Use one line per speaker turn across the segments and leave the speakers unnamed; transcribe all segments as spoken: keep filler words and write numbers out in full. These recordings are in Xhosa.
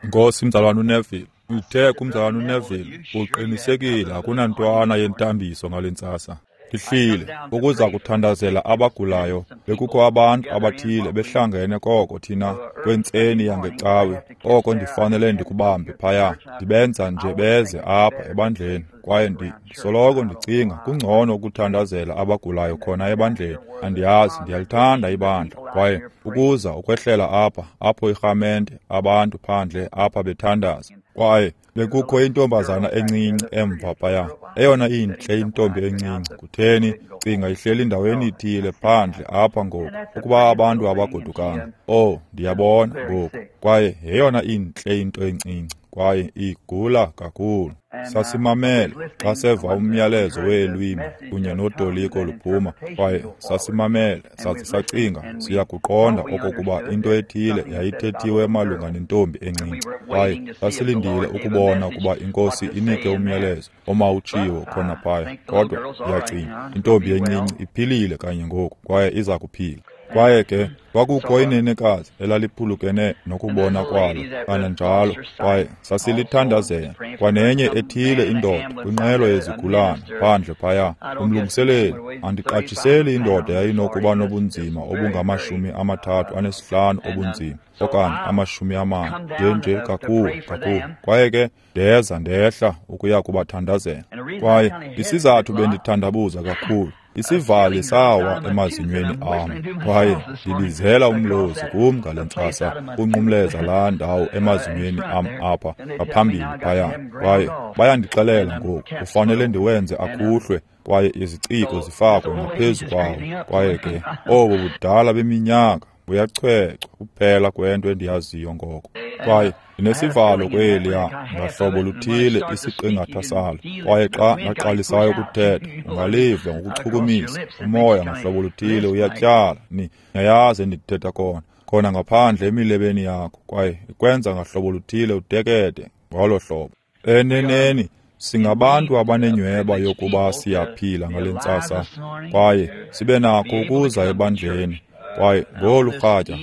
Nkosi mzalwana uNeville, uthe kumzalwana uNeville, uqinisekile akunantwana yentambiso ngale ntsasa. Ndihlile ukuza kuthandazela abagulayo. Bekukho abantu abathile behlangene koko thina kwentseni yangecawe, oko ndifanele ndikubambe phaya, ndibenza nje beze apha ebandleni. Kwaye ndisoloko ndicinga kungcono ukuthandazela abagulayo khona ebandleni. Andiyazi, ndiyalithanda ibandla. Kwaye ukuza ukwehlela apha, apho irhamente, abantu phandle apha bethandaza. Kwaye bekukho intombazana encinci emva phaya, eyona intle intombi encinci. Kutheni, cinga ihleli endaweni ithile phandle apha ngoku, ukuba abantu abagodukanga. Oh, ndiyabona ngoku. Kwaye yeyona intle into encinci, kwaye igula kakhulu. Sasimamele xa seva umyalezo weelwimi kunye notoliko luphuma, kwaye sasimamele saze sacinga siyakuqonda okokuba into ethile yayithethiwe malunga nentombi encinci. Kwaye sasilindile ukubona ukuba iNkosi inike umyalezo omawutshiwo khona phaya. Kodwa ndiyacinga intombi encinci iphilile kanye ngoku, kwaye iza kuphila. Kwaye ke kwakukho inenekazi elaliphulukene nokubona kwalo kananjalo, kwaye sasilithandazela. Kwanenye ethile indoda kwinqwelo yezigulana phandle phaya, umlungiseleli, andiqatshiseli indoda yayinokuba nobunzima obungamashumi amathathu anesihlanu obunzima okanye amashumi amane, nje nje kakhulu kakhulu. Kwaye ke ndeza ndehla ukuya kubathandazela. Kwaye isizathu bendithandabuza kakhulu, isivali sawa emazinyweni am, kwaye ndibizela umlozi kum ngale ntsasa unqumleza laa ndawo emazinyweni am apha ngaphambili phaya. Kwaye bayandixelela ngoku kufanele ndiwenze akhuhlwe, kwaye iziciko zifakwe ngaphezu kwawo. Kwaye ke obo budala beminyaka buyachwechwa kuphela kwento endiyaziyo ngoko. Kwaye ndinesivalo kweliya ngahlobo luthile isiqingatha salo, kwaye xa ndaqalisayo ukuthetha ungaliva ngokuchukumisa umoya ngahlobo luthile uyatyala. Ni niyayazi endithetha khona khona ngaphandle emilebeni yakho, kwaye ikwenza ngahlobo luthile udekede ngolo hlobo. Eneneni singabantu abanenyweba yokuba siyaphila ngale ntsasa, kwaye sibe nakho ukuza ebandleni. Kwaye ngolu rhatya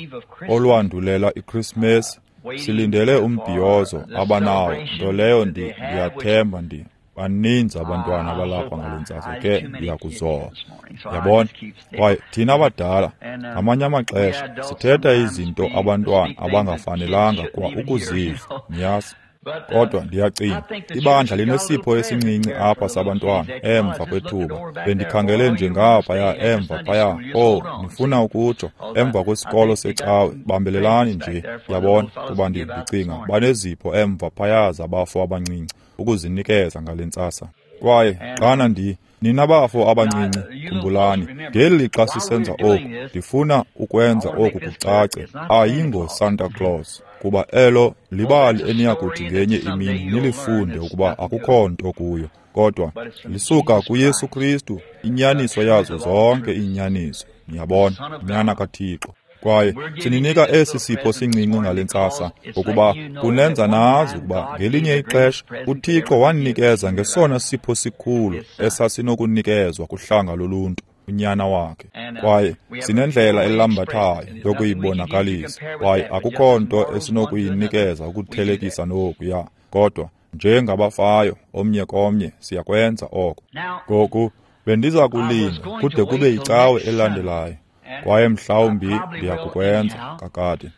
olwandulela iKrismesi silindele umbhiyozo abanawo, nto leyo ndiyathemba ndi baninzi abantwana abalapha ngale ntsasa, ke ndiyakuzola. Yabona? Kwaye thina abadala ngamanye amaxesha sithetha izinto abantwana abangafanelanga kwa ukuziva, niyazi. Kodwa ndiyacinga ibandla linesipho esincinci apha sabantwana emva kwethuba. Bendikhangele nje ngaphaya emva phaya. Oh, ndifuna ukutsho emva kwesikolo secawe, bambelelani nje, yabona, kuba ndicinga banezipho emva phaya zabafo abancinci ukuzinikeza ngale ntsasa. Kwaye xana ndi nina bafo abancinci, khumbulani, ngeli lixa sisenza oku, ndifuna ukwenza oku kucace, ayingo Santa Claus, kuba elo libali eniyakuthi ngenye imini nilifunde ukuba akukho nto kuyo, kodwa lisuka kuYesu Kristu, inyaniso yazo zonke iinyaniso, niyabona, Nyana kaThixo. Kwaye sininika esi sipho sincinci ngale ntsasa ukuba kunenza nazi ukuba ngelinye ixesha uThixo wanikeza ngesona sipho sikhulu esasinokunikezwa kuhlanga loluntu, unyana wakhe. Kwaye sinendlela elambathayo yokuyibonakalisa, kwaye akukho nto esinokuyinikeza ukuthelekisa nokuya, kodwa njengabafayo omnye komnye siyakwenza oko. Ngoku bendiza kulinda kude kube yicawe elandelayo, kwaye mhlawumbi ndiyakukwenza kakade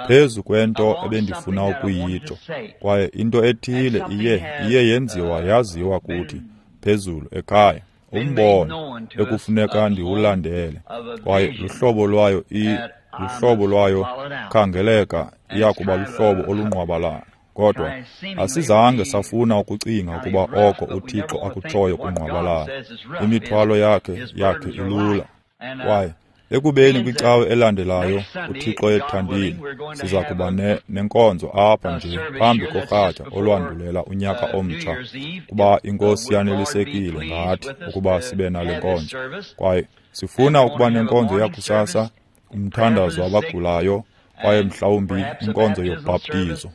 phezu kwento ebendifuna ukuyitsho. Kwaye into ethile iye iye yenziwa yaziwa kuthi phezulu ekhaya, umbono ekufuneka ndiwulandele, kwaye luhlobo lwayo i luhlobo lwayo khangeleka iyakuba luhlobo olungqwabalala. Kodwa asizange safuna ukucinga ukuba oko uThixo akutshoyo kungqwabalala. Imithwalo yakhe yakhe ilula. Kwaye ekubeni kwicawe elandelayo uThixo ethandile, siza kuba ne, nenkonzo apha nje phambi korhatya olwandulela unyaka omtsha, kuba iNkosi yanelisekile ngathi ukuba sibe nale nkonzo. Kwaye sifuna ukuba nenkonzo yakusasa, umthandazo wabagulayo, kwaye mhlawumbi inkonzo yobhaptizo.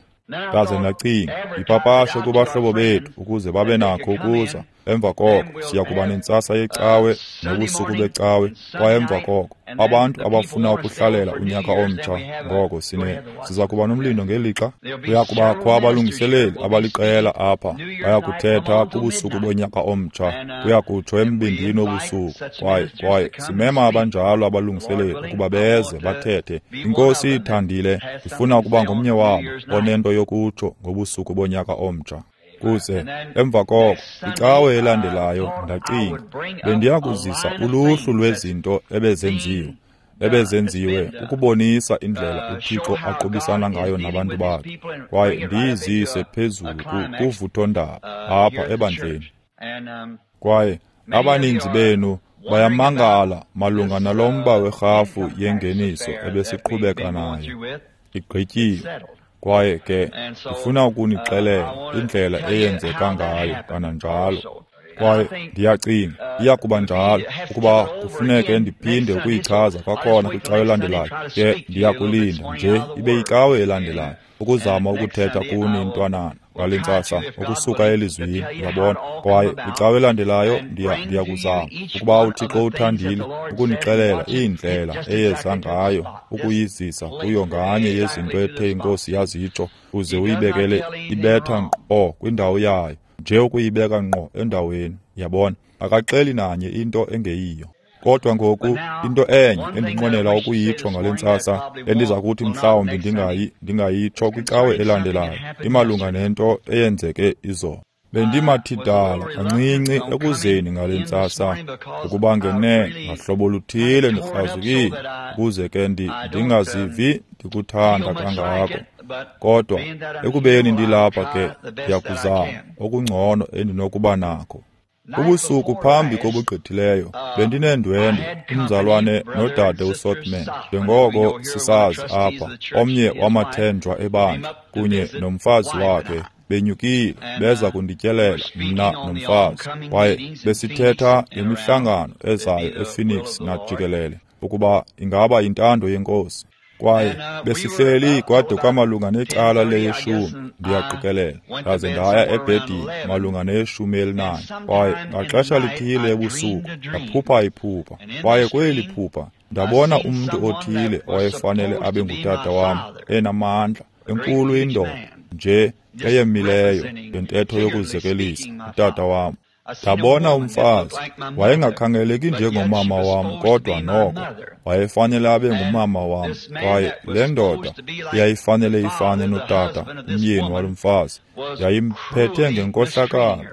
Ndaze ndacinga ndipapashe kubahlobo bethu ukuze babe nakho ukuza Emva koko siya kuba nentsasa yecawe nobusuku becawe, kwaye emva koko abantu abafuna ukuhlalela unyaka omtsha, ngoko sine siza kuba nomlindo ngelixa kuya kubakho abalungiseleli abaliqela apha baya kuthetha kubusuku bonyaka omtsha, kuya kutsho embindini wobusuku. Kwaye kwaye simema abanjalo abalungiseleli ukuba beze bathethe. INkosi ithandile, ifuna ukuba ngomnye wabo onento yokutsho ngobusuku bonyaka omtsha. Kuze emva koko icawe elandelayo ndacinga bendiya kuzisa uluhlu lwezinto ebezenziwe ebezenziwe ukubonisa indlela uThixo aqubisana ngayo nabantu bakhe, kwaye ndiyizise phezulu kuvuthondaba apha ebandleni. Kwaye abaninzi benu bayamangala malunga nalo mba werhafu yengeniso ebesiqhubeka nayo igqityiwe. Kwaye ke ndifuna ukunixelela indlela eyenzeka ngayo kananjalo. Kwaye ndiyacinga iya kuba njalo ukuba kufuneke ndiphinde ukuyichaza kwakhona kwicawe elandelayo. Ke ndiyakulinda nje ibe yicawe elandelayo ukuzama ukuthetha kuni intwanana ngale ntsasa ukusuka elizwini, uyabona. Kwaye kwicawe elandelayo ndiya ndiyakuzama ukuba uThixo uthandile ukunixelela iindlela eyeza ngayo ukuyizisa kuyo nganye yezinto ethe iNkosi yazitsho, uze uyibekele ibetha ngqo kwindawo yayo, nje ukuyibeka ngqo endaweni, yabona. Akaxeli nanye into engeyiyo. Kodwa ngoku into enye endinqwenela ukuyitsho ngale ntsasa endiza kuthi mhlawumbi ndingayi ndingayitsho kwicawe elandelayo imalunga nento eyenzeke izolo. Bendimathidala kancinci ekuzeni ngale ntsasa ukuba ngenene ngahlobo luthile ndikrazukile ukuze ke ndingazivi ndikuthanda kangako. Kodwa ekubeni ndilapha ke ndiyakuzama okungcono endinokuba nakho. Ubusuku phambi kobugqithileyo bendinendwendwe umzalwane nodade uSothman, njengoko sisazi apha, omnye wamathenjwa ebandla kunye nomfazi wakhe benyukile beza kundityelela mna nomfazi. Kwaye besithetha ngemihlangano ezayo ePhoenix najikelele ukuba ingaba yintando yeNkosi. Kwaye besihleli kwade kwamalunga necala leyeshumi, ndiyaqikelela, ndaze ndaya ebhedini malunga neyeshumi elinane. Kwaye ngaxesha lithile ebusuku ndaphupha iphupha, kwaye kweli phupha ndabona umntu othile owayefanele abe ngutata wam, enamandla, enkulu indoda nje eyemileyo ngentetho yokuzekelisa utata wam. Ndabona umfazi, wayengakhangeleki njengomama wam, kodwa noko wayefanele abe ngumama wam. Kwaye le ndoda yayifanele ifane notata, umyeni walo mfazi, yayimphethe ngenkohlakalo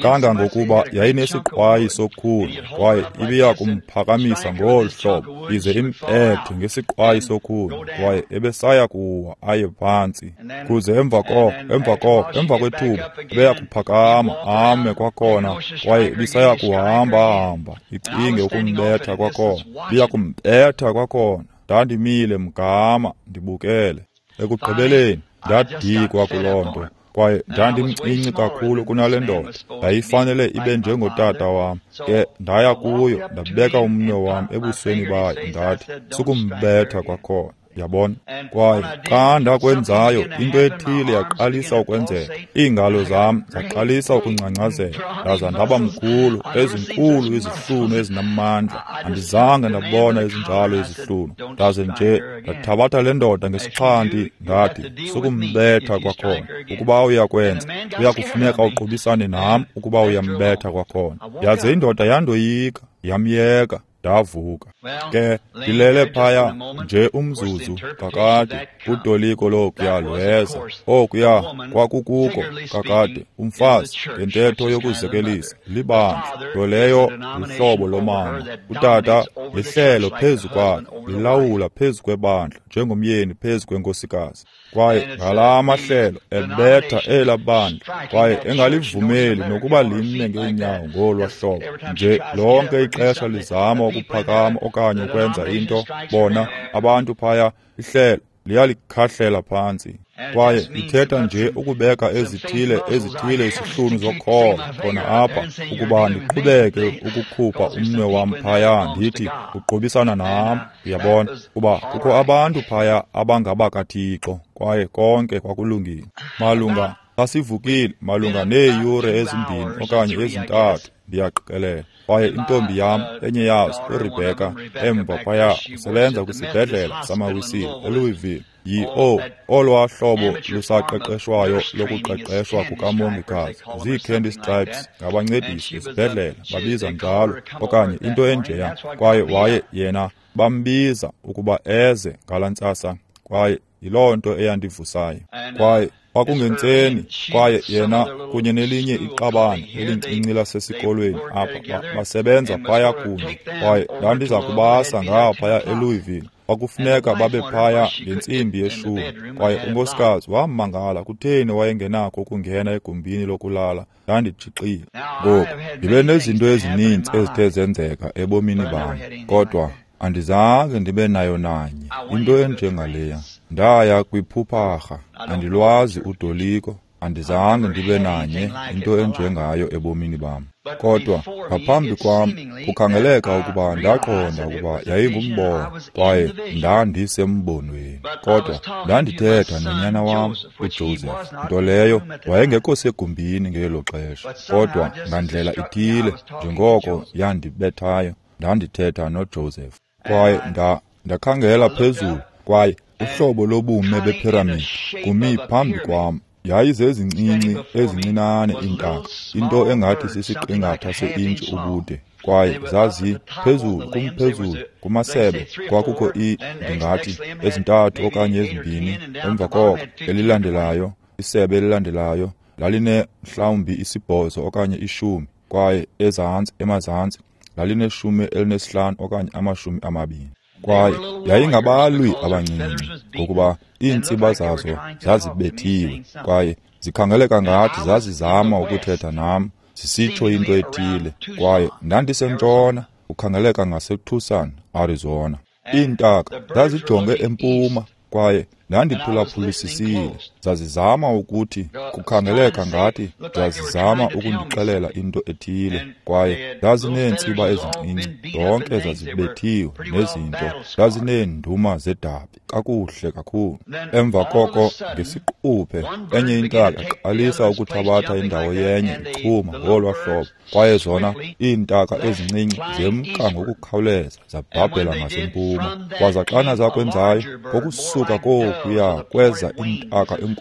kangangokuba yayinesiqwayi sokhuni, kwaye ibiya kumphakamisa ngolu hlobo ize impethe ngesiqwayi sokhuni, kwaye ebesaya kuwa aye phantsi. Kuze emva koko emva koko emva kwethuba ebeya kuphakama ame kwakhona, kwaye ibisaya kuhamba hamba icinge ukumbetha kwakhona, ibiya kumbetha kwakhona. Ndandimile mgama ndibukele. Ekugqibeleni ndadikwa kuloo nto, kwaye ndandimncinci kakhulu kunale ndoda yayifanele ibe njengotata wam. Ke ndaya kuyo ndabeka umnwe wam ebusweni bayo ndathi, sukumbetha kwakhona, yabona. Kwaye xa ndakwenzayo into ethile yaqalisa ukwenzeka. Iingalo zam zaqalisa ukungcangcazela, ndaza ndaba mkhulu, ezinkulu izihlunu ezinamandla. Andizange ndabona ezinjalo izihlunu. Ndaze nje ndathabatha le ndoda ngesixhanti ndathi, sukumbetha kwakhona. Ukuba uyakwenza, kuyakufuneka uqubisane nam ukuba uyambetha kwakhona. Yaze indoda yandoyika, yamyeka. Ndavuka. Ke ndilele phaya nje umzuzu kakade, utoliko lokuya lweza. Okuya kwakukuko kakade umfazi ngentetho yokuzekelisa libandla, nto leyo luhlobo lomama. Utata lihlelo phezu kwakhe, lilawula phezu kwebandla njengomyeni phezu kwenkosikazi. Kwaye ngalaa mahlelo ebetha elaa bandla, kwaye engalivumeli nokuba lime ngeenyawo ngolwa hlobo nje lonke ixesha lizama ukuphakama okanye ukwenza into. Bona abantu phaya, ihlelo liyalikhahlela phantsi. Kwaye ithetha nje ukubeka ezithile ezithile isihlunu zokholo khona apha ukuba ndiqhubeke ukukhupha umnwe wam phaya ndithi uqubisana nam, uyabona, kuba kukho abantu phaya abangabakaThixo, kwaye konke kwakulungile. Malunga Sasivukile malunga neeyure ezimbini okanye ezintathu, ndiyaqikelela. Kwaye intombi yam, enye yazo, uRebecca, emva phaya usebenza kwisibhedlela samaWisile eLouisville. Yi-O olwaa hlobo lusaqeqeshwayo lokuqeqeshwa kukamongikazi, zii-candy stripes ngabancedisi esibhedlela babiza njalo, okanye into enjeya. Kwaye waye yena bambiza ukuba eze ngalaa ntsasa, kwaye yiloo nto eyandivusayo. Kwaye kwakungentseni, kwaye yena kunye nelinye iqabane elincinci lasesikolweni apha basebenza phaya kunye, kwaye ndandiza kubasa ngaphaya eLouisville. Kwakufuneka babe phaya ngentsimbi yeshumi, kwaye unkosikazi wamangala kutheni wayengenakho ukungena egumbini lokulala. Ndanditshixile. Ngoku ndibe nezinto ezininzi ezithe zenzeka ebomini bam, kodwa andizange ndibe nayo nanye into enjengaleya. Ndaya kwiphupharha, andilwazi udoliko, andizange ndibe nanye into enjengayo ebomini bam. Kodwa ngaphambi kwam kukhangeleka ukuba ndaqonda ukuba yayingumbono, kwaye ndandisembonweni. Kodwa ndandithetha nonyana wam uJoseph, nto leyo wayengekho segumbini ngelo xesha. Kodwa ngandlela ithile, njengoko yandibethayo, ndandithetha noJoseph. Kwaye nda ndakhangela phezulu, kwaye uhlobo lobume bephiramidi kumi phambi kwam. Yayizezincinci ezincinane iintaka, into engathi sisiqingatha se-intshi ubude, kwaye zazi phezulu kumphezulu kumasebe kwakukho i ndingathi ezintathu okanye ezimbini. Emva koko elilandelayo, isebe elilandelayo laline mhlawumbi isibhozo okanye ishumi, kwaye ezantsi emazantsi lalineshumi elinesihlanu okanye amashumi amabini. Kwaye yayingabalwi abancinci, ngokuba iintsiba zazo zazibethiwe, kwaye zikhangeleka ngathi zazizama ukuthetha nam, zisitsho into ethile. Kwaye ndandisentshona, kukhangeleka ngaseTucson, Arizona. Iintaka zazijonge empuma, kwaye ndandiphulaphulisisile. Zazizama ukuthi, kukhangeleka ngathi zazizama ukundixelela into ethile. Kwaye zazineentsiba ezincinci, zonke zazibethiwe nezinto, zazineenduma zedabi kakuhle kakhulu. Emva koko ngesiquphe enye intaka yaqalisa ukuthabatha indawo yenye ichuma ngolwa hlobo, kwaye zona iintaka ezincinci zemka ngokukhawuleza zabhabhela ngasempuma. Kwaza xana zakwenzayo, ngokusuka kokuya kweza intaka enkulu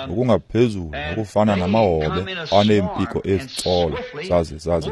ngokungaphezulu ngokufana namahobe aneempiko ezitsolo, zaze zaze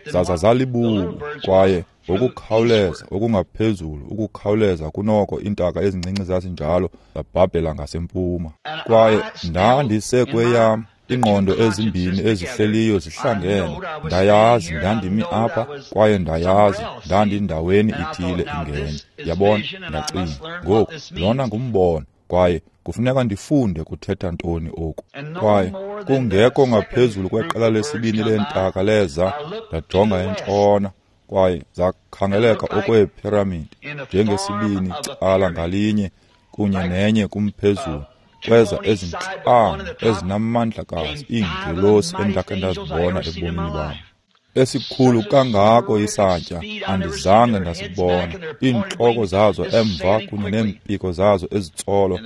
zaza zalibubu, kwaye ngokukhawuleza okungaphezulu ukukhawuleza kunoko iintaka ezincinci zazinjalo zabhabhela ngasempuma. Kwaye ndandisekweyam ingqondo ezimbini ezihleliyo zihlangene. Ndayazi ndandimi apha, kwaye ndayazi ndandindaweni ithile ingenye. Yabona, ndacinga, ngoku lona ngumbono, kwaye kufuneka ndifunde kuthetha ntoni oku. Kwaye kungekho ngaphezulu kweqela lesibini leentaka leza, ndajonga entshona, kwaye zakhangeleka okweephiramidi, njengesibini cala ngalinye kunye nenye kumphezulu. Kweza ezintlanu ezinamandlakazi iingelosi endakhe ndazibona ebomini bam. Esikhulu kangako isantya andizange ndasibona. Iintloko zazo emva kunye neempiko zazo ezitsolo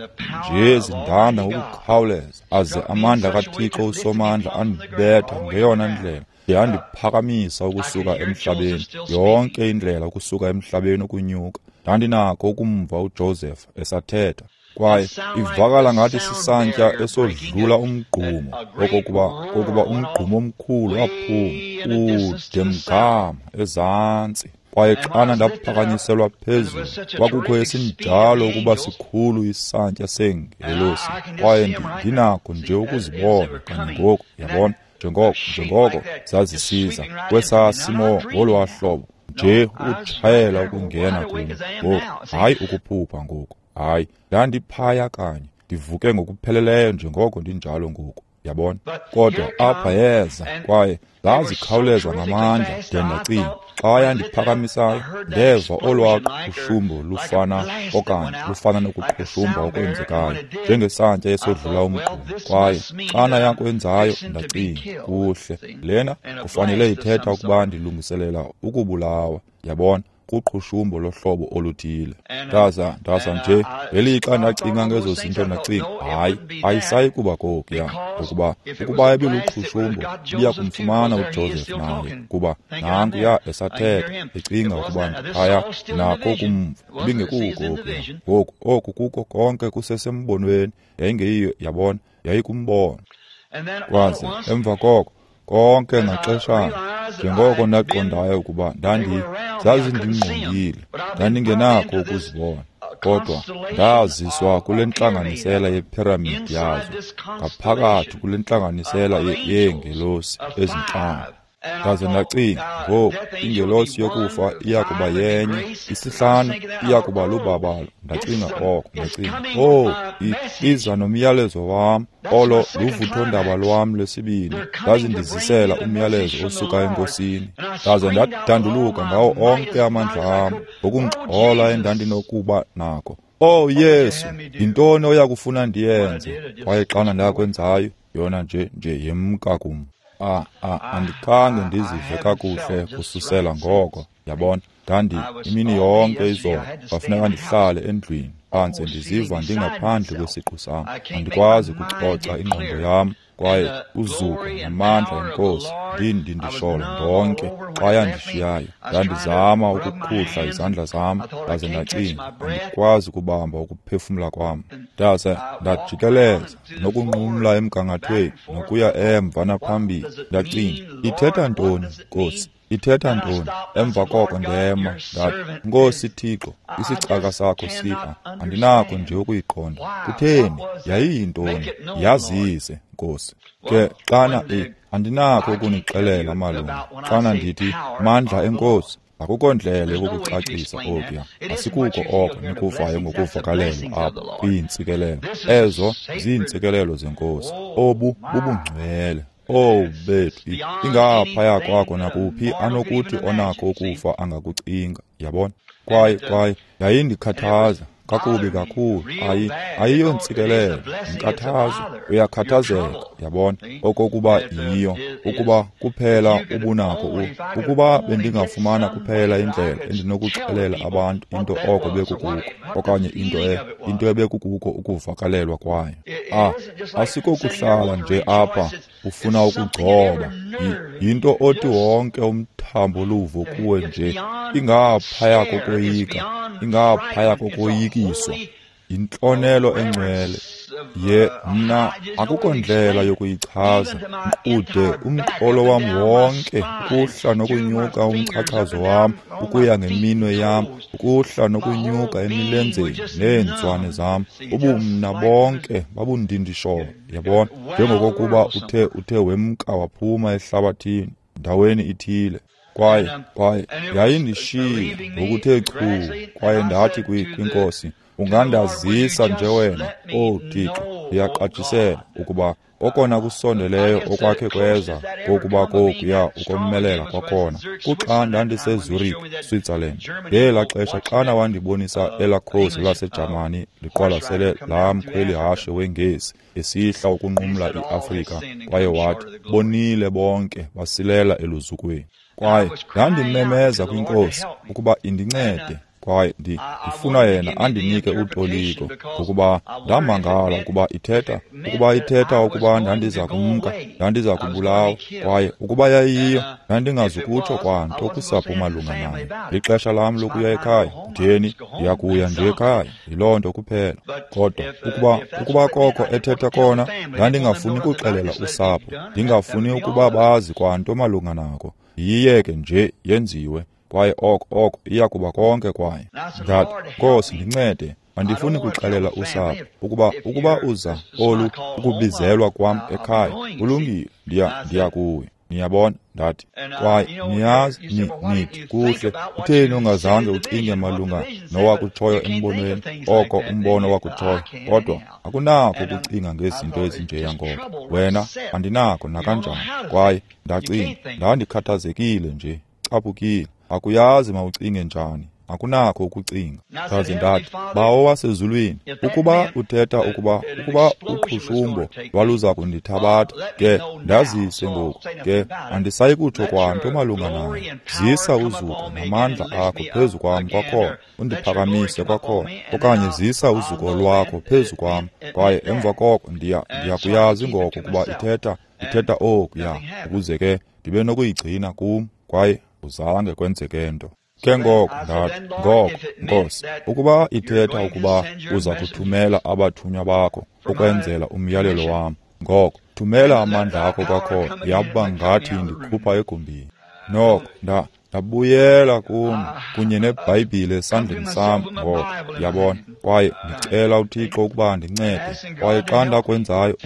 nje zindanda ngokukhawuleza, aze amandla kaThixo uSomandla andibetha ngeyona ndlela yandiphakamisa ukusuka emhlabeni, yonke indlela ukusuka emhlabeni ukunyuka. Ndandinako ukumva uJoseph esathetha, kwaye ivakala ngathi sisantya esodlula umgqumo, okokuba kokuba umgqumo omkhulu waphuma kude mgama ezantsi. Kwaye xana ndaphakanyiselwa phezulu, kwakukho esinjalo ukuba sikhulu isantya seengelosi, kwaye ndinako nje ukuzibona kanye ngoku, yabona, njengoko njengoko zazisiza kwesaa simo ngolwaa hlobo nje ukutshayela ukungena kum ngoku, hayi ukuphupha ngoku. Hayi, ndandiphaya kanye, ndivuke ngokupheleleyo njengoko ndinjalo ngoku, yabona. Kodwa apha yeza, kwaye zazikhawuleza ngamandla de ndacinga. Xa yandiphakamisayo, ndeva olwaa qhushumbo lufana okanye lufana nokuqhushumba okwenzekayo, njengesantya esodlula umgqumo. Kwaye xana yakwenzayo, ndacinga, kuhle, lena kufanele ithetha ukuba ndilungiselela ukubulawa, yabona, kuqhushumbo lohlobo oluthile. Ndaza ndaza nje ngelixa ndacinga ngezo zinto ndacinga, hayi, ayisayi kuba kokuya, ngokuba ukuba ibiluqhushumbo ibiya kumfumana uJoseph naye, kuba nankuya esathetha ecinga ukuba ndiphaya nako kumva, ibingekuko okuya. Ngoku oku kuko konke kusesembonweni, yayingeyiyo, yabona, yayikumbono. Kwaze emva koko konke ngaxeshana, njengoko ndaqondayo ukuba ndandi zazindingqongile, ndandingenakho ukuzibona, kodwa ndaziswa kule ntlanganisela yephiramidi yazo, ngaphakathi kule ntlanganisela yeengelosi ezintlanu. Ndaze ndacinga, ngoku ingelosi yokufa iya kuba yenye, isihlanu iya kuba lubabalo. Ndacinga oko, ndacinga, oh, iza nomyalezo wam, olo luvuthondaba lwam lwesibini. Ndazindizisela umyalezo osuka eNkosini. Ndaze ndadanduluka ngawo onke amandla am, ngokungxola endandinokuba nako. Oh Yesu, yintoni oya kufuna ndiyenze? Kwaye xana ndakwenzayo, yona nje nje yemka kum. Ah, ah, andikhange ndizive kakuhle kususela ngoko, yabona. Ndandi imini yonke izolo kwafuneka ndihlale endlwini phantse ndiziva ndingaphandle kwesiqu sam. Andikwazi kucoca ingqondo yam, kwaye uzuko namandla enkosi ndindindisholo ndonke. Xa yandishiyayo, ndandizama ukukhuhla izandla zam, ndaze ndacinga, andikwazi ukubamba ukuphefumla kwam. Ndaze ndajikeleza nokunqumla emgangathweni nokuya emva naphambili. Ndacinga, ithetha ntoni, Nkosi? Ithetha ntoni? Emva koko ndema ndathi, Nkosi Thixo, isicaka sakho sipha, andinakho nje ukuyiqonda. Kutheni? Yayiyintoni? Yazise, Nkosi. Ke xana e andinakho ukunixelela malunga xana ndithi mandla enkosi, akukho ndlela yokukucacisa okuya. Asikuko oko nikuvayo ngokuvakalelwa apha kwiintsikelelo. Ezo ziintsikelelo zenkosi. Obu bubungcwele. Oh bethu, ingaphaya kwakho nakuphi anokuthi onakho ukufa angakucinga, yabona. Kwaye kwaye yayindikhathaza kakubi kakhulu. Ayi ayiyontsikelelo, inkathazo. Uyakhathazeka, yabona, okokuba yiyo, ukuba kuphela ubunakho u ukuba bendingafumana kuphela indlela endinokuxelela abantu into oko bekukuko, okanye into e into ebekukuko ukuvakalelwa kwayo. Ah, asikokuhlala nje apha ufuna ukugcoba, yinto othi wonke umthambo luvo kuwe nje, ingaphaya kokoyika, ingaphaya kokoyikiswa, yintlonelo engcwele. Ye mna akukho ndlela yokuyichaza. Ude umqolo wam wonke, ukuhla nokunyuka umchachazo wam, ukuya ngeminwe yam, ukuhla nokunyuka emilenzeni neenzwane zam, ubumna bonke babundindisholo, yabona, njengokokuba uthe uthe wemka waphuma ehlabathini ndaweni ithile. Kwaye kwaye yayindishiya ngokuthe chu. Kwaye ndathi kwinkosi, ungandazisa nje wena, oh Thixo, ndiyaqatshisela ukuba okona kusondeleyo okwakhe kweza kokuba kokuya ukomelela kwakhona kuxa ndandiseZurich, Switzerland. Ngelaa xesha xana wandibonisa elaa khosi laseJamani liqwalasele laa mkhweli-hashe weNgesi esihla ukunqumla iAfrika, kwaye wathi, bonile bonke basilela eluzukweni. Kwaye ndandimemeza kwinkosi ukuba indincede, kwaye ndifuna yena andinike utoliko, ngokuba ndamangala ukuba ithetha ukuba ithetha ukuba ndandiza kumka, ndandiza kubulawa, kwaye ukuba yayiyo ndandingazukutsho kwanto kusapho malunga nayo. Lixesha lam lokuya ekhaya, ndiyeni ndiyakuya nje ekhaya, yiloo nto kuphela. Kodwa ukuba ukuba koko ethetha kona, ndandingafuni kuxelela usapho, ndingafuni ukuba bazi kwanto malunga nako. Yiyeke nje yenziwe, kwaye oko oko iya kuba konke kwayo. Ndathi, Nkosi, ndincede, andifuni kuxelela usapho ukuba ukuba uza olu ukubizelwa kwam ekhaya, kulungile, ndiya ndiya kuyo. Niyabona? Ndathi, kwaye niyazi, ni, nithi kuhle, kutheni ungazange ucinge malunga nowakutshoyo embonweni, oko umbono wakutshoyo, kodwa akunakho ukucinga ngezinto ezinjeya ngoko. Wena, andinakho nakanjani. Kwaye ndacinga, ndandikhathazekile nje, caphukile. Akuyazi mawucinge njani, akunakho ukucinga. Ndaze ndathi, Bawo wasezulwini, ukuba uthetha ukuba ukuba uqhushumbo lwaluza kundithabatha, ke ndazise ngoku, ke andisayi kutsho kwanto malunga nayo. Zisa uzuko namandla akho phezu kwam kwakhona, undiphakamise kwakhona, okanye zisa uzuko lwakho phezu kwam, kwaye emva koko ndiya ndiyakuyazi ngoko ukuba ithetha ithetha okuya, ukuze ke ndibe nokuyigcina kum, kwaye uzange kwenzeke nto. Ke ngoko ndathi, ngoko Nkosi, ukuba ithetha ukuba uza kuthumela abathunywa bakho ukwenzela umyalelo wam, ngoko thumela amandla akho kwakhona. Yaba ngathi ndikhupha egumbini. Noko nda ndabuyela kum kunye neBhayibhile esandleni sam ngoko, yabona, kwaye ndicela uThixo ukuba andincede. Kwaye xa ndakwenzayo,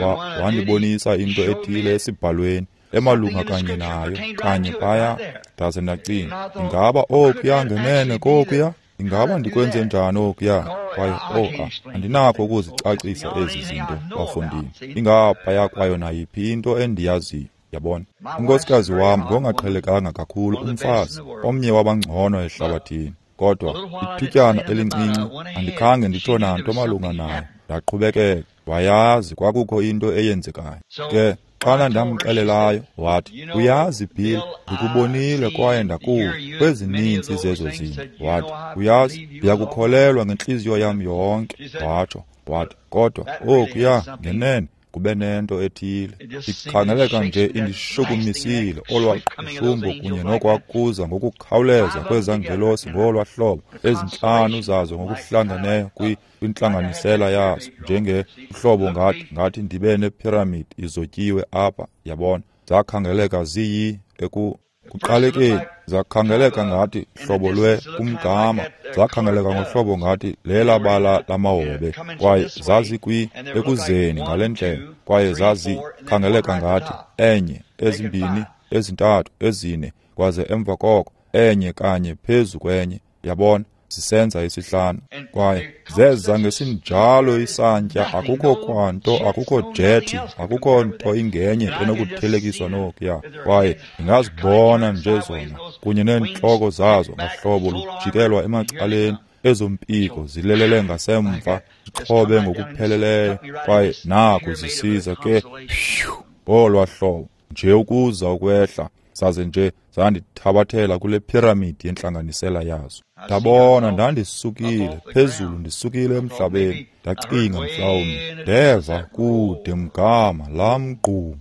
wandibonisa into ethile esibhalweni emalunga kanye nayo, kanye phaya. Ndaze ndacinga, ingaba okuya ngenene kokuya? Ingaba ndikwenze njani okuya? Kwaye oh, andinakho ukuzicacisa ezi zinto, bafondini. Ingaphaya kwayo nayiphi into endiyaziyo. Yabona, unkosikazi wam ngongaqhelekanga kakhulu, umfazi omnye wabangcono ehlabathini, kodwa ithutyana elincinci andikhange nditsho nanto malunga nayo. Ndaqhubekeka, wayazi kwakukho into eyenzekayo. Ke xana ndamxelelayo, wathi, uyazi Bill, ndikubonile kwaye ndakuva kwezininzi zezo zinto. Wathi, uyazi, ndiyakukholelwa ngentliziyo yam yonke. Watsho, wathi, kodwa okuya ngenene kube nento ethile ikhangeleka nje indishukumisile olwa qhushumbo kunye nokwakuza ngokukhawuleza kwezangelosi ngolwa hlobo, ezintlanu zazo ngokuhlangeneyo kwintlanganisela yazo, njengehlobo ngathi ngathi ndibe nepyramid izotyiwe apha, yabona. Zakhangeleka ziyi eku kuqalekeni, zakhangeleka ngathi hlobo lwe kumgama, zakhangeleka ngohlobo ngathi lela bala lamahobe, kwaye zazikwi ekuzeni ngale ndlela, kwaye zazikhangeleka ngathi enye, ezimbini, ezintathu, ezine, kwaze emva koko enye kanye phezu kwenye, yabona, zisenza isihlanu. Kwaye zeza ngesinjalo isantya, akukho kwanto, akukho jethi, akukho nto ingenye enokuthelekiswa nokuya. Kwaye ndingazibona nje zona kunye neentloko zazo ngahlobo lujikelwa emacaleni, ezo mpiko zilelele ngasemva, zixhobe ngokupheleleyo, kwaye naku zisiza ke ngolwa hlobo nje ukuza ukwehla, saze nje zandithabathela kule pyramid yentlanganisela yazo. Ndabona ndandisukile phezulu, ndisukile emhlabeni. Ndacinga mhlawumbi ndeva kude mgama laa mgqumo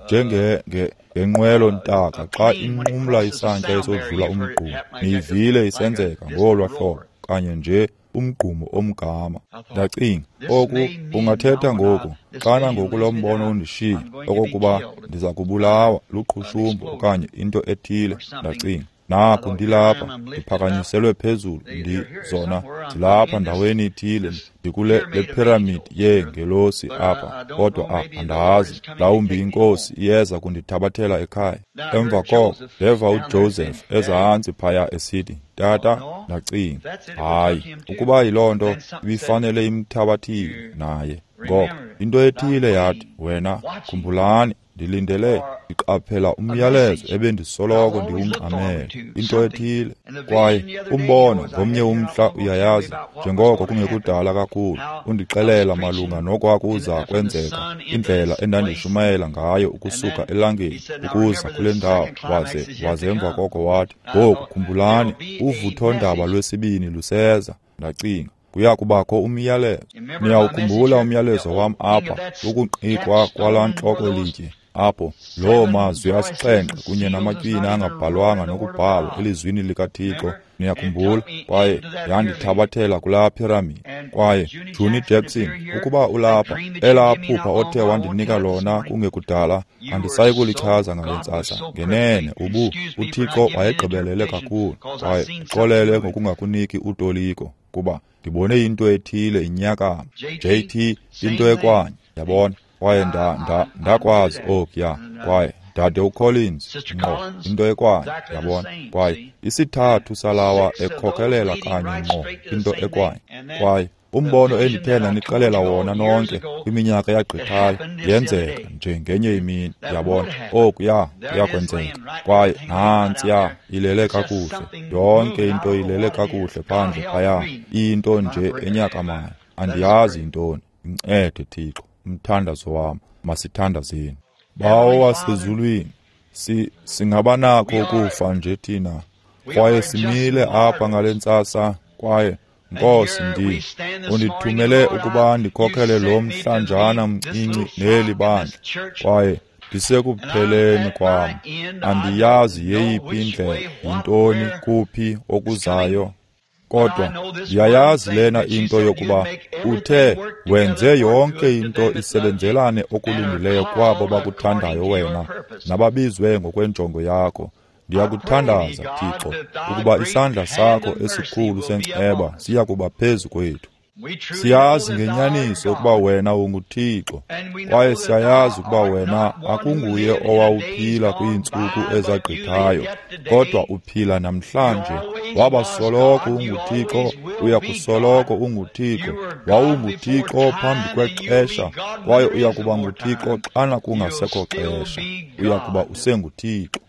njenge ngenqwelo ntaka xa inqumla isantya esodlula umgqumo. Niyivile isenzeka ngolwa hlobo kanye nje umgqumo omgama. Ndacinga, oku ungathetha ngoku xana ngoku lo mbono undishiye okokuba ndiza kubulawa luqhushumbo okanye into ethile. Ndacinga, naku ndilapha, ndiphakanyiselwe phezulu, ndizona ndilapha ndaweni ithile, ndikule le pyramid yeengelosi apha, kodwa andazi, mhlawumbi iNkosi iyeza kundithabathela ekhaya. Emva koko ndeva uJoseph ezantsi phaya esithi, Tata. Ndacinga, hayi, ukuba yiloo nto ibifanele imthabathile naye. Ngoko into ethile yathi, wena khumbulani, ndilindele, ndiqaphela umyalezo ebendisoloko ndiwungxamele, into ethile. Kwaye umbono ngomnye umhla, uyayazi, njengoko kungekudala kakhulu, undixelela malunga nokwakuza kwenzeka, indlela endandishumayela ngayo ukusuka elangeni ukuza kule ndawo. Waze waze emva koko wathi, ngoku khumbulani, uvuthondaba lwesibini luseza. Ndacinga, kuya kubakho umyalezo. Niyawukhumbula umyalezo wam apha, ukuqikwa kwalaa ntloko litye apho loo mazwi asixhenxe kunye namatywina angabhalwanga nokubhalwa elizwini likaThixo. Niyakhumbula? Kwaye yandithabathela kulaa pyramid. Kwaye Juni Jackson, ukuba ulapha, elaa phupha othe wandinika lona kungekudala, andisayi kulichaza ngale ntsasa. Ngenene ubu uThixo wayegqibelele kakhulu, kwaye xolele ngokungakuniki utoliko, kuba ndibone into ethile inyakama. J T, into ekwanye, yabona. Kwaye nda nda ndakwazi okuya. Kwaye Dade uCollins, ngqo, into ekwanye, yabona. Kwaye isithathu salawa ekhokelela kanye ngqo, into ekwanye. Kwaye Umbono endithe ndanixelela wona nonke kwiminyaka eyagqithayo yenzeka nje ngenye imini, yabona. Okuya kuyakwenzeka. Kwaye nantsiya ilele kakuhle, yonke into ilele kakuhle phandle phaya, into nje enyakamayo. Andiyazi yintoni. Incede Thixo, umthandazo wam. Masithandazeni. Bawo wasezulwini, si singabanakho ukufa nje thina, kwaye simile apha ngale ntsasa, kwaye Nkosi, ndi undithumele ukuba ndikhokhele lo mhlanjana mncinci neli bandla, kwaye ndisekupheleni kwam. Andiyazi yeyiphi indlela, yintoni, kuphi okuzayo, kodwa ndiyayazi lena into yokuba uthe wenze yonke into isebenzelane okulungileyo kwabo bakuthandayo wena nababizwe ngokwenjongo yakho. Ndiyakuthandaza, Thixo, ukuba isandla sakho esikhulu senceba siya kuba phezu kwethu. Siyazi ngenyaniso ukuba wena unguThixo, kwaye siyayazi ukuba wena akunguye owawuphila kwiintsuku ezagqithayo, kodwa uphila namhlanje. Waba soloko unguThixo, uya kusoloko unguThixo. WawunguThixo phambi kwexesha, kwaye uya kuba nguThixo xana kungasekho xesha. Uya kuba usenguThixo.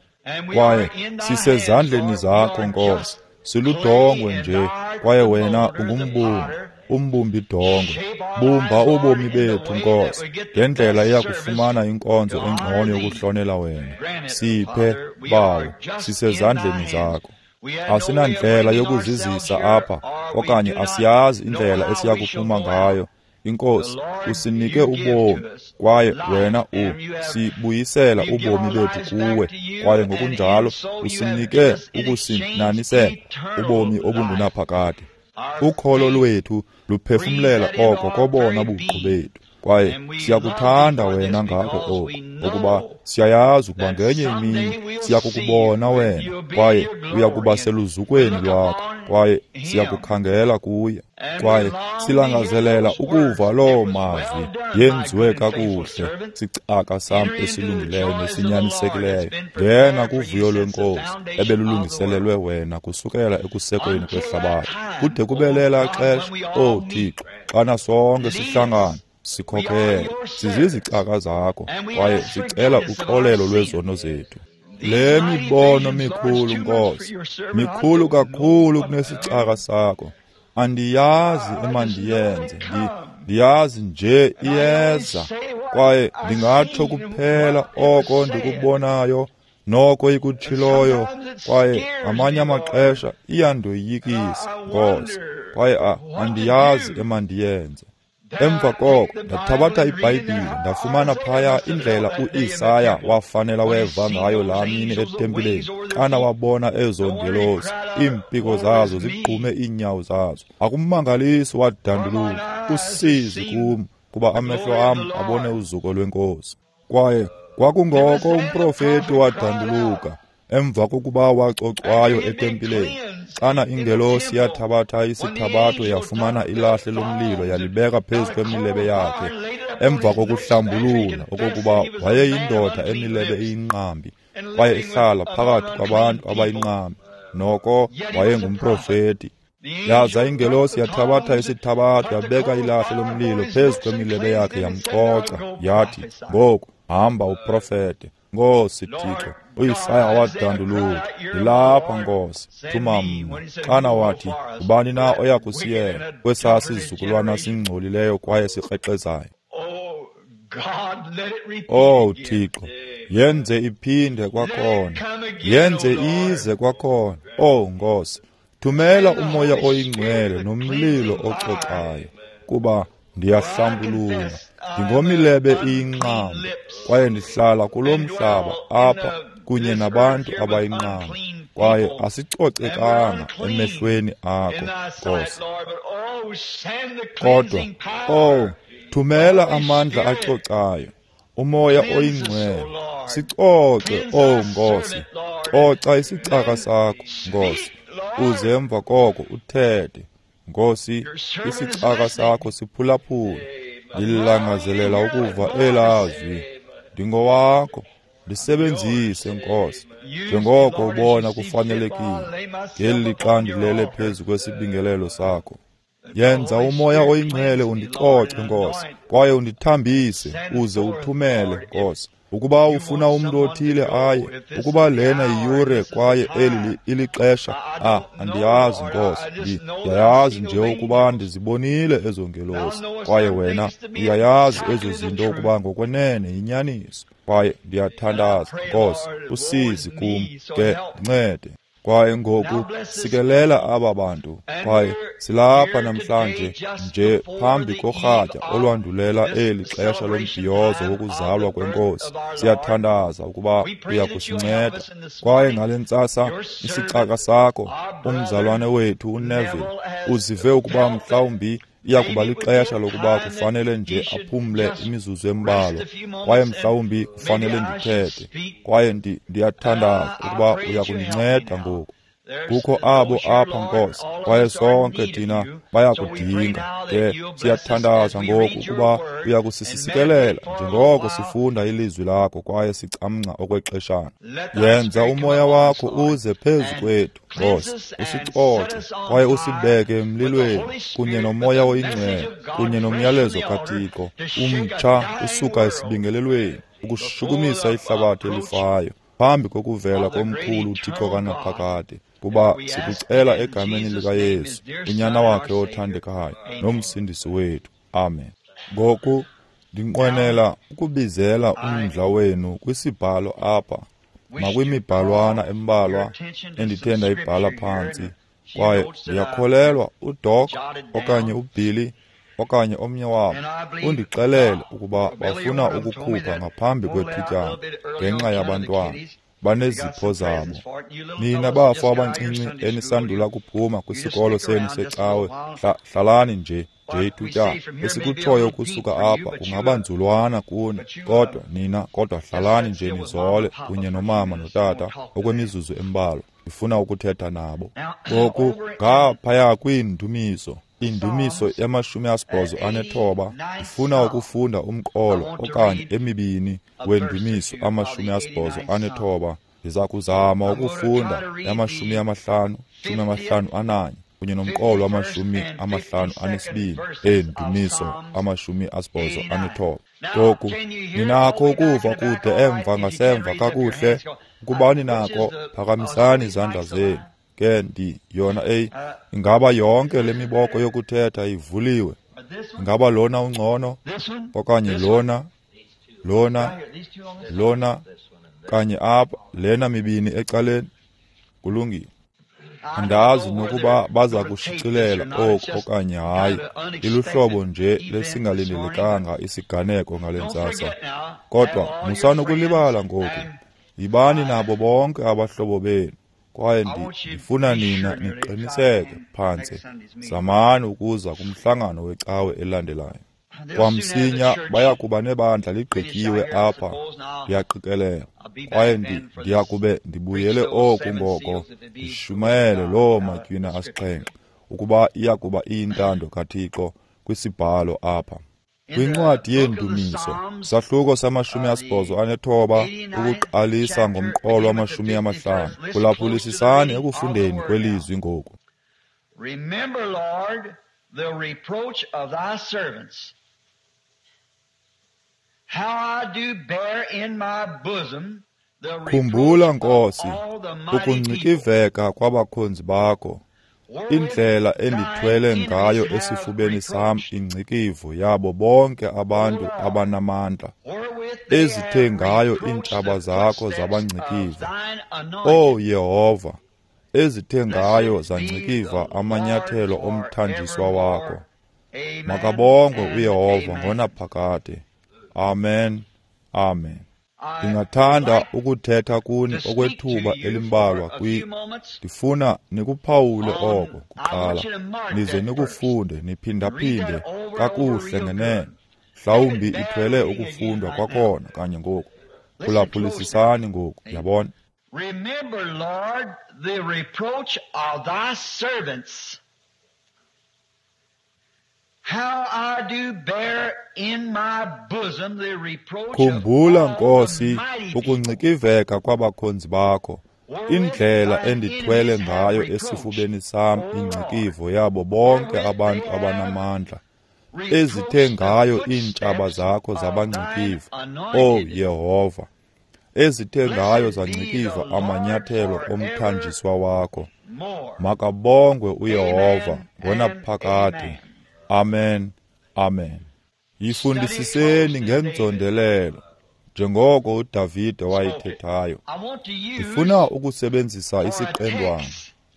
Kwaye sisezandleni zakho, Nkosi. Siludongwe nje, kwaye wena ungumbumbi, umbumbi dongwe. Bumba ubomi bethu, Nkosi, ngendlela eya kufumana inkonzo engcono yokuhlonela wena. Siphe, Bawo, sisezandleni zakho. Asinandlela yokuzizisa apha, okanye asiyazi indlela esiya kuphuma ngayo. Inkosi, usinike ubomi, kwaye wena u sibuyisela ubomi bethu kuwe, kwaye ngokunjalo usinike ukusininanisela ubomi obungunaphakade. Ukholo lwethu luphefumlela oko kobona buqu bethu, kwaye siyakuthanda wena ngako oku, ukuba siyayazi ukuba ngenye imini siyakukubona wena, kwaye uyakuba seluzukweni lwakho, kwaye siyakukhangela kuye, kwaye silangazelela ukuva loo mazwi yenziwe kakuhle, sicaka sam esilungileyo nesinyanisekileyo. Ngena kuvuyo lwenkosi ebelulungiselelwe wena kusukela ekusekweni kwehlabathi kude kube lela xesha. O Thixo, xana sonke sihlangana, sikhokhele, sizizicaka zakho, kwaye sicela uxolelo lwezono zethu. Le mibono mikhulu, Nkosi, mikhulu kakhulu kunesicaka sakho. Andiyazi emandiyenze, ndiyazi nje iyeza, kwaye ndingatsho kuphela oko ndikubonayo noko ikutshiloyo, kwaye ngamanye amaxesha iyandoyikisa, Nkosi, kwaye andiyazi emandiyenze. Emva koko ndathabatha iBhayibhile, ndafumana phaya indlela uIsaya wafanela weva ngayo laa mini etempileni, xana wabona ezo ngelosi, iimpiko zazo zigqume iinyawo zazo. Akumangalisi wadanduluka, usizi kum, kuba amehlo am abone uzuko lwenkosi. Kwaye kwakungoko umprofeti wadanduluka emva kokuba wacocwayo etempileni, xana ingelosi yathabatha isithabatho yafumana ilahle lomlilo yalibeka phezu kwemilebe yakhe, emva kokuhlambulula okokuba wayeyindoda emilebe iyinqambi, kwaye ihlala phakathi kwabantu abayinqambi, noko wayengumprofeti. Yaza ingelosi yathabatha isithabatho yabeka ilahle lomlilo phezu kwemilebe yakhe yamcoca, yathi, ngoku hamba uprofete. Nkosi Thixo, uIsaya wadanduluka, ndilapha Nkosi, thuma mna. Xana wathi, ubani na oya kusiyela kwesaa sizukulwana singcolileyo kwaye sikrexezayo? Oh Thixo, yenze iphinde kwakhona, yenze ize kwakhona. Oh Nkosi, thumela umoya oyingcwele nomlilo ococayo, kuba ndiyahlambulula, ndingomilebe iyinqambi, kwaye ndihlala kulo mhlaba apha kunye nabantu abayinqambi, kwaye asicocekanga emehlweni akho, Nkosi. Kodwa, oh, thumela amandla acocayo, umoya oyingcwele, sicoce, oh Nkosi, coca isicaka sakho, Nkosi, uze emva koko uthethe. Nkosi, isicaka sakho siphulaphula, ndilangazelela ukuva elazwi. Ndingowakho, ndisebenzise, Nkosi, njengoko ubona kufanelekile, ngeli lixa ndilele phezu kwesibingelelo sakho. Yenza uMoya oyiNgcwele undicoce, Nkosi, kwaye undithambise uze uthumele, Nkosi. Ukuba ufuna umntu othile aye, ukuba lena yiyure kwaye eli ilixesha, ah, andiyazi, Nkosi. Ndiyayazi nje ukuba ndizibonile ezo ngelosi, kwaye wena uyayazi ezo zinto ukuba ngokwenene yinyaniso. Kwaye ndiyathandaza, Nkosi, usizi kum, ke ndincede. Kwaye ngoku sikelela aba bantu, kwaye silapha namhlanje nje phambi korhatya olwandulela eli xesha lombhiyozo wokuzalwa kweNkosi. Siyathandaza ukuba uya kusinceda. Kwaye ngale ntsasa isicaka sakho, umzalwane wethu uNeville, uzive ukuba mhlawumbi iya kuba lixesha lokuba kufanele nje aphumle imizuzu embalwa, kwaye mhlawumbi kufanele ndithethe. Kwaye ndiyathandaza ukuba uya kundinceda ngoku. Kukho abo apha, Nkosi, kwaye sonke thina bayakudinga. Ke siyathandaza ngoku ukuba uya kusisikelela njengoko sifunda ilizwi lakho kwaye sicamngca okwexeshana. Yenza uMoya wakho uze phezu kwethu, Nkosi, usicoce kwaye usibeke emlilweni kunye noMoya oyiNgcwele kunye nomyalezo kaThixo umtsha usuka esibingelelweni ukushukumisa ihlabathi elifayo phambi kokuvela komkhulu uThixo kanaphakade. Kuba sikucela egameni likaYesu, uNyana wakhe othandekayo nomsindisi wethu. Amen. Ngoku ndinqwenela ukubizela umdla wenu kwisibhalo apha nakwimibhalwana embalwa endithe ndayibhala phantsi. Kwaye ndiyakholelwa uDoc okanye uBilly okanye omnye wabo undixelele ukuba bafuna ukukhupha ngaphambi kwethutyana ngenxa yabantwana. Banezipho zabo. Nina bafo abancinci enisandula kuphuma kwisikolo senu secawe, hlalani nje nje ithutyana. Esikutshoyo kusuka apha kungaba nzulwana kuni, kodwa nina kodwa hlalani nje nizole kunye nomama notata okwemizuzu embalwa. Ndifuna ukuthetha nabo. Ngoku ngaphaya kwiindumiso, indumiso yamashumi asibhozo anethoba, ndifuna ukufunda umqolo okanye emibini wendumiso amashumi asibhozo anethoba. Ndiza kuzama ukufunda yamashumi amahlanu, shumi amahlanu ananye kunye nomqolo wamashumi amahlanu anesibini eendumiso amashumi asibhozo anethoba. Ngoku ninakho ukuva kude emva ngasemva kakuhle. Ukuba ninako, phakamisani izandla zenu. Ke ndi yona eyi, ingaba yonke le miboko yokuthetha ivuliwe? Ingaba lona ungcono okanye lona, lona, lona kanye apha, lena mibini ecaleni? Kulungile. Andazi nokuba baza kushicilela oku okanye hayi. Iluhlobo nje lesingalindelekanga isiganeko ngale ntsasa. Kodwa musani ukulibala ngoku. Yibani nabo bonke abahlobo benu. Kwaye ndifuna nina niqiniseke phantse. Zamani ukuza kumhlangano wecawe elandelayo. Kwamsinya baya kuba nebandla ligqityiwe apha, ndiyaqikelela. Kwaye ndiyakube ndibuyele oku ngoko ndishumayele loo matywina asixhenxe ukuba iya kuba iyintando kaThixo kwisibhalo apha. Kwincwadi yeeNdumiso, sahluko samashumi asibhozo anethoba ukuqalisa ngomqolo wamashumi amahlanu. Phulaphulisisani ekufundeni kwelizwi ngoku.
Remember, Lord, the reproach of thy servants, how I do bear in my bosom the
Khumbula,
reproach of
Nkosi,
all the mighty people,
ukungcikiveka kwabakhonzi bakho,
wherewith
indlela
thine
endithwele
enemies
ngayo
have
esifubeni sam
reproached,
ingcikivo yabo bonke abantu
O Lord,
abanamandla,
wherewith they
ezithe
have
ngayo
reproached
iintshaba
the
zakho
footsteps of
zabangcikiva.
thine
O
anointed.
Yehova, ezithe ngayo
Blessed be
zangcikiva
the Lord
amanyathelo omthanjiswa wakho.
forevermore. Amen
Makabongwe
and
uYehova
amen.
ngonaphakade. Amen. Amen.
I would
Ndingathanda
like
ukuthetha kuni
to speak to
okwethuba
you for
elimbalwa
a
kwi
few moments
ndifuna nikuphawule
on,
oko
I want
kuqala,
you to mark
nize
that first.
nikufunde
Read that
niphindaphinde
over and over
kakuhle
real
ngenene.
good. Let it
Mhlawumbi
bear
ithwele
reading again
ukufundwa
right now.
kwakhona kanye ngoku.
Listen close now.
Phulaphulisisani ngoku, yabona.
Remember, Lord, the reproach of thy servants, how I do bear in my bosom the reproach of
Khumbula,
all the
Nkosi,
mighty people,
ukungcikiveka kwabakhonzi bakho, Indlela endithwele ngayo esifubeni sam ingcikivo yabo bonke abantu abanamandla, ezithe ngayo iintshaba zakho zabangcikiva, O Yehova, ezithe ngayo zangcikiva amanyathelo omthanjiswa wakho. Makabongwe uYehova ngonaphakade. Amen, amen. Yifundisiseni ngenzondelelo, njengoko uDavide wayithethayo. Ndifuna ukusebenzisa isiqendwana.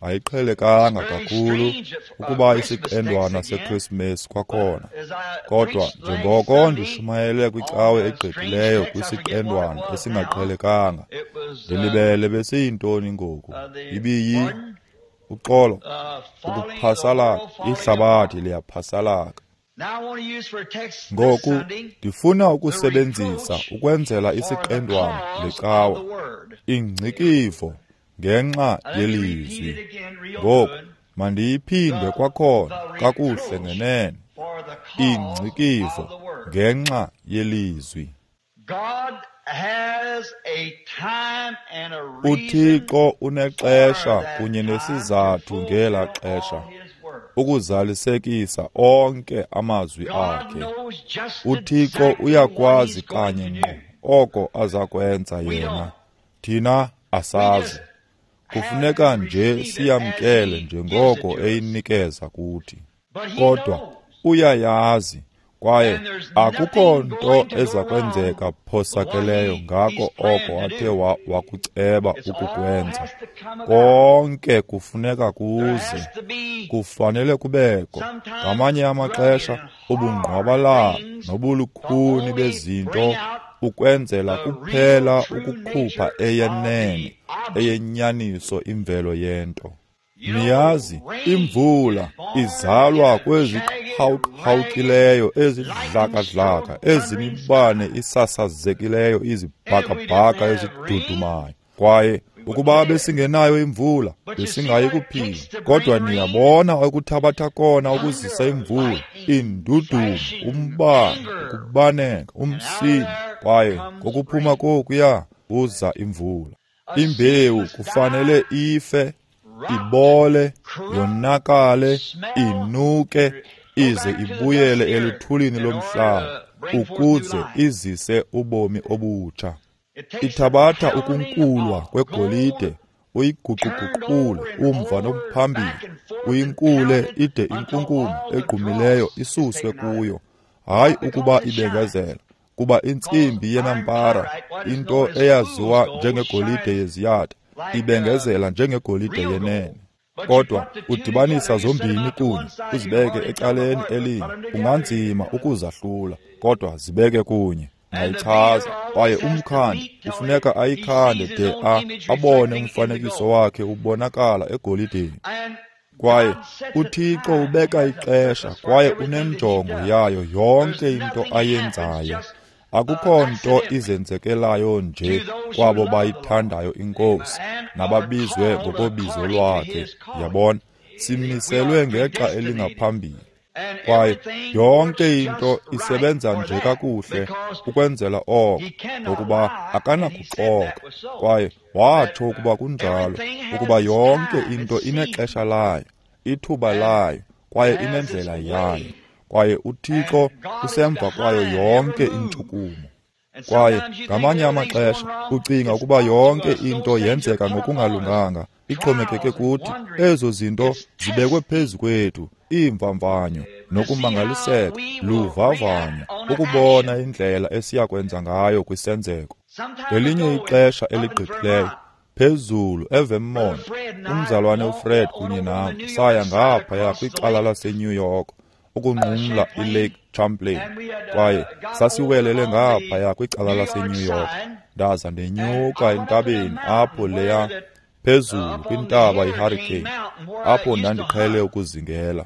Ayiqhelekanga kakhulu ukuba isiqendwana seKrismesi kwakhona, kodwa njengoko ndishumayele kwicawe egqithileyo kwisiqendwana esingaqhelekanga, ndilibele besiyintoni ngoku? Ibiyi uxolo, ukuphasalaka, ihlabathi liyaphasalaka. Ngoku ndifuna ukusebenzisa ukwenzela isiqendwana lecawa ingcikivo ngenxa yelizwi. Ngoku mandiyiphinde kwakhona kakuhle ngenene, ingcikivo ngenxa yelizwi. UThixo unexesha kunye nesizathu ngela xesha ukuzalisekisa onke amazwi akhe. UThixo uyakwazi kanye ngqo oko aza kwenza yena. Thina asazi. Kufuneka nje siyamkele njengoko eyinikeza kuthi. Kodwa uyayazi, kwaye akukho nto eza kwenzeka phosakeleyo ngako oko athe wakuceba ukukwenza. Konke kufuneka kuze, kufanele kubekho. Ngamanye amaxesha ubungqwabalala nobulukhuni bezinto ukwenzela kuphela ukukhupha eyenene, eyenyaniso imvelo yento. Niyazi, imvula izalwa kweziqhawuqhawukileyo, ezidlakadlaka, ezimibane isasazekileyo, izibhakabhaka ezidudumayo. Kwaye ukuba besingenayo imvula, besingayi kuphila. Kodwa niyabona okuthabatha kona ukuzisa imvula, indudumo, umbane, ukubaneka, umsindo. Kwaye ngokuphuma kokuya kuza imvula. Imbewu kufanele ife, ibole, yonakale, inuke, ize ibuyele eluthulini lomhlaba ukuze izise ubomi obutsha. Ithabatha ukunkulwa kwegolide, uyiguquguqule umva nomphambili, uyinkule ide inkunkuma egqumileyo isuswe kuyo. Hayi ukuba ibengezela, kuba intsimbi yenampara, into eyaziwa njengegolide yeziyatha, ibengezela njengegolide yenene. Kodwa udibanisa zombini kunye, uzibeke ecaleni elinye. Kunganzima ukuzahlula, kodwa zibeke kunye. Nayichaza. Kwaye umkhandi kufuneka ayikhande de a abone umfanekiso wakhe ubonakala egolideni. Kwaye uThixo ubeka ixesha kwaye unenjongo yayo yonke into ayenzayo. Akukho nto izenzekelayo nje kwabo bayithandayo iNkosi nababizwe ngokobizo lwakhe. Yabona, simiselwe ngexa elingaphambili. Kwaye yonke into isebenza nje kakuhle ukwenzela oko, ngokuba akanakuxoka. Kwaye watsho ukuba kunjalo, ukuba yonke into inexesha layo, ithuba layo, kwaye inendlela yayo. Kwaye uThixo usemva kwayo yonke intshukumo. Kwaye ngamanye amaxesha ucinga ukuba yonke into yenzeka ngokungalunganga, ixhomekeke kuthi. Ezo zinto zibekwe phezu kwethu, iimvamvanyo nokumangaliseka, luvavanyo ukubona indlela esiyakwenza ngayo kwisenzeko. Ngelinye ixesha eligqithileyo, phezulu eVermont, umzalwane uFred kunye nam saya ngaphaya kwicala laseNew York ukunqumla iLake Champlain, kwaye sasiwelele ngaphaya kwicala laseNew York. Ndaza ndenyuka entabeni apho leya phezulu kwintaba iHurricane, apho ndandiqhele ukuzingela.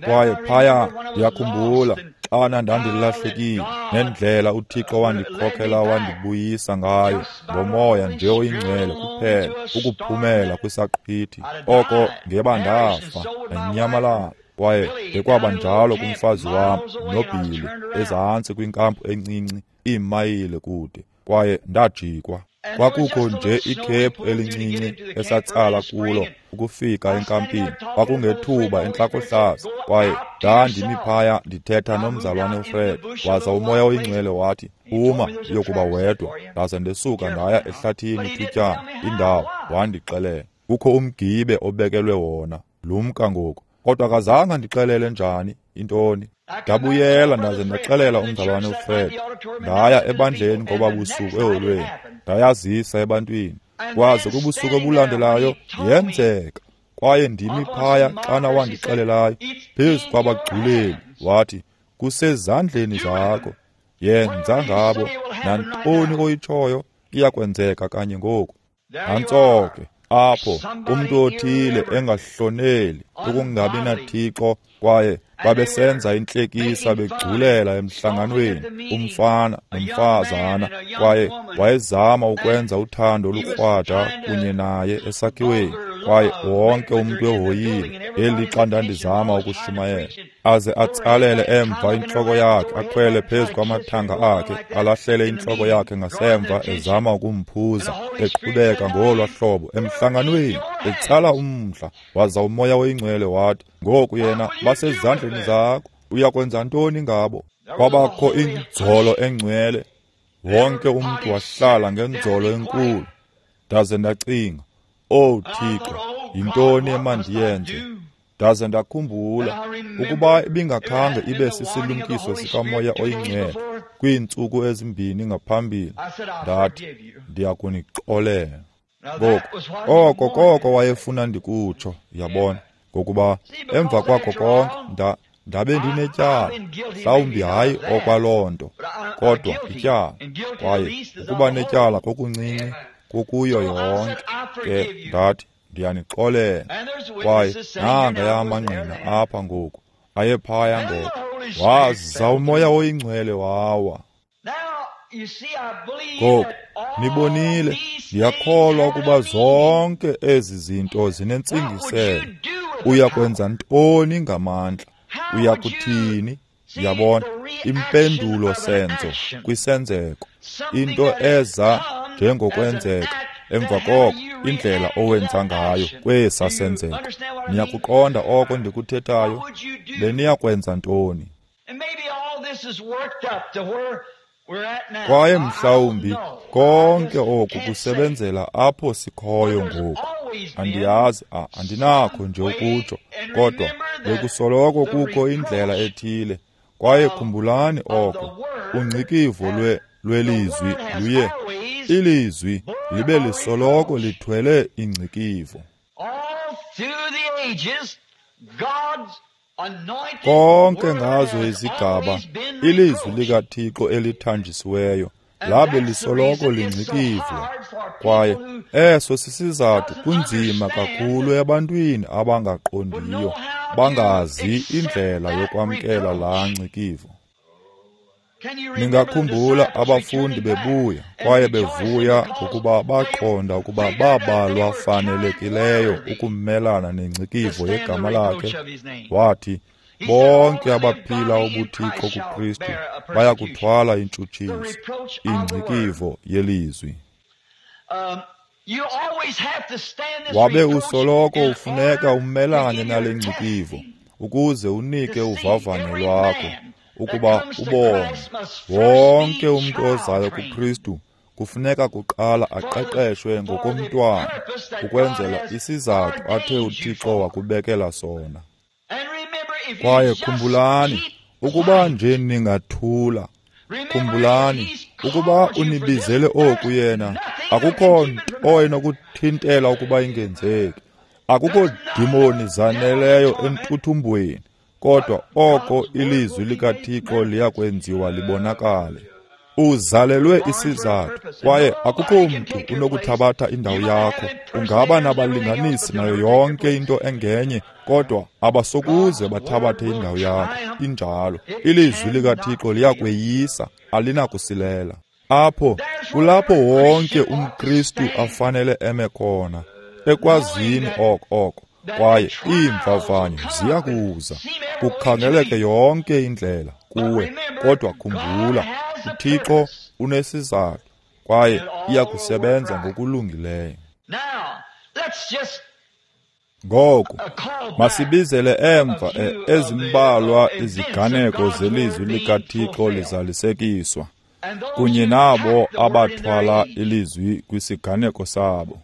Kwaye phaya ndiyakhumbula xana ndandilahlekile nendlela uThixo wandikhokhela wandibuyisa ngayo ngomoya nje oyingcwele kuphela ukuphumela kwisaqhwithi. Oko ngeba ndafa ndanyamalala. Kwaye ngekwaba njalo kumfazi wam noBilly ezantsi kwinkampu encinci iimayile kude, kwaye ndajikwa. Kwakukho nje ikhephu elincinci esatsala kulo ukufika enkampini. Kwakungethuba entlakohlaza, kwaye ndandimi phaya ndithetha nomzalwane uFred, waza uMoya oyiNgcwele wathi, "Phuma uyokuba wedwa." Ndaze ndesuka ndaya ehlathini ithutyana indawo, wandixelela, "Kukho umgibe obekelwe wona, lumka ngoku." Kodwa akazange andixelele njani intoni. Ndabuyela ndaze ndaxelela umzalwane uFred. Ndaya ebandleni ngoba busuku eholweni, ndayazisa ebantwini. Kwaze kubusuku obulandelayo yenzeka, kwaye ndimi phaya xana wandixelelayo phezu kwabagculeli, wathi, "Kusezandleni zakho, yenza ngabo nantoni oyitshoyo iyakwenzeka kanye ngoku." Nantso ke apho umntu othile engahloneli ukungabi naThixo, kwaye babesenza intlekisa begculela emhlanganweni umfana nomfazana, kwaye wayezama ukwenza uthando olukrwada kunye naye esakhiweni, kwaye wonke umntu ehoyile ngelixa ndandizama ukushumayela, aze atsalele emva intloko yakhe, akhwele phezu kwamathanga akhe, alahlele intloko yakhe ngasemva ezama ukumphuza, eqhubeka ngolwa hlobo emhlanganweni, etsala umdla. Waza uMoya oyiNgcwele wathi, "Ngoku yena basezandleni zakho, uyakwenza ntoni ngabo?" Kwabakho inzolo engcwele, wonke umntu wahlala ngenzolo enkulu. Ndaze ndacinga, "Oh Thixo, yintoni emandiyenze?" Ndaze ndakhumbula ukuba ibingakhange ibe sisilumkiso sikaMoya oyiNgcwele kwiintsuku ezimbini ngaphambili, ndathi, "Ndiyakunixolela." Ngoku oko koko wayefuna ndikutsho, yabona, ngokuba emva kwakho konke nda ndabe ndinetyala, mhlawumbi hayi okwaloo nto, kodwa ityala, kwaye ukuba netyala kokuncinci kukuyo yonke. Ke ndathi, "Ndiyanixolela." Kwaye nangaya amangqina apha ngoku, ayephaya ngoku. Waza uMoya oyiNgcwele wawa. Ngoku nibonile, ndiyakholwa ukuba zonke ezi zinto zinentsingiselo. Uyakwenza ntoni ngamandla? Uyakuthini? Yabona, impendulo senzo kwisenzeko, into eza njengokwenzeka, emva koko indlela owenza ngayo kwesa senzeko. Niyakuqonda oko ndikuthethayo? Beniyakwenza ntoni? Kwaye mhlawumbi konke oku kusebenzela apho sikhoyo ngoku. Andiyazi, andinakho nje ukutsho, kodwa bekusoloko kukho indlela ethile. Kwaye khumbulani oko, ungcikivo lwe lwelizwi luye, ilizwi libe lisoloko lithwele ingcikivo. Konke ngazo izigaba, ilizwi likaThixo elithanjisiweyo labe lisoloko lingcikivwa. Kwaye eso sisizathu kunzima kakhulu ebantwini abangaqondiyo, bangazi indlela yokwamkela laa ngcikivo. Ningakhumbula abafundi bebuya kwaye bevuya ngokuba baqonda ukuba babalwa fanelekileyo ukumelana nengcikivo yegama lakhe. Wathi, bonke abaphila ubuthixo kuKristu bayakuthwala intshutshiso, ingcikivo yelizwi. Wabe usoloko ufuneka umelane nale ngcikivo ukuze unike uvavanyo lwakho, ukuba ubone. Wonke umntu ozayo kuKristu kufuneka kuqala aqeqeshwe ngokomntwana ukwenzela isizathu athe uThixo wakubekela sona. Kwaye khumbulani, ukuba nje ningathula, khumbulani ukuba unibizele oku yena, akukho nto enokuthintela ukuba ingenzeki. Akukho dimoni zaneleyo entuthumbweni, kodwa oko ilizwi likaThixo liyakwenziwa libonakale. Uzalelwe isizathu, kwaye akukho mntu unokuthabatha indawo yakho. Ungaba nabalinganisi nayo yonke into engenye, kodwa abasokuze bathabathe indawo yakho. Injalo, ilizwi likaThixo liyakweyisa, alinakusilela. Apho kulapho wonke umKristu afanele eme khona, ekwazini oko oko. Kwaye iimvavanyo ziyakuza, kukhangeleke yonke indlela kuwe, kodwa khumbula, uThixo unesizathu, kwaye iya kusebenza ngokulungileyo. Ngoku masibizele emva ezimbalwa iziganeko zelizwi likaThixo lizalisekiswa, kunye nabo abathwala ilizwi kwisiganeko sabo.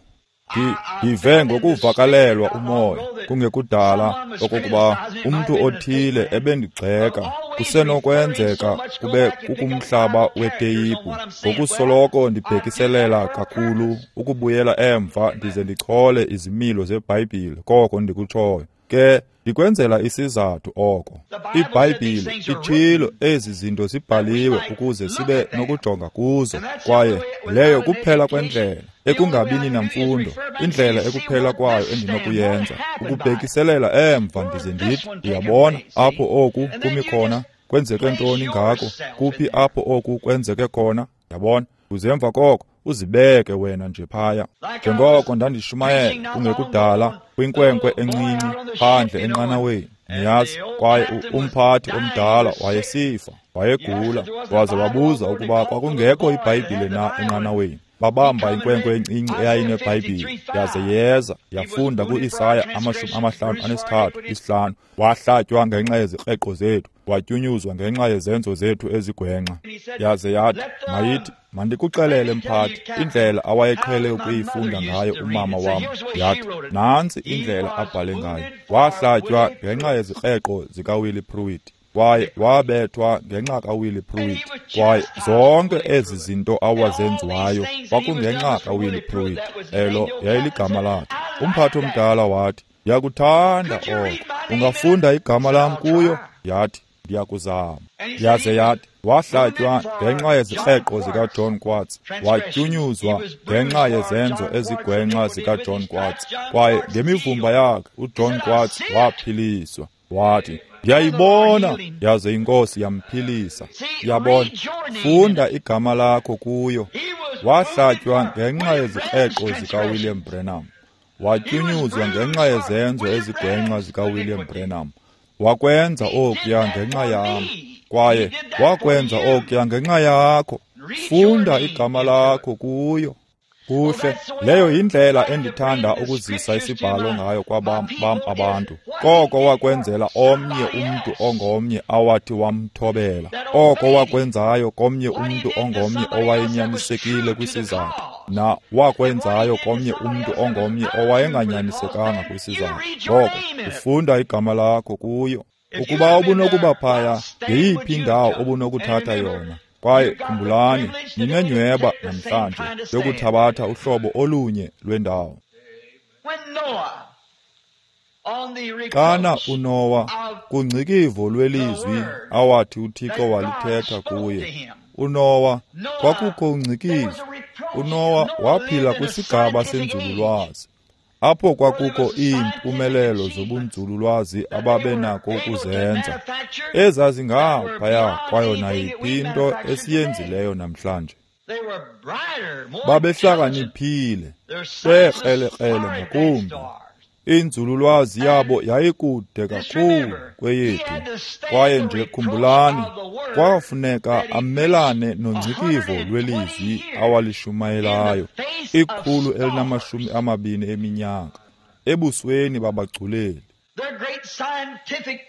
Ndive ngokuvakalelwa umoya kungekudala okokuba umntu othile ebendigxeka. Kusenokwenzeka kube kukumhlaba weteyiphu, ngokusoloko ndibhekiselela kakhulu ukubuyela emva ndize ndichole izimilo zeBhayibhile koko ndikutshoyo. Ke ndikwenzela isizathu oko. IBhayibhile itshilo ezi zinto zibhaliwe ukuze sibe nokujonga kuzo, kwaye leyo kuphela kwendlela ekungabini namfundo, indlela ekuphela kwayo endinokuyenza ukubhekiselela emva ndize ndithi, uyabona apho oku kumi khona, kwenzeke ntoni ngako, kuphi apho oku kwenzeke khona, yabona. Uze emva koko uzibeke wena nje phaya. Njengoko ndandishumayela kungekudala kwinkwenkwe encinci phandle enqanaweni, niyazi, kwaye umphathi omdala wayesifa, wayegula, waze wabuza ukuba kwakungekho iBhayibhile na enqanaweni. Babamba inkwenkwe encinci eyayinebhayibhile, yaze yeza yafunda ku-Isaya amashumi amahlanu anesithathu isihlanu. Wahlatywa ngenxa yezikreqo zethu, watyunyuzwa ngenxa yezenzo zethu ezigwenxa. Yaze yathi, mayithi, mandikuxelele mphathi indlela awayeqhele ukuyifunda ngayo umama wam. Yathi, nantsi indlela abhale ngayo. Wahlatywa ngenxa yezikreqo zikaWillie Pruitt, kwaye wabethwa ngenxa kaWillie Pruitt, kwaye zonke ezi zinto awazenziwayo kwakungenxa kaWillie Pruitt. Elo yayiligama lakhe. Umphathi omdala wathi, ndiyakuthanda oko, ungafunda igama lam kuyo? Yathi, ndiyakuzama. Yaze yathi, wahlatywa ngenxa yezikreqo zikaJohn Quartz, watyunyuzwa ngenxa yezenzo ezigwenxa zikaJohn Quartz, kwaye ngemivumba yakhe uJohn Quartz waphiliswa. Wathi, ndiyayibona, yaze inkosi yamphilisa. Yabona, funda igama lakho kuyo. Wahlatywa ngenxa yezikreqo zikaWilliam Branham, watyunyuzwa ngenxa yezenzo ezigwenxa zikaWilliam Branham. Wakwenza okuya ngenxa yam, kwaye wakwenza okuya ngenxa yakho. Funda igama lakho kuyo. Kuhle, leyo yindlela endithanda ukuzisa isibhalo ngayo kwabam bam abantu. Koko wakwenzela omnye umntu ongomnye awathi wamthobela, oko wakwenzayo komnye umntu ongomnye owayenyanisekile kwisizathu, na wakwenzayo komnye umntu ongomnye owayenganyanisekanga kwisizathu. Ngoko ufunda igama lakho kuyo. Ukuba ubunokuba phaya, ngeyiphi indawo obunokuthatha yona? Kwaye khumbulani, ninenyweba namhlanje yokuthabatha uhlobo olunye lwendawo. Xana uNowa kungcikivo lwelizwi awathi uThixo walithetha kuye, uNowa kwakukho ungcikivo. uNowa waphila kwisigaba senzululwazi, apho kwakukho iimpumelelo zobunzululwazi ababenako ukuzenza, ezazingaphaya kwayo nayiphi into esiyenzileyo namhlanje. Babehlakaniphile, bekrelekrele ngakumbi. Inzululwazi yabo yayikude kakhulu kweyethu. Kwaye nje khumbulani, kwafuneka amelane nongcikivo lwelizwi awalishumayelayo ikhulu elinamashumi amabini eminyaka ebusweni babagculeli.
Their great scientific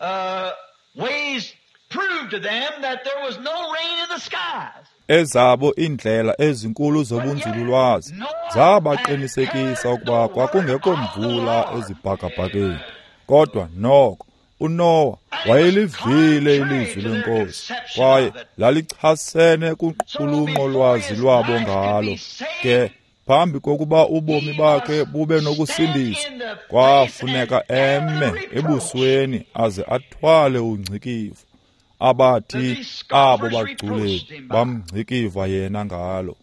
uh, ways proved to them that there was no rain in the skies.
Ezabo iindlela ezinkulu zobunzululwazi zabaqinisekisa ukuba kwakungekho mvula ezibhakabhakeni. Kodwa noko uNowa wayelivile ilizwi lenkosi, kwaye lalichasene kuqulunqo lwazi lwabo ngalo. Ke phambi kokuba ubomi bakhe bube nokusindiswa, kwafuneka eme ebusweni aze athwale ungcikivo abathi abo bagculeli bamngcikiva yena ngalo.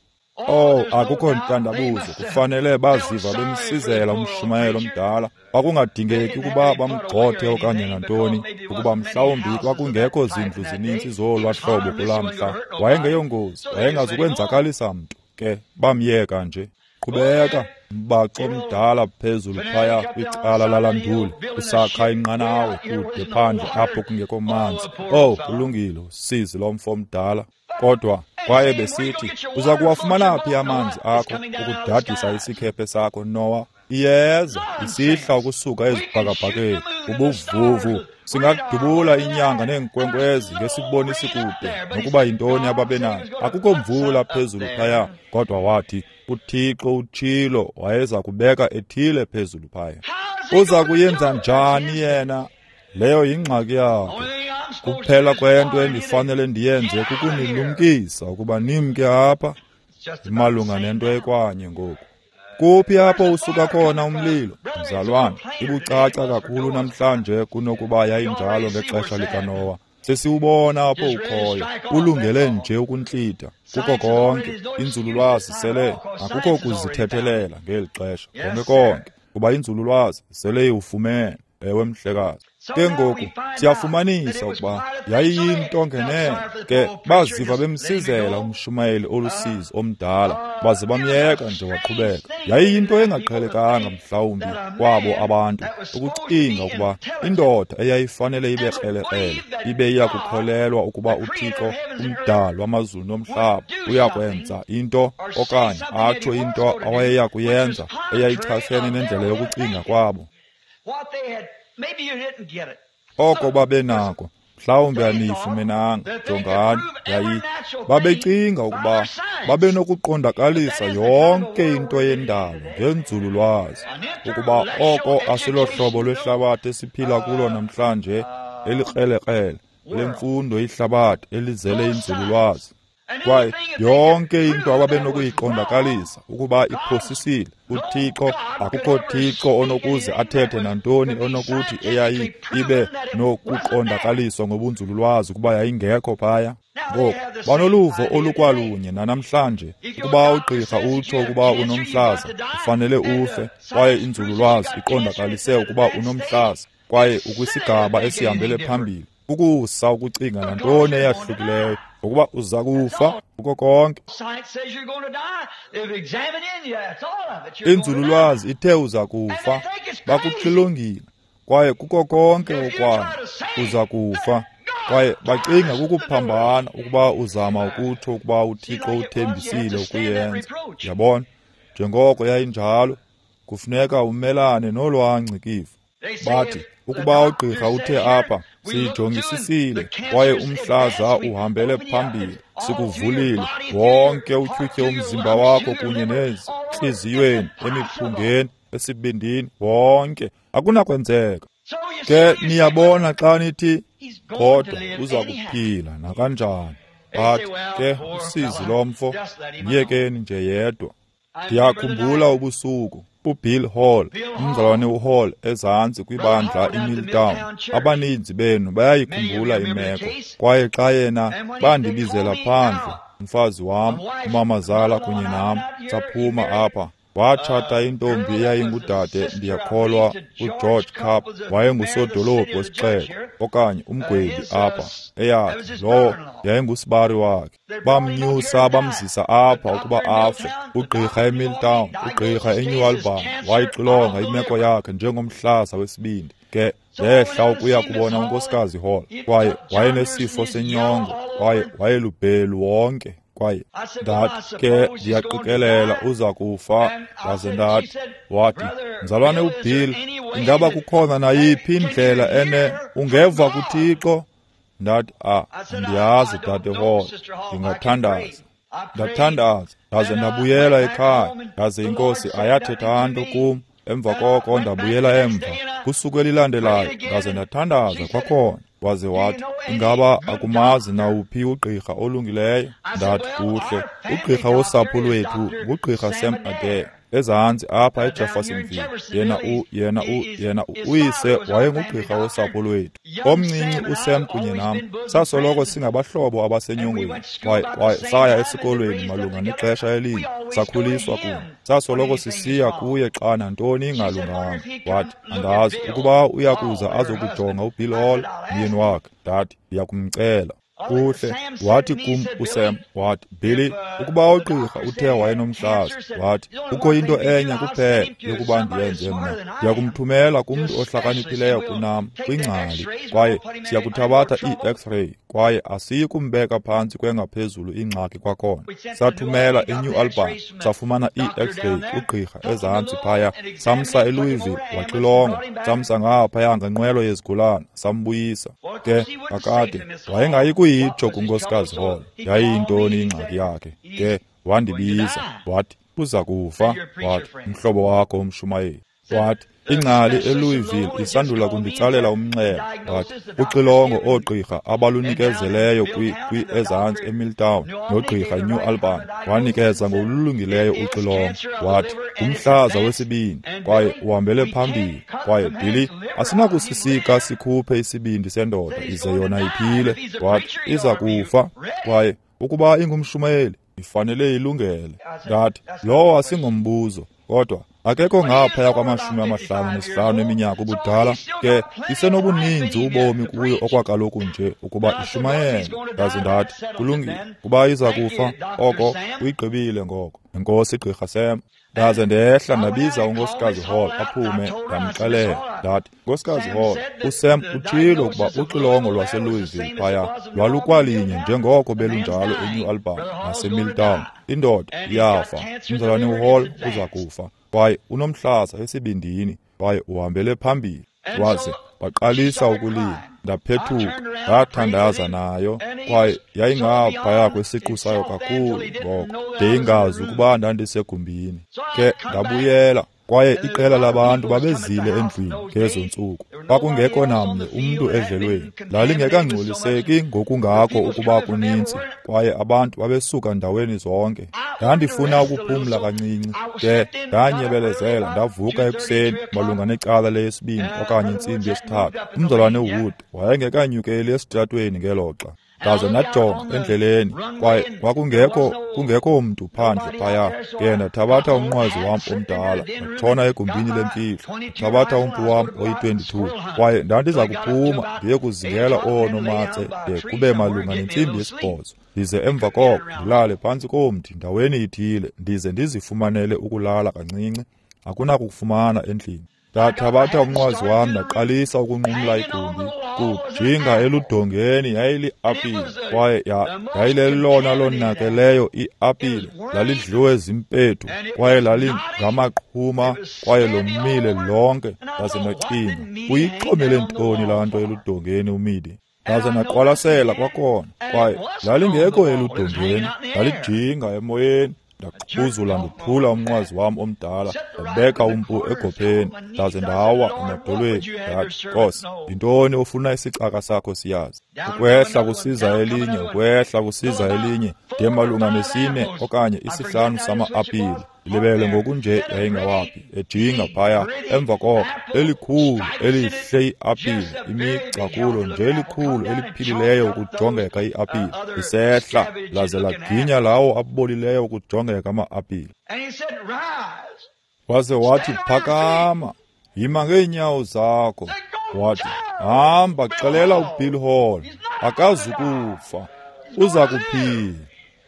Oh, akukho ntandabuzo, kufanele baziva bemsizela umshumayelo omdala. Kwakungadingeki ukuba bamgxothe okanye nantoni, ukuba mhlawumbi kwakungekho zindlu zininzi zolwa hlobo kulaa mhla. Wayengeyongozi, wayengazukwenzakalisa mntu, ke bamyeka nje. Qhubeka, mbaxo omdala phezulu phaya kwicala lalanduli, usakha inqanawe kude phandle apho kungekho manzi. Oh, kulungile, usizi lomfo omdala. Kodwa kwaye besithi, uza kuwafumana phi amanzi akho ukudadisa isikhephe sakho, Noah? Iyeza isihla ukusuka ezibhakabhakeni, ubuvuvu. Singadubula inyanga neenkwenkwezi ngesibonisi kude nokuba yintoni ababenayo. Akukho mvula phezulu phaya, kodwa wathi uThixo utshilo wayeza kubeka ethile phezulu phaya. Uza kuyenza njani yena? Leyo yingxaki yakhe. Kuphela kwento endifanele ndiyenze kukunilumkisa ukuba nimke apha. Imalunga nento ekwanye ngoku. Kuphi apho usuka khona umlilo, mzalwane? Ibucaca kakhulu namhlanje kunokuba yayinjalo ngexesha likaNowa. Sesiwubona apho ukhoyo, ulungele nje ukuntlitha kuko konke. Inzululwazi sele akukho kuzithethelela ngeli xesha konke konke, kuba inzululwazi sele iwufumene. Ewe mhlekazi. Ke ngoku siyafumanisa ukuba yayiyinto ngenene. Ke baziva bemsizela umshumayeli olusizi omdala, baze bamyeka nje waqhubeka. Yayiyinto engaqhelekanga mhlawumbi kwabo abantu ukucinga ukuba indoda eyayifanele ibe krelekrele ibe iyakukholelwa ukuba uThixo umdali wamazulu nomhlaba uyakwenza into okanye atsho into awayeya kuyenza eyayichasene nendlela yokucinga kwabo. Oko babenako mhlawumbi aniyifumenanga. Jongani, yayi babecinga ukuba babenokuqondakalisa yonke into yendalo ngenzululwazi, ukuba oko asilohlobo lwehlabathi esiphila kulo namhlanje, elikrelekrele lemfundo ihlabathi elizele inzululwazi. Kwaye yonke into ababenokuyiqondakalisa ukuba iphosisile, uThixo akukho Thixo onokuze athethe nantoni onokuthi eyayi ibe nokuqondakaliswa ngobunzululwazi ukuba yayingekho phaya. Ngoku banoluvo olukwalunye nanamhlanje, ukuba ugqirha utsho ukuba unomhlaza ufanele ufe, kwaye inzululwazi iqondakalise ukuba unomhlaza kwaye ukwisigaba esihambele phambili, ukusa ukucinga nantoni eyahlukileyo, ngokuba uza kufa kuko konke. Inzululwazi ithe uza kufa, bakuxilongile, kwaye kuko konke okwayo uza kufa. Kwaye bacinga kukuphambana ukuba uzama ukutsho ukuba uThixo uthembisile ukuyenza. Yabona, njengoko yayinjalo, kufuneka umelane nolwangcikivo. Bathi ukuba ugqirha uthe apha, siyijongisisile, kwaye umhlaza uhambele phambili, sikuvulile wonke utyhutyhe umzimba wakho kunye nezintliziyweni, emiphungeni, esibindini, wonke. Akunakwenzeka. Ke niyabona xa nithi kodwa uza kuphila nakanjani. Bathi ke usizi lomfo, myekeni nje yedwa. Ndiyakhumbula ubusuku uBill Hall, umzalwane uHall ezantsi kwibandla iMilltown. Abaninzi benu bayayikhumbula imeko. Kwaye xa yena bandibizela phandle, umfazi wam, umamazala kunye nam, saphuma apha. Watshata intombi eyayingudade, ndiyakholwa, uGeorge Cup, wayengusodolophu wesixeko okanye umgwebi apha. Eyathi lowo yayingusibari wakhe. Bamnyusa bamzisa apha ukuba afe. Ugqirha eMilltown, ugqirha eNew Albany, wayixilonga imeko yakhe njengomhlaza wesibindi. Ke ndehla ukuya kubona unkosikazi Hall, kwaye wayenesifo senyongo, kwaye wayelubhelu wonke. Kwaye ndathi ke ndiyaqikelela uza kufa. Ndaze ndathi, wathi, mzalwane uBill, ingaba kukhona nayiphi indlela ene ungeva kuThixo? Ndathi, ah, andiyazi dade Hall, ndingathandaza. Ndathandaza, ndaze ndabuyela ekhaya. Ndaze inkosi ayathetha nto kum. Emva koko ndabuyela emva kusuku elilandelayo, ndaze ndathandaza kwakhona. Waze wathi, ingaba akumazi nawuphi ugqirha olungileyo? Ndathi, kuhle, ugqirha wosapho lwethu ngugqirha Sam Adair, ezantsi apha eJeffersonville. Yena u yena u yena uyise wayengugqirha wosapho lwethu. Omncinci uSam kunye nam sasoloko singabahlobo abasenyongweni, kwaye kwaye saya esikolweni malunga nexesha elinye, sakhuliswa kunye. Sasoloko sisiya kuye xa nantoni ingalunganga. Wathi, andazi ukuba uyakuza azokujonga uBill Hall, myeni wakhe. Ndathi, ndiyakumcela. Kuhle, wathi kum uSam, wathi, Billy, ukuba ugqirha uthe wayenomhlaza, wathi, kukho into enye kuphela yokuba ndiyenze mna. Ndiyakumthumela kumntu ohlakaniphileyo kunam, kwingcali, kwaye siyakuthabatha ii-X-ray, Kwaye asiyi kumbeka phantsi kwengaphezulu ingxaki kwakhona. Sathumela eNew Albany, safumana ii-X-ray ugqirha ezantsi phaya, samsa eLouisville waxilongwa, samsa ngaphaya ngenqwelo yezigulana, sambuyisa. Ke kakade wayengayi kuyitsho kuNkosikazi Hall yayiyintoni ingxaki yakhe. Ke wandibiza wathi, uza kufa. Wathi, umhlobo wakho umshumayeli. Wathi, ingcali eLouisville isandula kunditsalela umnxeba. Wathi, uxilongo oogqirha abalunikezeleyo kwi kwi ezantsi eMilltown nogqirha eNew Albany wanikeza ngokulungileyo uxilongo. Wathi, ngumhlaza wesibindi kwaye uhambele phambili. Kwaye Billy, asinakusisika sikhuphe isibindi sendoda ize yona iphile. Wathi, iza kufa. Kwaye ukuba ingumshumayeli ifanele ilungele. Ndathi, lowo asingombuzo, kodwa akekho ngaphaya kwamashumi amahlanu nesihlanu eminyaka ubudala, ke isenobuninzi ubomi kuyo okwakaloku nje ukuba ishumayele. Ndaze ndathi, kulungile, kuba iza kufa, oko uyigqibile ngoko. Enkosi Gqirha Sam. Ndaze ndehla ndabiza uNkosikazi Hall aphume, ndamxelela. Ndathi, Nkosikazi Hall, uSam utshilo ukuba uxilongo lwaseLouisville phaya lwalukwalinye njengoko belunjalo eNew Albany naseMilltown. Indoda iyafa, umzalwane uHall uza kufa, kwaye unomhlaza esibindini, kwaye uhambele phambili. Waze waqalisa ukulila. Ndaphethuka, ndathandaza nayo, kwaye yayingaphaya kwesiqu sayo kakhulu ngoko, ndingazi ukuba ndandisegumbini. Ke ndabuyela, kwaye iqela labantu babezile endlwini ngezo ntsuku. Kwakungekho namnye umntu edlelweni. Lalingekangcoliseki ngokungako ukuba kuninzi, kwaye abantu babesuka ndaweni zonke. Ndandifuna ukuphumla kancinci, ke ndanyebelezela ndavuka ekuseni malunga necala leyesibini okanye intsimbi yesithathu. Umzalwane Wood wayengekanyukeli esitratweni ngelo xa. Ndaze ndajonga endleleni, kwaye kwakungekho kungekho mntu phandle phaya. Ke ndathabatha umnqwazi wam omdala, ndatshona egumbini lemfihlo, ndathabatha umpu wam oyi-twenty-two, kwaye ndandiza kuphuma ndiye kuzingela oonomatse de kube malunga nentsimbi yesibhozo, ndize emva koko ndilale phantsi komthi ndaweni ithile, ndize ndizifumanele ukulala kancinci. Akunakufumana endlini. Ndathabatha umnqwazi wam ndaqalisa ukunqumla igumbi, kujinga eludongeni yayili-apile, kwaye yayilelona lonakeleyo i-apile. Lalidliwe zimpethu, kwaye lalingamaqhuma, kwaye lomile lonke. Ndaze ndacinga, uyixhomele ntoni laa nto eludongeni uMidi? Ndaze ndaqwalasela kwakhona, kwaye lalingekho eludongeni, lalijinga emoyeni. Ndaqhuzula ndophula umnqwazi wam omdala, ndabeka umpu egopheni, ndaze ndawa emadolweni. Ndathi, Nkosi, yintoni ofuna isicaka sakho siyazi? Ukwehla kusiza elinye, ukwehla kusiza elinye, de malunga nesine okanye isihlanu sama-apile. Ndilibele ngokunje yayingawaphi, ejinga phaya. Emva koko elikhulu elihle iapile, imigca kulo nje elikhulu eliphilileyo ukujongeka iapile, isehla laze laginya lawo abolileyo ukujongeka ama-apile. Waze wathi, phakama, yima ngeenyawo zakho. Wathi, hamba xelela uBill Hall, akazukufa, uza kuphila.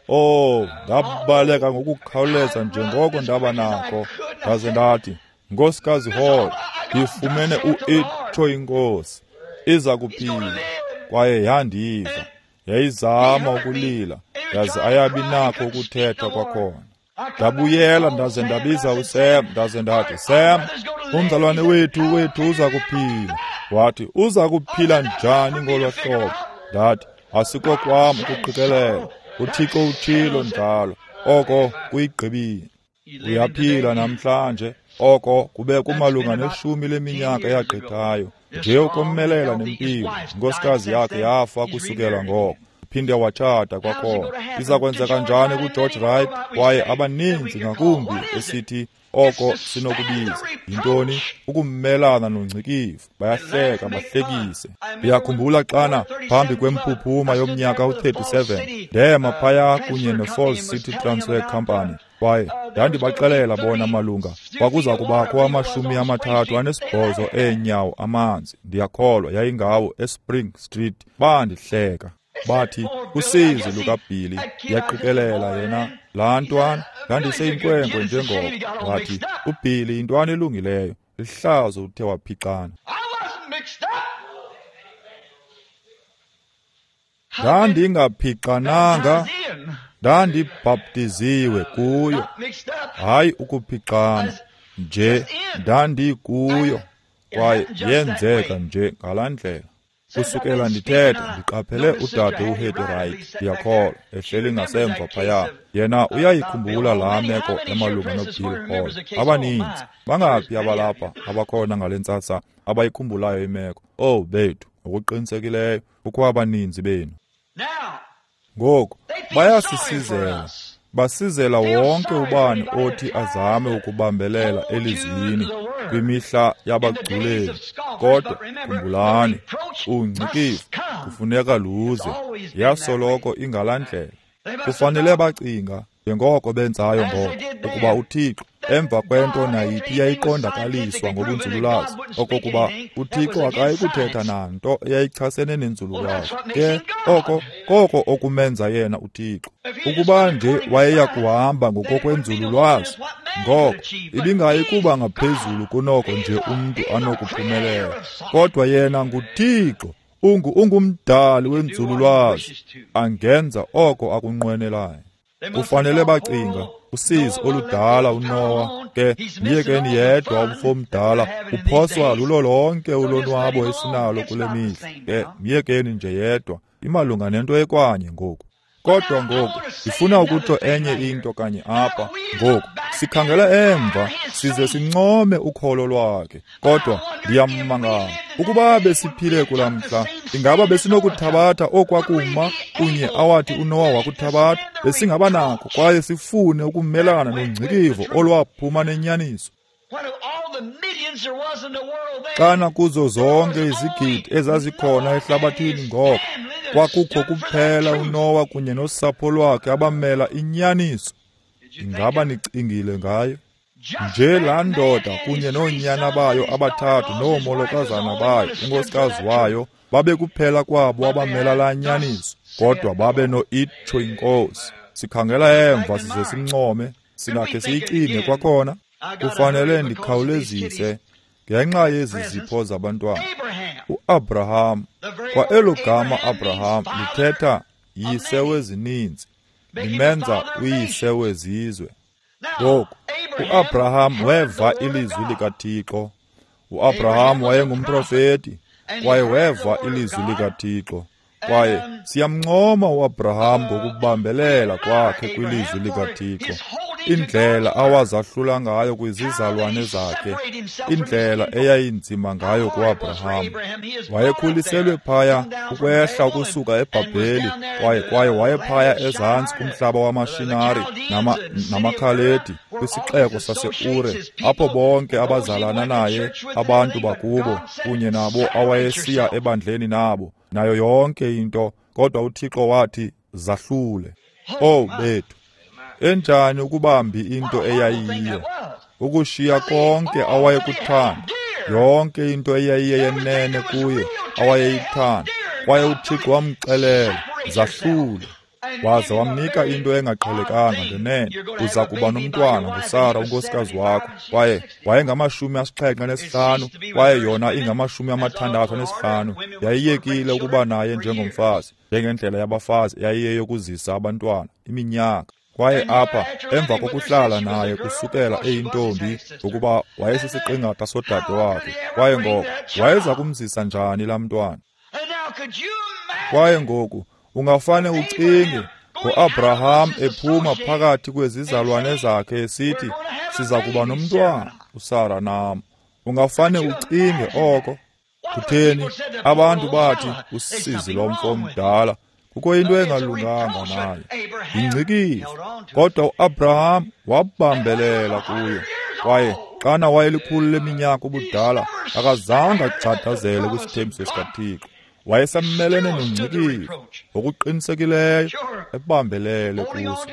Oh, ndabaleka ngokukhawuleza njengoko ndaba nako. Ndaze ndathi, Nkosikazi Hall, ndifumene u-itsho inkosi, iza kuphila. Kwaye yandiva, yayizama ukulila, yaze ayabi nakho ukuthetha kwakhona. Ndabuyela ndaze ndabiza uSam, ndaze ndathi, Sam, umzalwane wethu wethu uza kuphila. Wathi, uza kuphila njani ngolo hlobo? Ndathi, asikokwam ukuqikelela, uThixo utshilo njalo, oko kuyigqibile. Uyaphila namhlanje, oko kube kumalunga neshumi leminyaka eyagqithayo, nje ukomelela nempilo. Inkosikazi yakhe yafa kusukela ngoko, phinde watshata kwakhona. Iza kwenzeka njani kuGeorge Wright? Kwaye abaninzi ngakumbi esithi oko sinokubiza yintoni? Ukumelana nongcikivo. Bayahleka bahlekise. Ndiyakhumbula xana phambi kwempuphuma yomnyaka u-thirty-seven ndema phaya kunye ne-Falls City Transfer Company, kwaye ndandibaxelela bona malunga kwakuza kubakho amashumi amathathu anesibhozo eenyawo amanzi, ndiyakholwa yayingawo, eSpring Street. Bandihleka bathi, usizi lukaBilly, ndiyaqikelela yena laa ntwana, ndandiseyinkwenkwe njengoko. Wathi, uBilly yintwana elungileyo, lihlazo uthe waphixana. Ndandingaphixananga, ndandibhaptiziwe kuyo, hayi ukuphixana nje, ndandikuyo, kwaye yenzeka nje ngalaa ndlela. Kusukela ndithetha, ndiqaphele udade uHetty Wright, ndiyakholwa, ehleli ngasemva phaya. Yena uyayikhumbula laa meko emalunga noBill Hall. Abaninzi, bangaphi abalapha abakhona ngale ntsasa abayikhumbulayo imeko? Oh bethu, ngokuqinisekileyo kukho abaninzi benu. Ngoku bayasisizela, basizela wonke ubani othi azame ukubambelela elizwini kwimihla yabagculeli. Kodwa khumbulani, ungcikivo kufuneka luze, yasoloko ingalaa ndlela. Kufanele bacinga njengoko benzayo ngoko, ukuba uThixo emva kwento nayiphi yayiqondakaliswa ngobunzululwazi, okokuba uThixo akayi kuthetha nanto eyayichasene nenzululwazi. Ke oko koko okumenza yena uThixo. Ukuba nje wayeya kuhamba ngokokwenzululwazi, ngoko ibingayi kuba ngaphezulu kunoko nje umntu anokuphumelela. Kodwa yena nguThixo, ungu ungumdali wenzululwazi, angenza oko akunqwenelayo. Kufanele bacinga usizi oludala uNowa, ke myekeni yedwa umfo omdala, uphoswa lulo lonke ulonwabo esinalo kule mihla. Ke myekeni nje yedwa, imalunga nento ekwanye ngoku. Kodwa ngoku ndifuna ukutsho enye into kanye apha. Ngoku sikhangela emva size sincome ukholo lwakhe, kodwa ndiyamangala ukuba besiphile kulaa mhla, ingaba besinokuthabatha okwakuma kunye awathi uNowa wakuthabatha? Besingaba nakho kwaye sifune ukumelana nongcikivo olwaphuma nenyaniso. Xana kuzo zonke izigidi ezazikhona ehlabathini ngoko, kwakukho kuphela uNowa kunye nosapho lwakhe abamela inyaniso. Ingaba nicingile ngayo? Nje laa ndoda kunye noonyana bayo abathathu noomolokazana bayo, unkosikazi wayo, babe kuphela kwabo abamela laa nyaniso, kodwa babe no-itsho inkosi. Sikhangela emva size simncome, singakhe siyicinge kwakhona. Kufanele ndikhawulezise ngenxa yezi zipho zabantwana. UAbraham, kwa elo gama Abraham lithetha yise wezininzi, limenza uyise wezizwe. Ngoku uAbraham weva ilizwi likaThixo. UAbraham wayengumprofeti kwaye weva ilizwi likaThixo. Kwaye siyamncoma uAbraham ngokubambelela kwakhe kwilizwi likaThixo, indlela awazahlula ngayo kwizizalwane zakhe, indlela eyayinzima ngayo kuAbraham. Wayekhuliselwe phaya ukwehla ukusuka eBhabheli, kwaye kwaye wayephaya ezantsi kumhlaba wamaShinari nama, namaKhaledi kwisixeko saseUre, apho bonke abazalana naye, abantu bakubo kunye nabo awayesiya ebandleni nabo, nayo yonke into. Kodwa uThixo wathi, zahlule. Oh bethu, enjani ukubambi into eyayiyo, ukushiya konke awayekuthanda, yonke into eyayiyenene kuye awayeyithanda. Kwaye uThixo wamxelela, zahlule. Waza wamnika into engaqhelekanga ngenene, uza kuba nomntwana nguSara unkosikazi wakho. Kwaye wayengamashumi asixhenxe anesihlanu, kwaye yona ingamashumi amathandathu anesihlanu. Yayiyekile ukuba naye njengomfazi, njengendlela yabafazi yayiyeyokuzisa abantwana iminyaka. Kwaye apha emva kokuhlala naye kusukela eyintombi, ngokuba wayesisiqingatha sodade wakhe, kwaye ngoko wayeza kumzisa njani laa mntwana? Kwaye ngoku ungafane ucinge ngoAbraham ephuma phakathi kwezizalwane zakhe esithi, siza kuba nomntwana uSara nam. Ungafane ucinge oko. Kutheni abantu bathi usizi lomfo omdala, kukho into engalunganga naye, yingcikivo. Kodwa uAbraham wabambelela kuyo. Kwaye xana wayelikhulu leminyaka ubudala, akazange agxadazele kwisithembiso sikaThixo. Wayesamelene nongcikivo ngokuqinisekileyo, ebambelele kuso.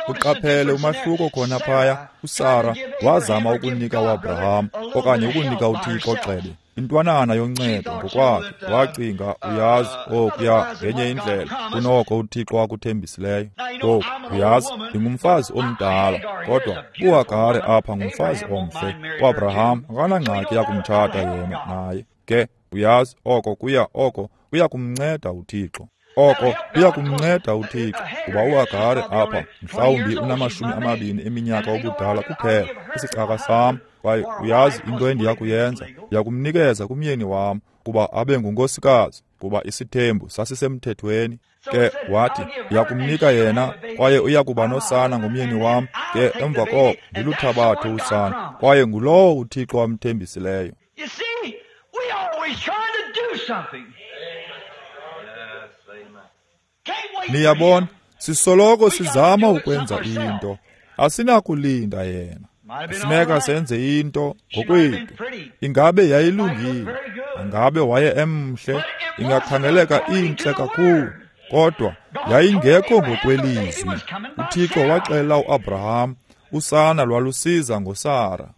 Uqaphele umahluko khona phaya. uSara wazama ukunika uAbraham okanye ukunika uThixo gxebe intwanana yoncedo ngokwakhe. Wacinga, uyazi, okuya ngenye indlela kunoko uThixo akuthembisileyo. Ngoku uyazi, ndingumfazi omdala, kodwa uHagare apha ngumfazi omhle. UAbraham akanangxaki yakumtshata yena naye. Ke uyazi, oko kuya oko kuya kumnceda uThixo. Oko kuya kumnceda uThixo, kuba uHagare apha mhlawumbi unamashumi amabini eminyaka ubudala kuphela, isicaka sam, kwaye uyazi into endiya kuyenza, ndiya kumnikeza kumyeni wam kuba abe ngunkosikazi, kuba isithembu sasisemthethweni. Ke wathi, ndiyakumnika yena, kwaye uya kuba nosana ngomyeni wam, ke emva koko ndiluthabathe usana, kwaye ngulowo uThixo wamthembisileyo.
You see, we always trying to do something.
Niyabona, sisoloko sizama ukwenza into. Asinakulinda yena. Kufuneka senze into ngokwethu. Ingabe yayilungile, ingabe waye emhle, ingakhangeleka intle kakhulu, kodwa yayingekho ngokwelizwi. UThixo waxelela uAbraham, usana lwalusiza ngoSara.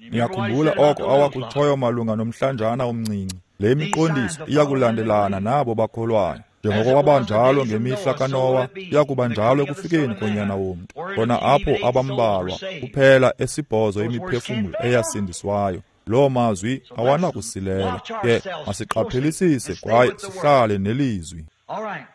Niyakhumbula oko awakutshoyo malunga nomhlanjana omncinci. Le miqondiso iyakulandelana nabo bakholwayo. Njengoko kwabanjalo ngemihla kaNowa, iyakuba njalo ekufikeni konyana womntu. Kona apho abambalwa kuphela esibhozo imiphefumlo eyasindiswayo. Loo mazwi awanakusilela. Ke masiqaphelisise kwaye sihlale nelizwi.
All right.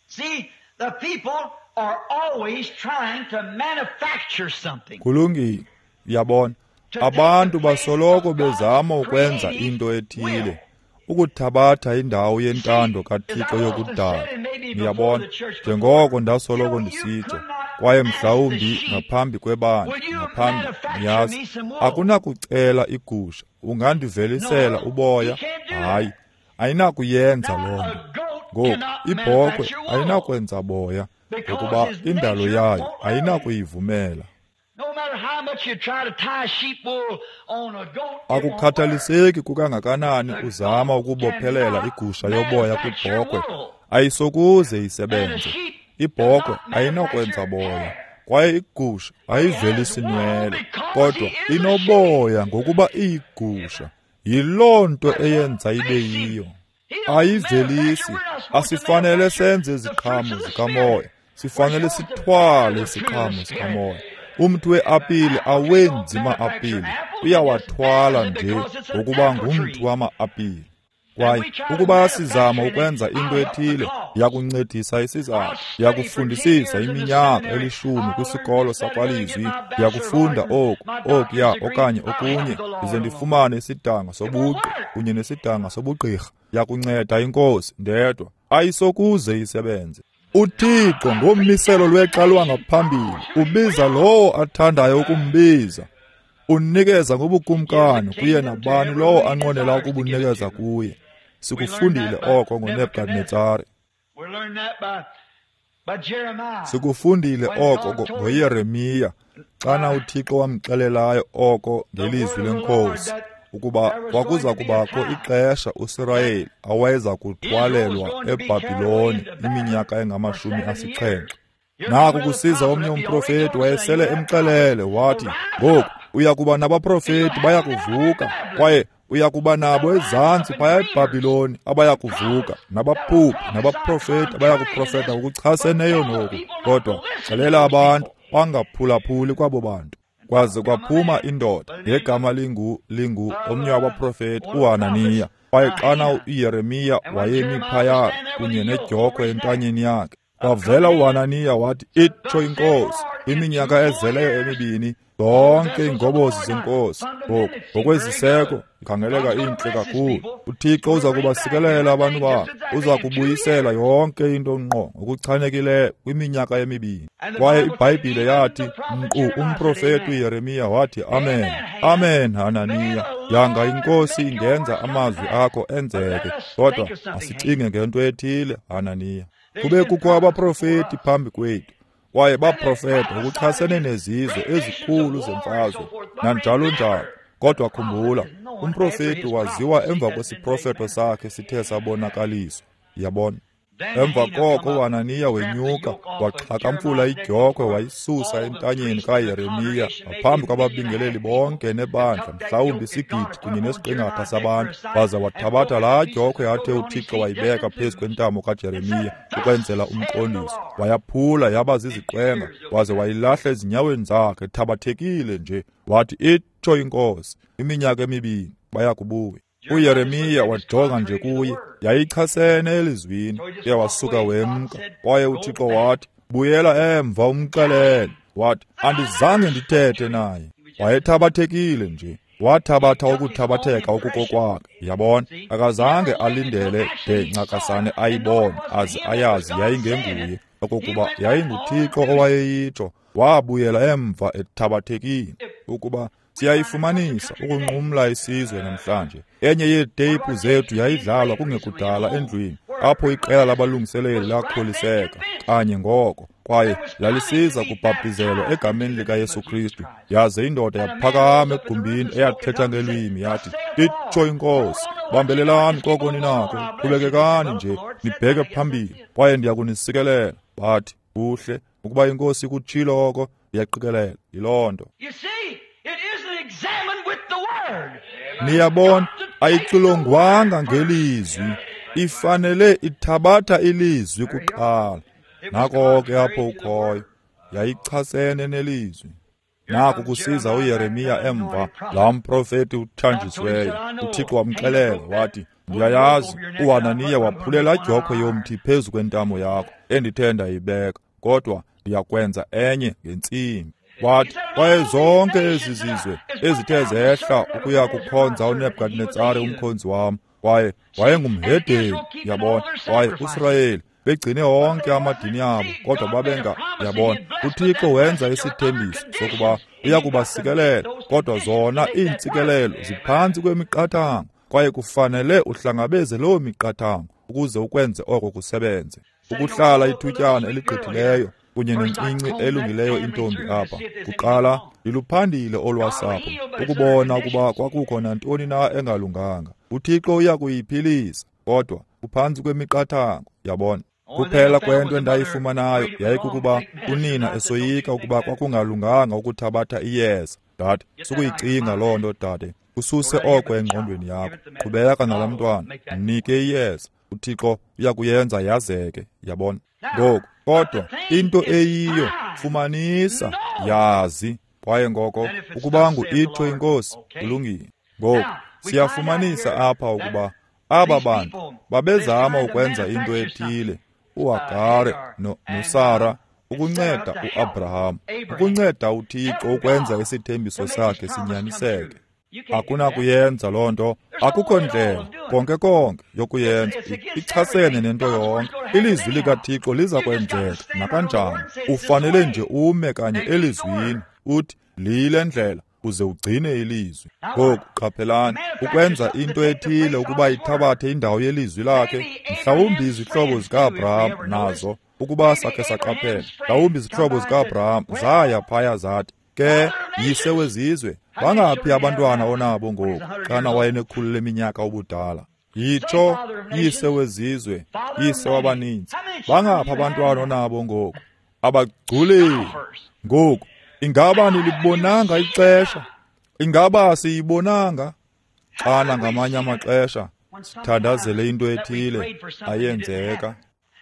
See, the people are always trying to manufacture something.
Kulungile, uyabona, abantu basoloko bezama ukwenza into ethile, ukuthabatha indawo yentando kaThixo yokudala. Niyabona, njengoko ndasoloko ndisitsho, kwaye mhlawumbi ngaphambi kwebandla, ngaphambi, niyazi, akunakucela igusha, ungandivelisela uboya? Hayi, ayinakuyenza loo nto. Ngoku, ibhokhwe ayinakwenza boya, ngokuba indalo yayo ayinakuyivumela. Akukhathaliseki kukangakanani uzama ukubophelela igusha yoboya kwibhokhwe, ayisokuze isebenze. Ibhokhwe ayinakwenza boya, kwaye igusha ayivelisi nwele, kodwa inoboya ngokuba iyigusha. Yiloo nto eyenza ibe yiyo. Ayivelisi. Asifanele senze iziqhamo zikamoya, sifanele sithwale isiqhamo sikamoya. Umthi weapile awenzi ma-apile, uyawathwala nje ngokuba ngumthi wama-apile. Kwaye ukuba sizama ukwenza into ethile, yakuncedisa isizathu, yakufundisisa iminyaka elishumi kwisikolo sakwalizwi, yakufunda oku, okuya okanye okunye, ndize ndifumane isidanga sobuqi kunye nesidanga sobugqirha, yakunceda iNkosi ndedwa, ayisokuze isebenze. UThixo ngommiselo lwexa lwangaphambili ubiza lowo athandayo ukumbiza. Unikeza ngobukumkani kuye nabani lowo anqwenela ukubunikeza kuye. Sikufundile oko ngoNebukadnezare. Sikufundile oko ngoYeremiya, xana uThixo wamxelelayo oko ngelizwi leNkosi, ukuba kwakuza kubakho ixesha uSirayeli awayeza kuthwalelwa eBhabhiloni iminyaka engamashumi asixhenxe. Naku kusiza omnye umprofeti wayesele emxelele wathi, ngoku uya kuba nabaprofeti baya kuvuka, kwaye uya kuba nabo ezantsi phaya eBhabhiloni abaya kuvuka, nabaphuphi nabaprofeti abaya kuprofeta ngokuchaseneyo noku. Kodwa xelela abantu bangaphulaphuli kwabo bantu. Kwaze kwaphuma indoda ngegama lingu lingu omnye wabaprofeti uHananiya. Kwaye xana uYeremiya wayemi phaya kunye nedyokhwe entanyeni yakhe, kwavela uHananiya wathi, itsho iNkosi, iminyaka ezeleyo emibini zonke iingobozi zeNkosi. Ngoku ngokweziseko ikhangeleka intle kakhulu. UThixo uza kubasikelela abantu bakhe, uza kubuyisela yonke into ngqo ngokuchanekileyo kwiminyaka emibini. Kwaye iBhayibhile yathi, nkqu umprofeti uYeremiya wathi, amen, amen Hananiya, yanga iNkosi ingenza amazwi akho enzeke, kodwa asicinge ngento ethile Hananiya. Kube kukho abaprofeti phambi kwethu, kwaye baprofeta ngokuchasene nezizwe ezikhulu zemfazwe nanjalo njalo. Kodwa khumbula, umprofeti waziwa emva kwesiprofeto sakhe sithe sabonakaliswa. Yabona? Emva koko uHananiya wenyuka waxhakamfula idyokhwe wayisusa entanyeni kaYeremiya ngaphambi kwababingeleli bonke nebandla, mhlawumbi isigidi kunye nesiqingatha sabantu, waza wathabatha laa dyokhwe athe uThixo wayibeka phezu kwentamo kaJeremiya ukwenzela umqondiso, wayaphula yaba ziziqwenga, waze wayilahla ezinyaweni zakhe thabathekile nje. Wathi, itsho iNkosi, iminyaka emibini baya kubuya. UYeremiya wajonga nje kuye, yayichasene elizwini, ke wasuka wemka. Kwaye uThixo wathi, buyela emva umxelele. Wathi, andizange ndithethe naye. Wayethabathekile nje. Wathabatha ukuthabatheka okukokwakhe. Yabona, akazange alindele de ncakasane ayibone aze ayazi yayingenguye, okokuba yayinguThixo owayeyitsho. Wabuyela emva ethabathekile. Ukuba siyayifumanisa ukunqumla isizwe namhlanje. Enye yeeteyiphu zethu yayidlalwa kungekudala endlwini, apho iqela labalungiseleli lakholiseka kanye ngoko, kwaye lalisiza kubhaptizelwa egameni likaYesu Kristu. Yaze indoda yaphakama egumbini eyathetha ngelwimi yathi, itsho iNkosi, bambelelani koko ninako, qhubekekani nje nibheke phambili, kwaye ndiya kunisikelela. Bathi, kuhle, ukuba iNkosi ikutshilo oko, ndiyaqikelela yiloo nto. Niyabona, ayixilongwanga ngelizwi, ifanele ithabatha ilizwi kuqala. Nako ke apho ukhoyo, yayichasene nelizwi. Naku kusiza uYeremiya emva, laa mprofeti uthanjisiweyo. UThixo wamxelela wathi, ndiyayazi uHananiya waphulela idyokhwe yomthi phezu kwentamo yakho endithe ndayibeka, kodwa ndiyakwenza enye ngentsimbi. Wathi, kwaye zonke ezi zizwe ezithe zehla ukuya kukhonza uNebukadnetsare umkhonzi wam, kwaye wayengumhedeni, yabona, kwaye uSirayeli begcine wonke amadini abo, kodwa babenga, yabona. UThixo wenza isithembiso sokuba uya kubasikelela, kodwa zona iintsikelelo ziphantsi kwemiqathango, kwaye kufanele uhlangabeze loo miqathango ukuze ukwenze oko kusebenze. Ukuhlala ithutyana eligqithileyo kunye nencinci elungileyo intombi apha, kuqala ndiluphandile olwasapho ukubona ukuba kwakukho nantoni na engalunganga. UThixo uya kuyiphilisa, kodwa uphantsi kwemiqathango, yabona. Kuphela kwento endayifumanayo yayikukuba unina esoyika ukuba kwakungalunganga ukuthabatha iyeza. Dade, sukuyicinga loo nto, dade. Ususe oko engqondweni yakho. Qhubeka nalaa mntwana, mnike iyeza. UThixo uya kuyenza yazeke, yabona. Ngoku, kodwa into eyiyo, fumanisa, yazi. Kwaye ngoko ukuba ngu-itsho iNkosi, kulungile. Ngoku siyafumanisa apha ukuba aba bantu babezama ukwenza into ethile, uHagare no, noSara, ukunceda uAbraham, ukunceda uThixo ukwenza isithembiso sakhe sinyaniseke. Akunakuyenza loo nto, akukho ndlela konke konke yokuyenza, ichasene nento yonke. Ilizwi likaThixo liza kwenzeka nakanjani. Ufanele nje ume kanye elizwini, uthi liyile ndlela, uze ugcine ilizwi. Ngoku qaphelani, ukwenza into ethile ukuba ithabathe indawo yelizwi lakhe, mhlawumbi izihlobo zikaAbraham nazo, ukuba sakhe saqaphela, mhlawumbi izihlobo zikaAbraham zaya phaya zathi, ke yise wezizwe, bangaphi abantwana onabo ngoku, xana wayenekhulu leminyaka ubudala? Yitsho, yise wezizwe, yise wabaninzi, bangaphi abantwana onabo ngoku? Abagculeli. Ngoku ingaba nilibonanga ixesha? Ingaba siyibonanga? Xana ngamanye amaxesha sithandazele into ethile ayenzeka.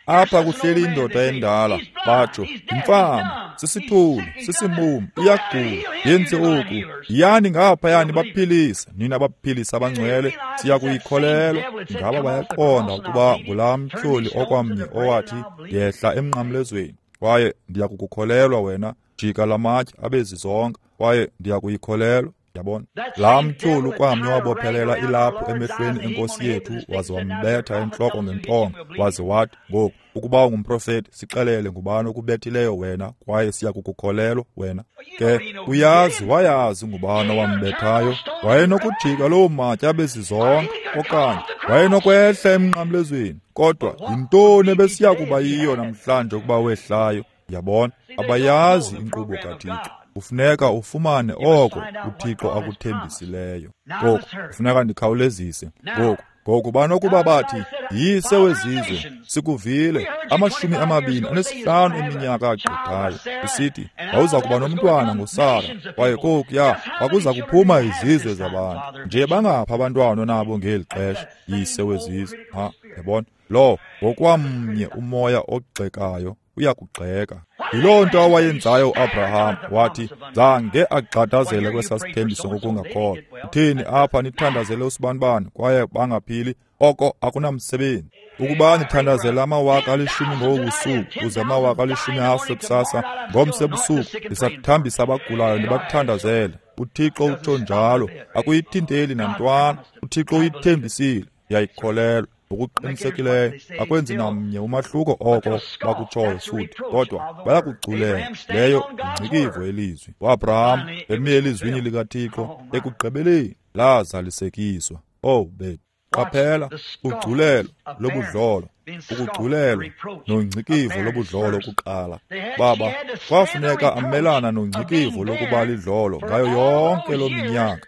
Apha kuhleli indoda endala, batsho, yimfama, sisithulu, sisimumu, iyagula, yenze oku. Yiyani ngaphayani baphilise, nina baphilise abangcwele, siya kuyikholelwa. Ingaba bayaqonda ukuba ngulaa mtyholi okwamnye owathi, yehla emnqamlezweni, kwaye ndiya kukukholelwa wena, jika lamatye abe zizonka, kwaye ndiya kuyikholelwa. Yabona, laa mtyholi ukwamnye wabophelela ilaphu emehlweni enkosi yethu, waze wambetha entloko ngentonga, waze wathi, ngoku ukuba ungumprofeti, sixelele ngubani okubethileyo wena, kwaye siya kukukholelwa wena. Ke uyazi, wayazi ngubani owambethayo. Wayenokujika loo matye abe zizonka, okanye wayenokwehla emnqamlezweni. Kodwa yintoni ebesiya kuba yiyo namhlanje ukuba wehlayo? Yabona, abayazi inkqubo kaThixo. Kufuneka ufumane oko uThixo akuthembisileyo. Ngoku kufuneka ndikhawulezise. Ngoku ngoku banokuba bathi, yise wezizwe, sikuvile amashumi amabini anesihlanu eminyaka agqithayo, usithi wawuza kuba nomntwana ngoSara, kwaye kokuya kwakuza kuphuma izizwe zabantu. Nje bangaphi abantwana onabo ngeli xesha, yise wezizwe? Ha, yabona, lo ngokwamnye umoya ogxekayo uyakugxeka. Yiloo nto awayenzayo uAbraham, wathi zange agxadazele kwesaa sithembiso ngokungakholwa. Uthini apha nithandazele usibanibani kwaye bangaphili? Oko akunamsebenzi. Ukuba nithandazela amawaka alishumi ngobu busuku, uze amawaka alishumi afe kusasa, ngomso ebusuku ndisakuthambisa abagulayo ndibathandazele. UThixo utsho njalo, akuyithinteli nantwana. UThixo uyithembisile, yayikholelwa. Ngokuqinisekileyo akwenzi namnye umahluko oko bakutshoyo futhi, kodwa bayakugculela. Leyo yingcikivo yelizwi. UAbraham emi elizwini likaThixo, ekugqibeleni lazalisekiswa. Oh bethu, qaphela ugculelo lobudlolo, ukugculelwa nongcikivo lobudlolo kuqala. Baba kwafuneka amelana nongcikivo lokuba lidlolo ngayo yonke loo minyaka.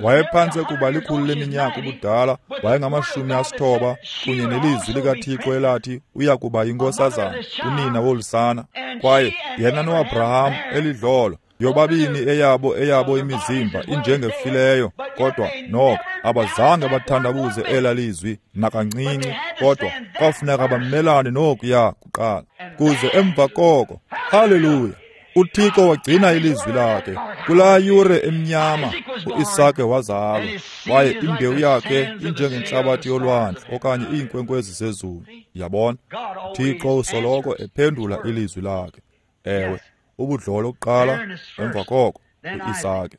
Wayephantse kuba likhulu leminyaka ubudala, wayengamashumi asithoba, kunye nelizwi likaThixo elathi uya kuba yinkosazana, unina wolusana. Kwaye yena noAbraham elidlolo, yobabini eyabo eyabo imizimba injengefileyo, kodwa noko abazange bathandabuze ela lizwi nakancinci, kodwa kwafuneka bamelane nokuya kuqala. Kuze emva koko, haleluya, uThixo wagcina ilizwi lakhe. Kulaa yure emnyama uIsake wazalwa, kwaye imbewu yakhe injengentlabathi yolwandle okanye iinkwenkwezi zezulu. Yabona, uThixo usoloko ephendula ilizwi lakhe. Ewe, ubudlolo kuqala, emva koko uIsake.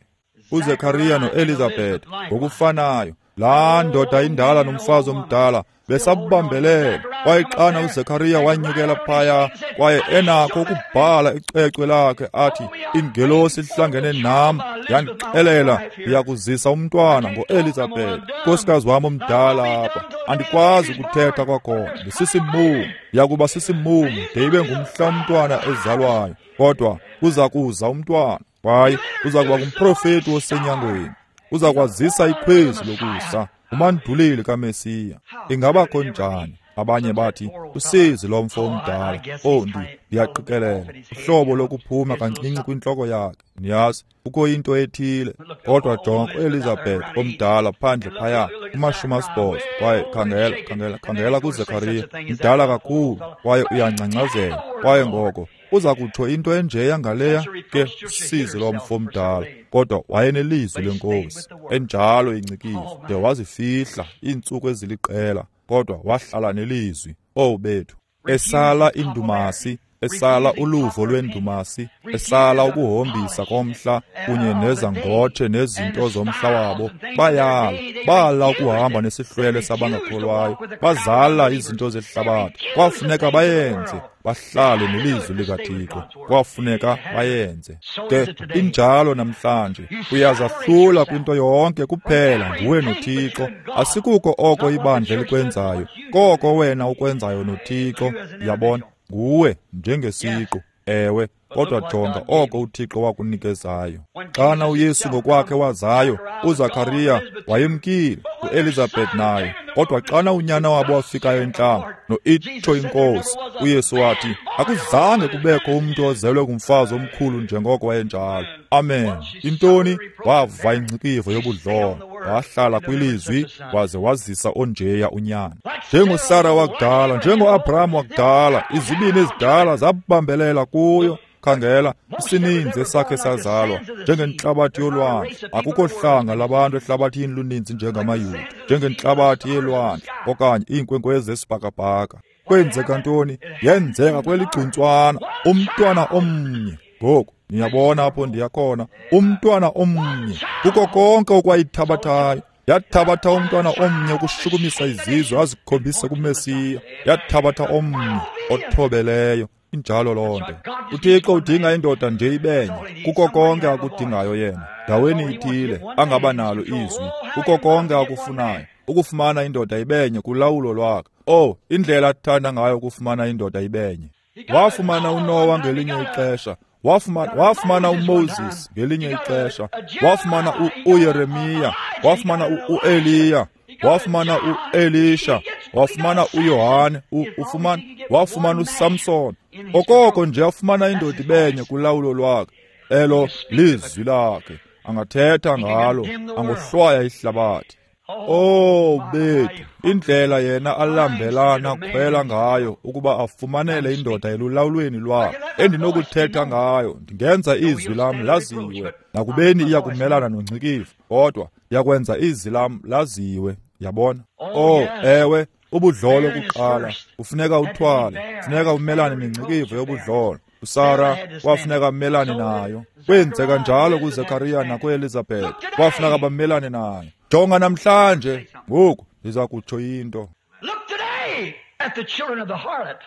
uZekariya noElizabeth ngokufanayo, laa ndoda indala nomfazi omdala besabambelele. Kwaye xana uZekariya wanyukela phaya kwaye enakho ukubhala icwecwe lakhe athi, ingelosi ihlangene nam yandixelela ndiyakuzisa umntwana ngoElizabeth, nkosikazi wam omdala apha. Andikwazi ukuthetha kwakhona, ndisisimumu, ndiyakuba sisimumu de ibe ngumhla umntwana ezalwayo, kodwa uza kuza umntwana, kwaye uza kuba ngumprofeti osenyangweni, uza kwazisa ikhwezi lokusa, umanduleli kaMesiya. Ingabakho njani? Abanye bathi usizi lomfo omdala. Oh, ndi ndiyaqikelela uhlobo lokuphuma kancinci kwintloko yakhe. Niyazi, kukho into ethile. Kodwa jonga uElizabeth omdala phandle phaya kumashumi asibhozo, kwaye khangela, khangela, khangela kuZekariya, mdala kakhulu, kwaye uyangcangcazela. Kwaye ngoko uza kutsho into enjeya ngaleya ke, usizi lomfo omdala. Kodwa wayenelizwi lenkosi enjalo ingcikivo, de wazifihla iintsuku eziliqela, kodwa wahlala nelizwi. Oh bethu, esala indumasi, esala uluvo lwendumasi, esala ukuhombisa komhla kunye nezangotshe nezinto zomhla wabo. Bayala, bala ukuhamba nesihlwele sabangakholwayo, bazala izinto zehlabathi. Kwafuneka bayenze, bahlale nelizwi likaThixo. Kwafuneka bayenze. Ke injalo namhlanje, uyazahlula kwinto yonke kuphela nguwe noThixo. Asikuko oko ibandla likwenzayo, koko wena ukwenzayo noThixo. Yabona, nguwe njengesiqu. Ewe, kodwa jonga oko uThixo wakunikezayo. Xana uYesu ngokwakhe wazayo, uZakariya wayemkile, uElizabeth naye. Kodwa xana unyana wabo wafikayo entlango, noitsho inkosi, uYesu wathi, akuzange kubekho umntu ozelwe ngumfazi omkhulu njengoko wayenjalo. Amen. Intoni? Wava ingcikivo yobudlolo, wahlala kwilizwi, waze wazisa onjeya unyana. NjengoSara wakudala, njengoAbraham wakudala, izibini ezidala zabambelela kuyo. Khangela, isininzi esakhe sazalwa njengentlabathi yolwandle. Akukho hlanga labantu ehlabathini luninzi njengamaYuda, njengentlabathi yelwandle okanye iinkwenkwezi zesibhakabhaka. Kwenzeka ntoni? Yenzeka kweligcuntswana, umntwana omnye. Ngoku niyabona apho ndiya khona, umntwana omnye. Kuko konke okwayithabathayo, yathabatha umntwana omnye ukushukumisa izizwe azikhombise kuMesiya. Yathabatha omnye othobeleyo. Injalo loo nto. UThixo udinga indoda nje ibenye. Kuko konke akudingayo yena, ndaweni ithile angaba nalo izwi. Kuko konke akufunayo, ukufumana indoda ibenye kulawulo lwakhe. Oh, indlela athanda ngayo ukufumana indoda ibenye. Wafumana uNowa ngelinye ixesha, wafumana wafumana uMoses ngelinye ixesha, wafumana uYeremiya, wafumana uEliya, wafumana uElisha, wafumana uYohane, ufumana wafumana uSamson. Okoko nje afumana indoda ibenye kulawulo lwakhe, elo lizwi lakhe, angathetha ngalo, angohlwaya ihlabathi. Oh bethu, indlela yena alambelana khwela ngayo ukuba afumanele indoda elulawulweni lwakhe endinokuthetha ngayo, ndingenza izwi lam laziwe, nakubeni iya kumelana nongcikivo, kodwa yakwenza izwi lam laziwe. Yabona? Oh ewe, ubudlolo kuqala kufuneka uthwale, kufuneka umelane nengcikivo yobudlolo. uSara wafuneka amelane nayo. Kwenzeka njalo kuZekaria nakuElizabeth, wafuneka bamelane nayo. Jonga namhlanje, ngoku ndiza kutsho into.
Look today at the children of the harlot.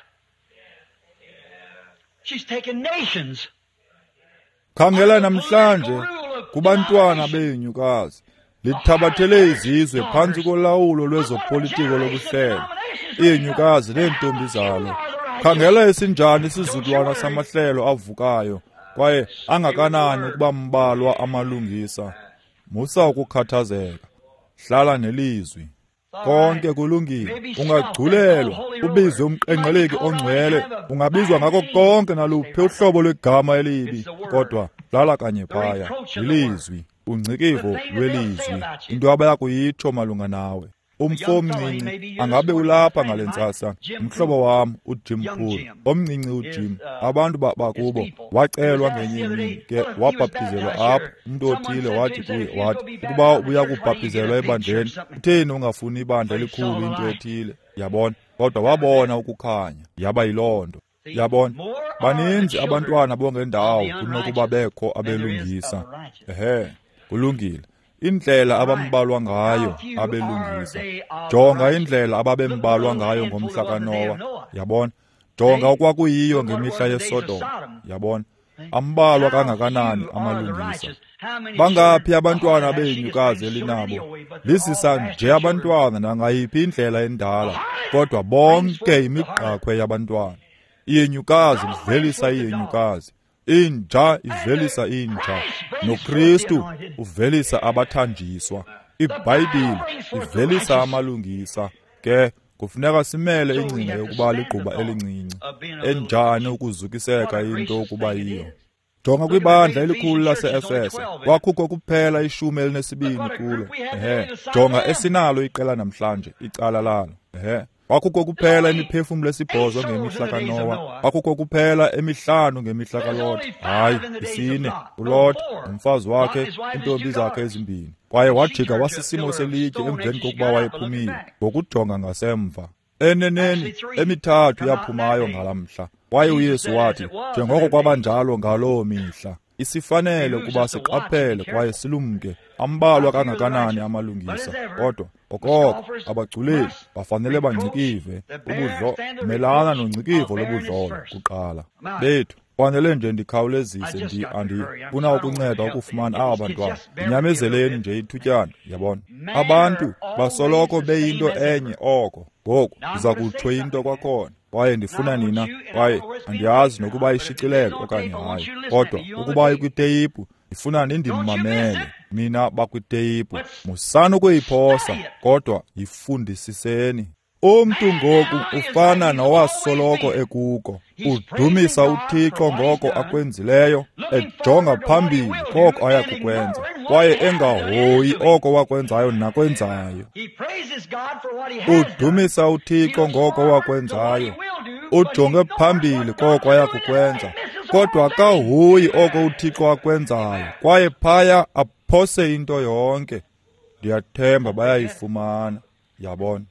She's taken nations.
Khangela namhlanje kubantwana benyukazi, lithabathele izizwe phantsi kolawulo lwezopolitiko lobuhlelo, iinyukazi neentombi zalo. Khangela esinjani isizukulwana samahlelo avukayo, kwaye angakanani ukuba mbalwa amalungisa. Musa ukukhathazeka, hlala nelizwi. Konke kulungile. Ungagculelwa, ubizwe umqengqeleki ongcwele, ungabizwa ngako konke naluphi uhlobo lwegama elibi, kodwa hlala kanye phaya. Ilizwi, ungcikivo lwelizwi, into abaya kuyitsho malunga nawe. Umfo omncinci angabe ulapha ngale ntsasa, umhlobo wam uJim Poole, omncinci uJim, abantu bakubo wacelwa ngenye imini ke wabhaptizelwa apha. Umntu othile wathi kuye, wathi ukuba ubuya kubhaptizelwa ebandleni, kutheni ungafuni ibandla elikhulu, into ethile, yabona? Kodwa wabona ukukhanya, yaba yiloo nto. Yabona, baninzi abantwana bongendawo kunokuba bekho abelungisa. Ehe, kulungile. Indlela abambalwa ngayo abelungisa. Jonga indlela ababembalwa ngayo ngomhla kaNowa. Yabona? Jonga okwakuyiyo ngemihla yeSodom. Yabona? Ambalwa kangakanani amalungisa. Bangaphi abantwana benyukazi elinabo? Lisisa nje abantwana nangayiphi indlela endala, kodwa bonke imigqakhwe yabantwana. Iyenyukazi ivelisa iyenyukazi, inja ivelisa inja, noKristu uvelisa abathanjiswa. IBhayibhile ivelisa amalungisa. Ke kufuneka simele ingcinga yokuba ligquba elincinci. Enjani ukuzukiseka into ukuba yiyo. Jonga kwibandla elikhulu lase-Efese, kwakhukho kuphela ishumi elinesibini kulo. Ehe, jonga esinalo iqela namhlanje, icala lalo. Ehe, kwakhukho kuphela imiphefumlo esibhozo ngemihla kaNowa, kwakhukho kuphela emihlanu ngemihla kaLot. Hayi, isine, uLot, umfazi wakhe, iintombi zakhe ezimbini. Kwaye wajika wasisimo selitye emveni kokuba wayephumile, ngokujonga ngasemva. Eneneni, emithathu yaphumayo ngalaa mhla. Kwaye uYesu wathi, njengoko kwabanjalo ngaloo mihla, isifanele ukuba siqaphele kwaye silumke. Ambalwa kangakanani amalungisa, kodwa okoko abagculeli bafanele bangcikive ubudlo, melana nongcikivo lobudlolo kuqala. Bethu, fanele nje ndikhawulezise, ndi andifuna ukunceda ukufumana aba bantwana. Ndinyamezeleni nje ithutyana, yabona. Abantu basoloko beyinto enye oko. Ngoku ndiza kutsho into kwakhona, kwaye ndifuna nina, kwaye andiyazi nokuba ishicilelo okanye hayi, kodwa ukuba ikwiteyiphu, ndifuna nindimamele nina bakwiteyiphu. Musani ukuyiphosa, kodwa yifundisiseni. Umntu ngoku ufana nowasoloko ekuko, udumisa uThixo ngoko akwenzileyo, ejonga phambili koko aya kukwenza, kwaye engahoyi oko wakwenzayo nakwenzayo. Udumisa uThixo ngoko wakwenzayo, ujonge phambili koko aya kukwenza, kodwa akahoyi oko uThixo akwenzayo, kwaye phaya aphose into yonke. Ndiyathemba bayayifumana, yabona.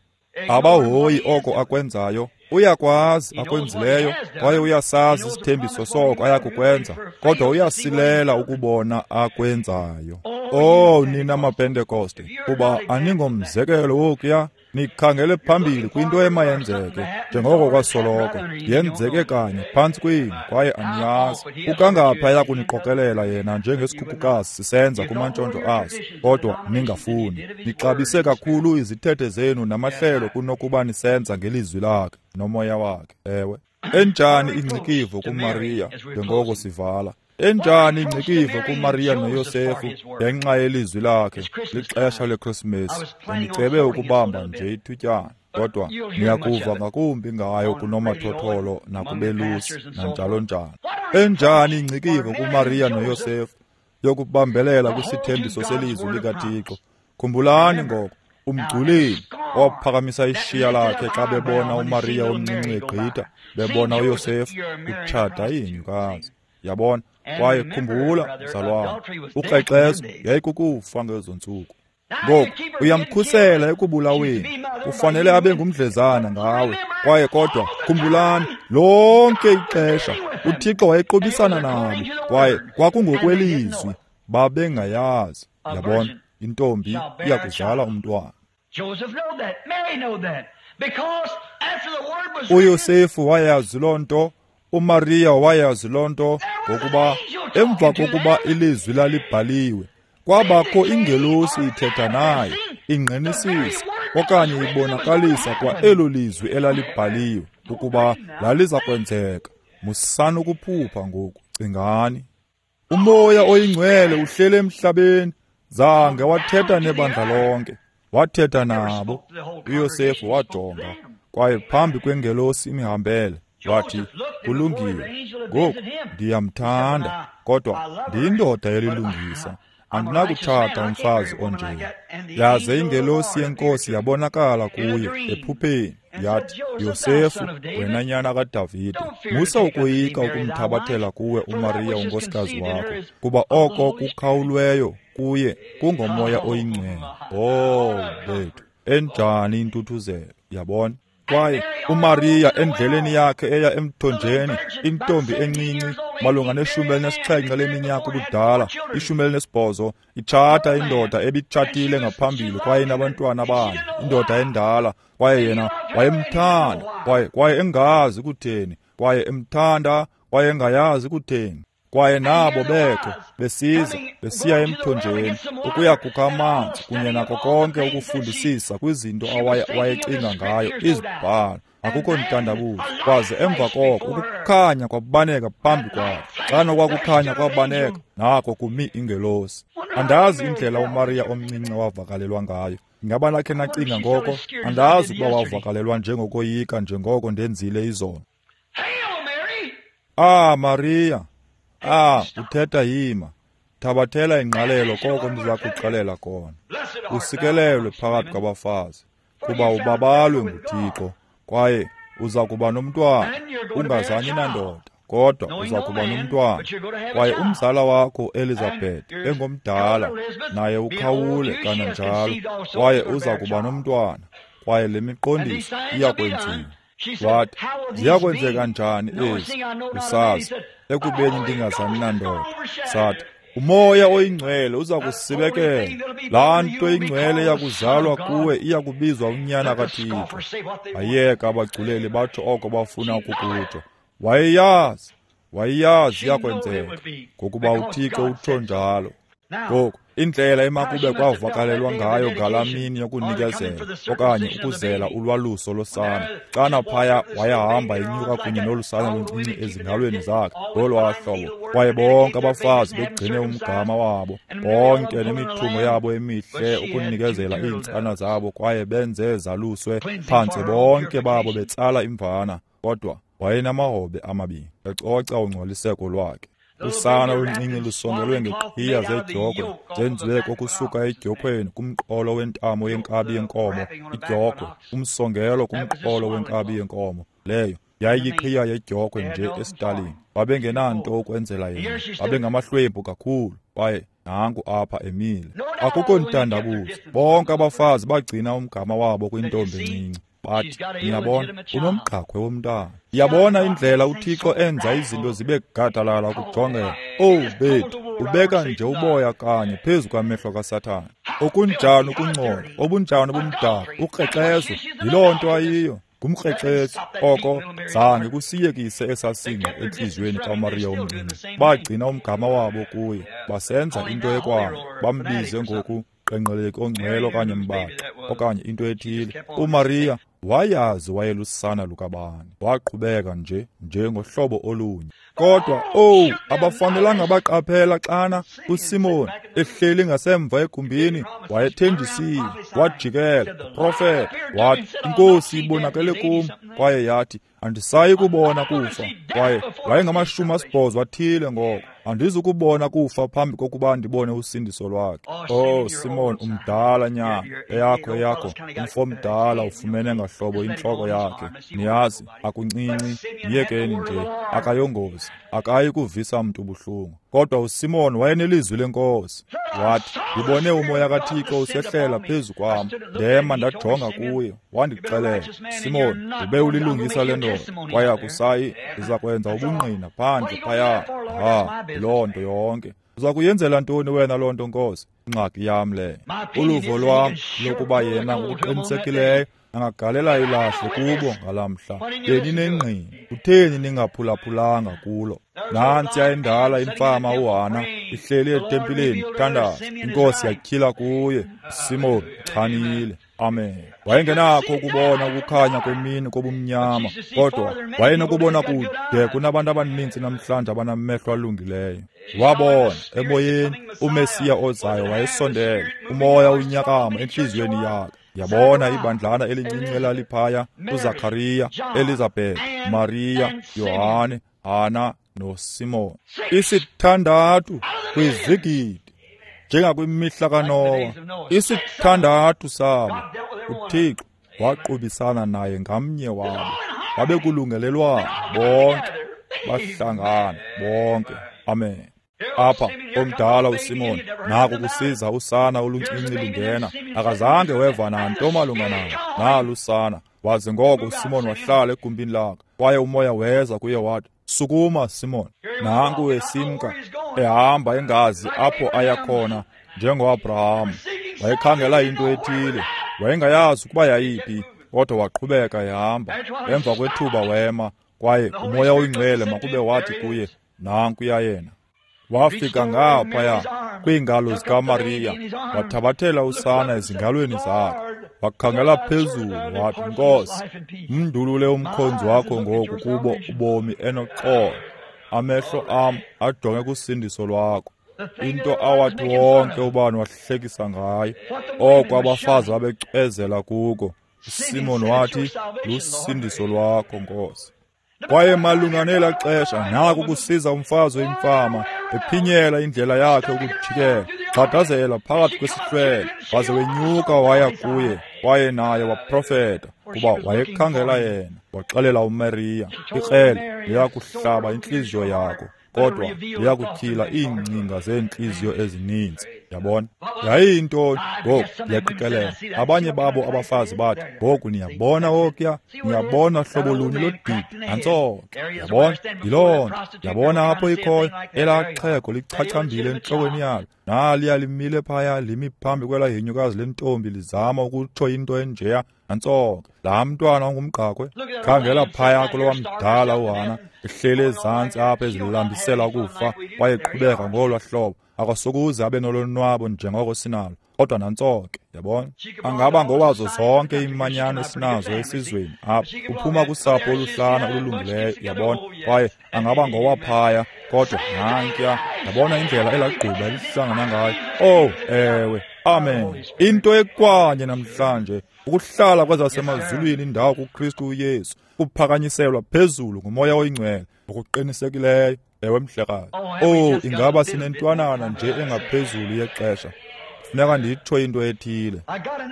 Abahoyi oko akwenzayo, uyakwazi akwenzileyo, kwaye uyasazi isithembiso soko ayakukwenza, kodwa uyasilela ukubona akwenzayo. Oh, nina maPentekoste, kuba aningomzekelo wokuya, nikhangele phambili kwinto emayenzeke, njengoko kwasoloko yenzeke kanye phantsi kwenu, kwaye aniyazi. Ukangaphi aya kuniqokelela yena njengesikhukukazi sisenza kumantshontsho aso, kodwa ningafuni. Nixabise kakhulu izithethe zenu namahlelo kunokuba nisenza ngelizwi lakhe nomoya wakhe. Ewe, enjani ingcikivo kuMariya njengoko sivala. Enjani ingcikivo kuMariya noYosefu ngenxa yelizwi lakhe. Lixesha leKrisimesi, ndicebe ukubamba nje ithutyana, kodwa niyakuva ngakumbi ngayo kunomathotholo nakubelusi nanjalo njalo. Enjani ingcikivo kuMariya noYosefu yokubambelela kwisithembiso selizwi likaThixo. Khumbulani ngoko, Umgculeli waphakamisa ishiya lakhe xa bebona uMariya omncinci egqitha, bebona uYosefu utshata ihenyukazi. Yabona? Kwaye khumbula, mzalwana, ukrexezo yayikukufa ngezo ntsuku. Ngoku uyamkhusela ekubulaweni, ufanele abe ngumdlezana ngawe. Kwaye kodwa khumbulani, lonke ixesha uThixo wayeqobisana nabo, kwaye kwakungokwelizwi, babengayazi. Yabona, intombi iyakuzala umntwana. UYosefu wayazi loo nto, uMariya wayazi loo nto, ngokuba emva kokuba ilizwi lalibhaliwe, kwabakho ingelosi ithetha naye, ingqinisisa okanye ibonakalisa kwa elo lizwi elalibhaliwe ukuba laliza kwenzeka. Musani ukuphupha ngoku, cingani. Umoya oyingcwele uhlele emhlabeni, zange wathetha nebandla lonke, wathetha nabo. uYosefu wajonga, kwaye phambi kwengelosi imihambele, wathi, kulungile, ngoku ndiyamthanda, kodwa ndiyindoda yelilungisa, andinakutshata umfazi onje. Yaze ingelosi yenkosi yabonakala kuye ephupheni, yathi, Yosefu, wena nyana kaDavide, musa ukoyika ukumthabathela kuwe uMariya unkosikazi wakho, kuba oko kukhawulweyo kuye kungomoya oyingcwele. Oh, bethu, enjani intuthuzelo, yabona? Kwaye uMariya endleleni yakhe eya emthonjeni, intombi encinci malunga neshumi elinesixhenxe leminyaka ubudala, ishumi elinesibhozo, itshata indoda ebitshatile ngaphambili kwaye inabantwana abane, indoda endala, kwaye yena wayemthanda, kwaye kwaye engazi kutheni, kwaye emthanda, kwaye engayazi kutheni. Kwaye nabo bekho besiza besiya emthonjeni ukuya kukha amanzi kunye nako konke ukufundisisa kwizinto awayecinga ngayo izibhalo. Akukho ntandabuzo. Kwaze emva koko ukukhanya kwabaneka phambi kwakhe. Xana kwakukhanya kwabaneka, nako kumi ingelosi. Andazi indlela uMariya omncinci wavakalelwa ngayo. Ingaba nakhe nacinga ngoko? Andazi ukuba wavakalelwa njengokoyika njengoko ndenzile izolo. Ah, Mariya, ah, uthetha yima. Thabathela ingqalelo koko ndiza kuxelela kona. Usikelelwe phakathi kwabafazi, kuba ubabalwe nguThixo, kwaye uza kuba nomntwana, ungazani nandoda, kodwa uza kuba nomntwana. Kwaye umzala wakho Elizabeth engomdala, naye ukhawule kananjalo, kwaye uza kuba nomntwana, kwaye le miqondiso iyakwenziwa. Wathi, ziyakwenzeka njani ezi, usazi, ekubeni ndingazani nandoda? Sathi, umoya oyingcwele uza kusibekela. Laa nto ingcwele iyakuzalwa kuwe iyakubizwa unyana kaThixo. Ayeka abagculeli batsho oko bafuna ukukutsho. Wayeyazi, wayeyazi iyakwenzeka, ngokuba uThixo utsho njalo. Ngoku, indlela emakube kwavakalelwa ngayo ngalaa mini yokunikezela okanye ukuzela ulwaluso losana, xana phaya wayehamba enyuka kunye nolu sana luncinci ezingalweni zakhe ngolwaa hlobo, kwaye bonke abafazi begcine umgama wabo bonke nemithungo yabo emihle ukunikezela iintsana zabo, kwaye benze zaluswe phantse bonke babo betsala imvana, kodwa wayenamahobe amabini ecoca ungcoliseko lwakhe. Usana oluncinci lusongelwe ngeqhiya zedyokhwe, zenziwe kokusuka edyokhweni kumqolo wentamo yenkabi yenkomo, idyokhwe, umsongelo kumqolo wenkabi yenkomo. Leyo yayiyiqhiya yedyokhwe nje esitalini. Babengenanto ukwenzela yena, babengamahlwempu kakhulu, kwaye nanku apha emile. Akukho ntandabuzo, bonke abafazi bagcina umgama wabo kwintombi encinci. Bathi, niyabona, unomgqakhwe womntana. Yabona indlela uThixo enza izinto zibe gadalala ukujongela. Oh, bethu, ubeka nje uboya kanye phezu kwamehlo kaSathane. Okunjani ukungcola, obunjani ubumdaka, ukrexezo, yiloo nto ayiyo, ngumkrexezo. Oko zange kusiyekise esasinqa entliziyweni kaMariya omncinci. Bagcina umgama wabo kuye, basenza into ekwabo, bambize ngoku qenqeleki ongcwele okanye mbaxa okanye into ethile. uMariya wayazi wayelusana lukabani, waqhubeka nje njengohlobo olunye. Kodwa oh, abafanelanga baqaphela xana uSimon ehleli ngasemva egumbini, wayethenjisiwe, wajikela profeta, wathi, inkosi ibonakele kum, kwaye yathi, Andisayi kubona kufa. Kwaye wayengamashumi asibhozo athile ngoko. Andizukubona kufa phambi kokuba ndibone usindiso lwakhe. Oh, Simon, umdala nyana, eyakho eyakho, umfo omdala ufumene ngahlobo intloko yakhe. Niyazi, akuncinci, yekeni nje, akayongozi, akayi kuvisa mntu buhlungu. Kodwa uSimon wayenelizwi lenkosi. Wathi, ndibone umoya kaThixo usehlela phezu kwam. Ndema ndajonga kuye, wandixelela, Simon, ube ulilungisa le ndoda, kwaye akusayi, ndiza kwenza ubungqina phandle phaya. Ha, loo nto yonke. Uza kuyenzela ntoni wena loo nto, Nkosi? Ingxaki yam leyo. Uluvo lwam lokuba yena ngokuqinisekileyo angagalela ilahle kubo ngalamhla. Beninengqina, kutheni ningaphulaphulanga kulo? Nantsiya endala imfama uHana ihleli etempileni ithandaza. Inkosi yatyhila kuye, Simon uchanile. Amen. Wayengenakho ukubona ukukhanya kwemini kobumnyama, kodwa wayenokubona kude kunabantu abaninzi namhlanje abanamehlo alungileyo. Wabona emoyeni uMesiya ozayo wayesondele, umoya unyakama entliziyweni yakhe. Yabona ibandlana elincinci elaliphaya, uZakhariya, Elizabeth, Maria, Yohane, Hana noSimon. Isithandathu kwizigidi, njengakwimihla kaNowa, isithandathu sabo. UThixo waqubisana naye ngamnye wabo. Babekulungelelwana bonke, bahlangana bonke. Amen. Apha omdala uSimon naku kusiza usana oluncinci lungena, akazange weva nanto malunga nalo, nalu usana. Waze ngoko uSimon wahlala egumbini lakhe, kwaye umoya weza kuye wathi, sukuma Simon. Nanku esimka ehamba engazi apho aya khona, njengoAbraham. Wayekhangela into ethile, wayengayazi ukuba yayiphi, kodwa waqhubeka ehamba. Emva kwethuba wema, kwaye umoya oyingcwele makube wathi kuye, nankuya yena. Wafika ngaphaya kwiingalo zikaMariya, wathabathela usana ezingalweni zakhe, wakhangela phezulu wathi, Nkosi, mndulule umkhonzi wakho ngoku kubo ubomi enoxolo. Amehlo am ajonge kusindiso lwakho. Into awathi wonke ubani wahlekisa ngayo, oko abafazi babecwezela kuko, uSimon wathi, lusindiso lwakho, Nkosi. Kwaye malunga nelaa xesha naku kusiza umfazi oyimfama ephinyela indlela yakhe ukujikela, gxadazela phakathi kwesihlwele, waze wenyuka waya kuye, kwaye naye waprofeta, kuba wayekhangela yena. Waxelela uMariya, ikrele liyakuhlaba intliziyo yakho, kodwa liyakutyhila iingcinga zeentliziyo ezininzi. Yabona? Yayiyintoni? Ngoku ndiyaqikelela abanye babo abafazi bathi, ngoku niyabona okuya, niyabona hlobo luni lodidi, nantso ke. Yabona? Yiloo nto. Yabona apho ikhoyo, elaa xhego lichachambile entlokweni yalo. Naliya limile phaya, limi phambi kwelaa henyukazi lentombi lizama ukutsho into enjeya, nantso ke. Laa mntwana ungumgqakhwe. Khangela phaya kulowa mdala uHana, ehleli ezantsi apha ezilambisela ukufa, kwaye eqhubeka ngolwaa hlobo. Akasokuze abe nolonwabo njengoko sinalo, kodwa nantso ke. Yabona? Angaba ngowazo zonke iimanyano esinazo esizweni apha, uphuma kusapho oluhlana olulungileyo, yabona, kwaye angaba ngowaphaya, kodwa nankuya. Yabona indlela elagquba elihlangana ngayo. Oh, ewe, amen. Into ekwanye namhlanje, ukuhlala kwezasemazulwini indawo kuKristu uYesu, kuphakanyiselwa phezulu ngumoya oyingcwele ngokuqinisekileyo. Ewe, mhlekazi. Oh, ingaba sinentwanana nje engaphezulu yexesha. Funeka nditsho into ethile.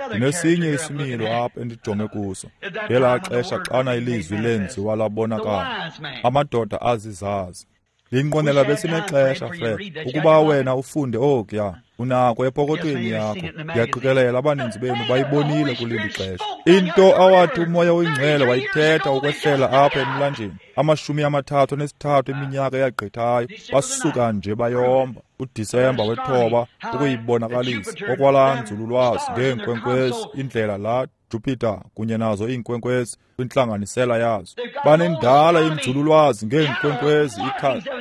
Ndinesinye isimilo apha endijonge kuso. Ngelaa xesha xana ilizwi lenziwa labonakala, amadoda azizazi. Ndinqwenela besinexesha, Fred, ukuba wena ufunde okuya. Unako epokothweni yakho. Ndiyaqikelela abaninzi benu bayibonile kuleli xesha. Into awathi umoya oyingcwele wayithetha ukwehlela apha emlanjeni, amashumi amathathu anesithathu eminyaka eyagqithayo, basuka nje bayomba. uDisemba wethoba ukuyibonakalisa okwalaa nzululwazi ngeenkwenkwezi, indlela laa Jupiter kunye nazo iinkwenkwezi kwintlanganisela yazo. Banendala inzululwazi ngeenkwenkwezi,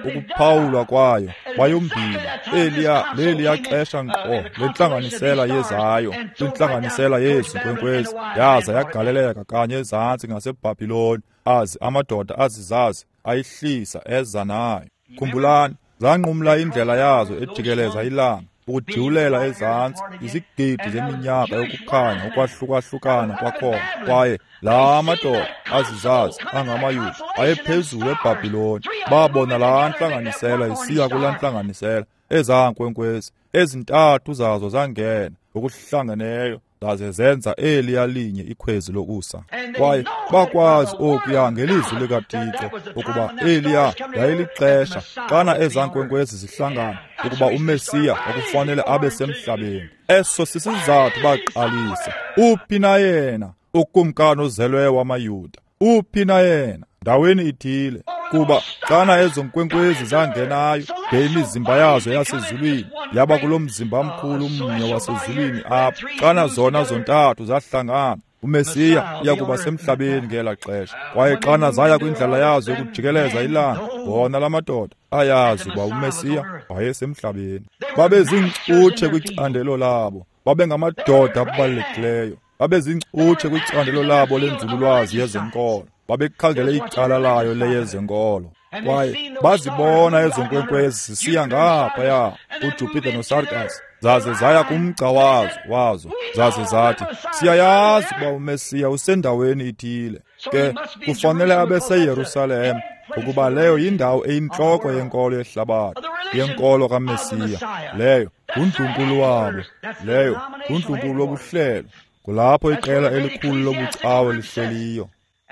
ukuphawulwa kwayo bayombila. Eliya leliya xesha nkqo lentlanganisela yezayo kwintlanganisela yezi nkwenkwezi, yaza yagaleleka kanye ezantsi ngaseBhabhiloni, azi amadoda azizazi ayihlisa eza nayo. Khumbulani, zanqumla indlela yazo ejikeleza ilanga. ukujiwulela ezantsi izigidi zeminyaka yokukhanya ukwahlukahlukana kwakhona. Kwaye laa madoda azizazi angamaYuda ayephezulu eBhabhiloni, babona laa ntlanganisela isiya kulaa ntlanganisela, ezaa nkwenkwezi ezintathu zazo zangena ngokuhlangeneyo zaze zenza eliya linye ikhwezi lokusa. Kwaye bakwazi okuya ngelizwi likaThixo ukuba eliya yayilixesha xana ezaa nkwenkwezi zihlangana ukuba uMesiya okufanele abe semhlabeni. Eso sisizathu baqalisa. Uphi na yena ukumkani ozelweyo wamaYuda? Uphi na yena? Ndaweni ithile. Kuba xana ezo nkwenkwezi zangenayo de imizimba yazo yasezulwini yaba kulo mzimba mkhulu mnye wasezulwini apha, xana zona zontathu zahlangana, uMesiya uya kuba semhlabeni ngela xesha. Kwaye xana zaya kwindlela yazo yokujikeleza ilanga, bona la madoda ayazi uba uMesiya wayesemhlabeni. Babeziinkcutshe kwicandelo labo, babengamadoda abalulekileyo, babeziinkcutshe kwicandelo labo lenzululwazi yezenkolo, babekhangele icala layo leyezenkolo. Kwaye bazibona ezo nkwenkwezi zisiya ngaphaya kuJupiter noSarkas, zaze zaya kumgca wazo wazo zaze zathi, siyayazi ukuba uMesiya usendaweni ithile, ke kufanele abe seYerusalem, ngokuba leyo yindawo eyintloko yenkolo yehlabathi, yenkolo kaMesiya. Leyo ngundlunkulu wabo, leyo ngundlunkulu wobuhlelo, kulapho iqela elikhulu lobucawe lihleliyo.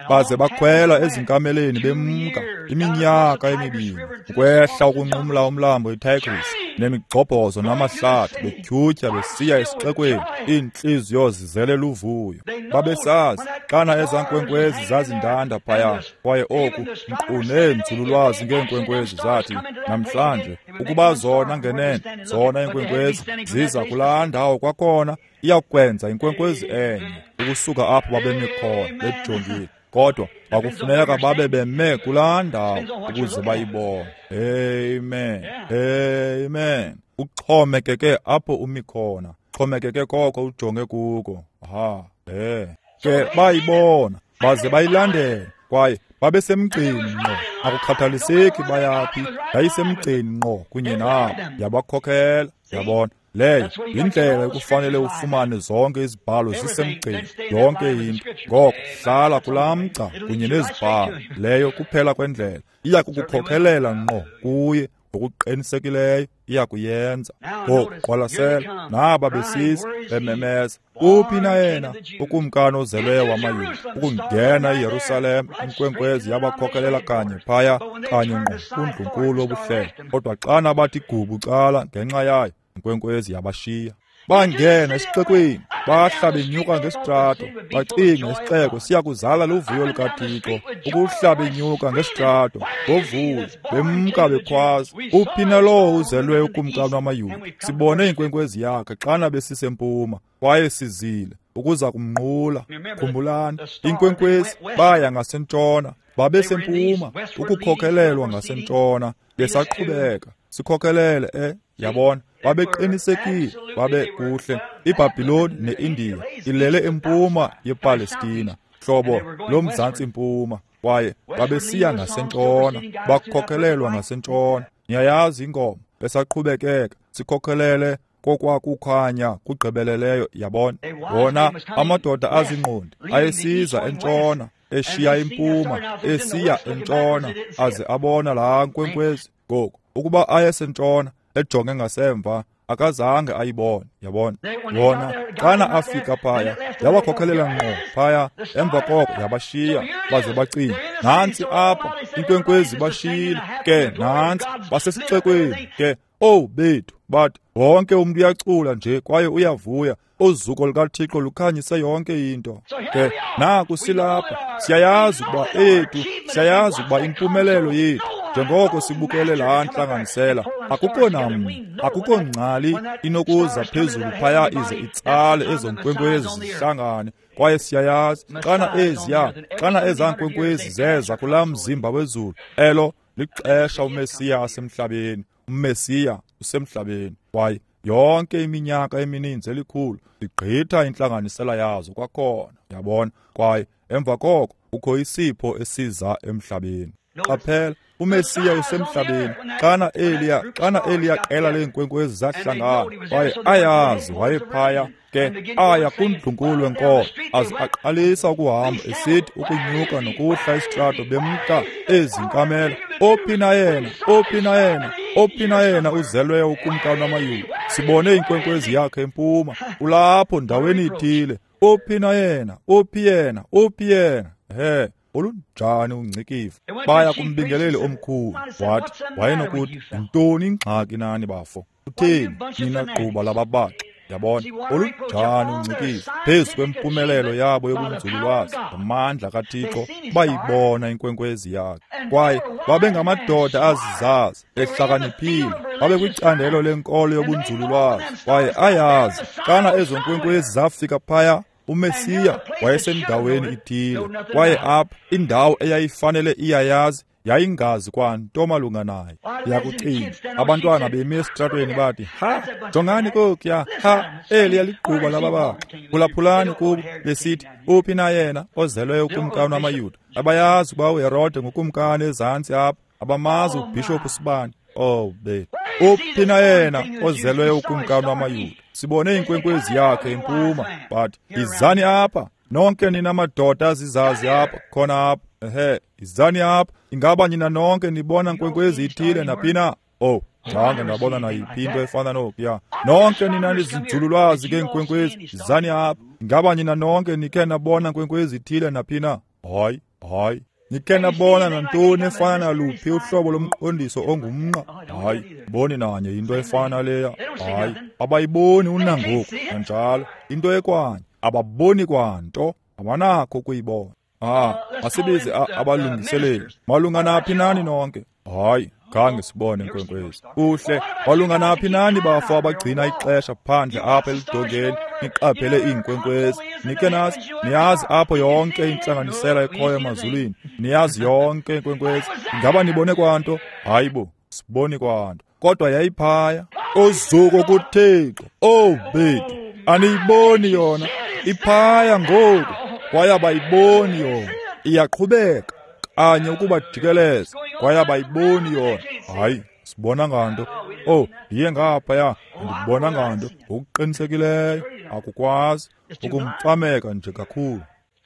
Baze bakhwela ezinkameleni bemka iminyaka emibini ukwehla ukunqumla umlambo iTigris nemigxobhozo namahlathi, betyhutyha besiya esixekweni, iintliziyo zizele luvuyo. Babesazi xana ezaa nkwenkwezi zazindanda phaya. Kwaye oku nkqu neenzululwazi ngeenkwenkwezi zathi namhlanje ukuba zona ngenene zona iinkwenkwezi ziza kulaa ndawo kwakhona, iyakwenza inkwenkwezi enye ukusuka apho babemi khona bejongile. Kodwa kwakufuneka babe beme kulaa ndawo ukuze bayibone. Amen, amen. Uxhomekeke apho umi khona, xhomekeke koko ujonge kuko. Aha, eh. Ke bayibona baze bayilandela, kwaye babesemgceni ngqo. Akukhathaliseki bayaphi, yayisemgceni ngqo kunye nabo, yabakhokhela. Yabona, leyo yindlela ekufanele ufumane zonke izibhalo zisemgceni, yonke into. Ngoko hlala kulaa mgca kunye nezibhalo, leyo kuphela kwendlela iya kukukhokelela ngqo kuye. Ngokuqinisekileyo iya kuyenza. Ngoku qwalasela, naba besiza bememeza, uphi na yena ukumkani ozelweyo wamaYuda? Ukungena eYerusalem, inkwenkwezi yabakhokelela kanye phaya, kanye ngqo kundlunkulu wobuhlelo. Kodwa xana bathi gubu cala ngenxa yayo, inkwenkwezi yabashiya. Bangena esixekweni, bahla benyuka ngesitrato, bacinga isixeko siya kuzala luvuyo lukaThixo. Ukuhla benyuka ngesitrato ngovuyo, bemka bekhwaza, uphi na lowo uzelwe ukumkani wamaYuda? Sibone inkwenkwezi yakhe xana besisempuma, kwaye sizile ukuza kumnqula. Khumbulani, inkwenkwezi baya ngasentshona, babesempuma, ukukhokelelwa ngasentshona, besaqhubeka sikhokhelele. Eh, yabona, babeqinisekile, babe kuhle. iBhabhiloni neIndiya ilele empuma yePalestina, hlobo lomzantsi mpuma, kwaye babesiya ngasentshona, bakhokhelelwa ngasentshona. Niyayazi ingoma, besaqhubekeka sikhokhelele kokwakukhanya kugqibeleleyo. Yabona, wona amadoda azingqondi ayesiza entshona, eshiya impuma, esiya entshona, aze abona laa nkwenkwezi. Ngoku ukuba ayesentshona ejonge ngasemva, akazange ayibone. Yabona, wona xana afika phaya, yabakhokhelela ngqo phaya. Emva koko yabashiya, baze bacinga, nantsi apha inkwenkwezi bashiyile, ke nantsi basesixekweni ke. Owu bethu, bathi wonke umntu uyacula nje kwaye uyavuya, uzuko lukaThixo lukhanyise yonke into. Ke naku silapha, siyayazi ukuba eyethu, siyayazi ukuba impumelelo yethu njengoko sibukele laa ntlanganisela, akukho namnye, akukho ngcali inokuza phezulu phaya ize itsale ezo nkwenkwezi zihlangane. Kwaye siyayazi xana eziya, xana ezaa nkwenkwezi zeza kulaa mzimba wezulu, elo lixesha uMesiya asemhlabeni. uMesiya usemhlabeni. Kwaye yonke iminyaka emininzi elikhulu igqitha intlanganisela yazo kwakhona. Yabona, kwaye emva koko kukho isipho esiza emhlabeni. Qaphela, uMesiya usemhlabeni. Xana eliya xana eliya qela leenkwenkwezi zahlangana, kwaye ayazi wayephaya, ke aya kundlunkulu wenkolo, aze aqalisa ukuhamba esithi ukunyuka nokuhla isitrato bemka ezinkamela. Ophi na yena? Ophi na yena? Ophi na yena uzelweyo ukumkani wamaYuda? Sibone inkwenkwezi yakhe empuma, ulapho ndaweni ithile. Ophi na yena? Ophi yena? Ophi yena? He, olunjani ungcikivo. Baya kumbingeleli omkhulu, wathi wayenokuthi, yintoni ingxaki nani bafo? Utheni nina gquba lababaxi? Yabona, olunjani ungcikivo. Phezu kwempumelelo yabo yobunzululwazi ngamandla kaThixo bayibona inkwenkwezi yakhe. Kwaye babengamadoda azizazi, ehlakaniphile, babekwicandelo lenkolo yobunzululwazi, kwaye ayazi xana ezo nkwenkwezi zafika phaya, uMesiya wayesendaweni ithile. Kwaye apha indawo eyayifanele iyayazi yayingazi kwanto malunga naye. Yakucinga abantwana bemi esitratweni bathi, ha, jongani kokuya, ha, eliya ligquba lababaxi. Phulaphulani kubo besithi, uphi na yena ozelweyo ukumkani wamaYuda? Abayazi ukuba uHerode ngukumkani ezantsi apha, abamazi ubhishophu sibani. Oh bethu, uphi na yena ozelweyo ukumkani wamaYuda? Sibone inkwenkwezi yakhe empuma. Bathi, izani apha nonke nina madoda azizazi apha, khona apha. Ehe, izani apha. Ingaba nina nonke nibona nkwenkwezi ithile naphina? Oh, zange ndabona nayiphi into efana nokuya. Nonke nina nizinzululwazi ngeenkwenkwezi, izani apha. Ingaba nina nonke nikhe nabona nkwenkwezi ithile naphina? Hayi, hayi. Nikhe nabona nantoni efana naluphi uhlobo lomqondiso ongumnqa? Hayi, boni nanye into efana leya. Hayi, abayiboni unangoku kanjalo. Into ekwanye, ababoni kwanto, abanakho ukuyibona. Ah, asibize abalungiseleli. Malunga naphi nani nonke? Hayi, khange sibone inkwenkwezi. Kuhle, malunga naphi nani bafo abagcina ixesha phandle apha elidongeni, niqaphele iinkwenkwezi. Nikhe nazi, niyazi apho yonke intlanganisela ekhoyo emazulwini. Niyazi yonke inkwenkwezi. Ingaba nibone kwanto? Hayi bo, siboni kwanto. Kodwa yayiphaya. Uzuko kuThixo. Oh bethu, aniyiboni yona. Iphaya ngoku. Kwaye abayiboni yona. Iyaqhubeka kanye ukubajikeleza. Kwaye abayiboni yona. Hayi, sibona nganto. Oh, ndiye ngaphaya, andibona nganto. Ngokuqinisekileyo akukwazi ukumfameka nje kakhulu.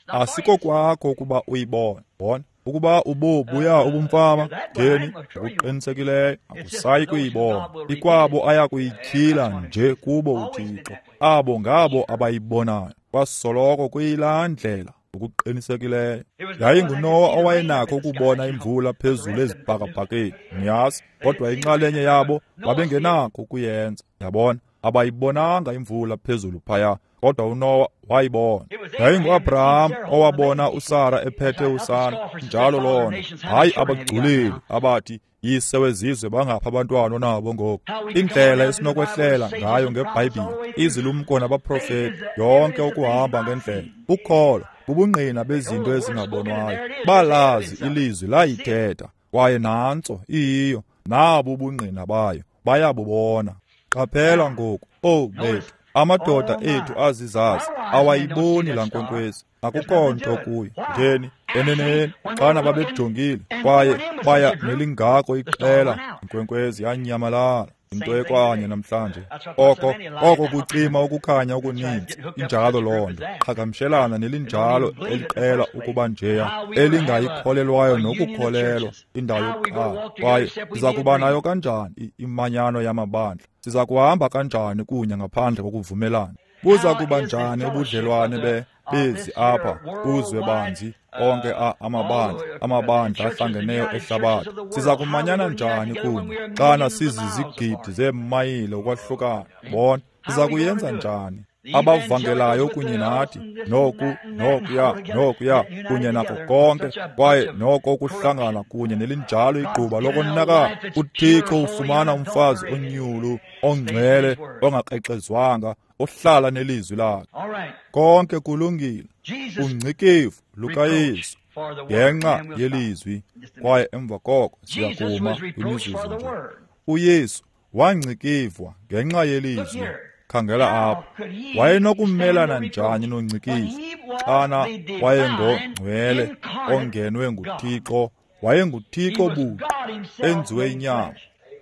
Asiko kwakho ukuba uyibone. Bona, ukuba ubobuya ubumfama ngeni, ngokuqinisekileyo akusayi kuyibona. Ikwabo aya kuyityhila nje kubo uThixo. Abo ngabo abayibonayo. Kwasoloko kuyilaa ndlela ngokuqinisekileyo. YayinguNowa owayenakho ukubona imvula phezulu ezibhakabhakeni, niyazi, kodwa inxalenye yabo babengenakho ukuyenza. Yabona, abayibonanga imvula phezulu phaya, kodwa uNowa wayibona. YayinguAbraham owabona uSara ephethe usana, njalo lona. Hayi abagculeli abathi yise wezizwe bangapha abantwana onabo ngoku. Indlela esinokwehlela ngayo ngeBhayibhile, izilumko nabaprofeti, yonke ukuhamba ngendlela. Ukholo bubungqina bezinto ezingabonwayo. Balazi ilizwi layithetha, kwaye nantso iyiyo, nabo ubungqina bayo, bayabubona. Qaphela ngoku, oh bethu, amadoda ethu azizazi awayiboni laa nkwenkwezi. Akukho nto kuyo. Ngeni, eneneni, xana babejongile, kwaye baya nelingako iqela, inkwenkwezi yanyamalala. Into ekwanye namhlanje. Oko oko kucima ukukhanya okuninzi. Injalo loo nto. Qhagamshelana nelinjalo eliqela ukuba njeya, elingayikholelwayo nokukholelwa indawo yokuqala. Kwaye siza kuba nayo kanjani imanyano yamabandla? Siza kuhamba kanjani kunye ngaphandle kokuvumelana? Buza kuba njani ubudlelwane be bezi apha kuzwe banzi onke amabandla amabandla ahlangeneyo ehlabathi? Siza kumanyana njani kunye xana sizizigidi zeemayile ukwahlukana? Bona, siza kuyenza njani? Abavangelayo kunye nathi, noku nokuya nokuya kunye nako konke, kwaye noko ukuhlangana kunye nelinjalo igquba lokonakala. UThixo ufumana umfazi onyulu, ongcwele, ongakrexezwanga, ohlala nelizwi lakhe. Konke kulungile. Ungcikivu lukaYesu ngenxa yelizwi, kwaye emva koko siyakuma kwimizuzu nje. uYesu wangcikivwa ngenxa yelizwi. Khangela apha, wayenokumelana njani nongcikivu xana wayengongcwele ongenwe nguThixo WayenguThixo buqu enziwe inyama.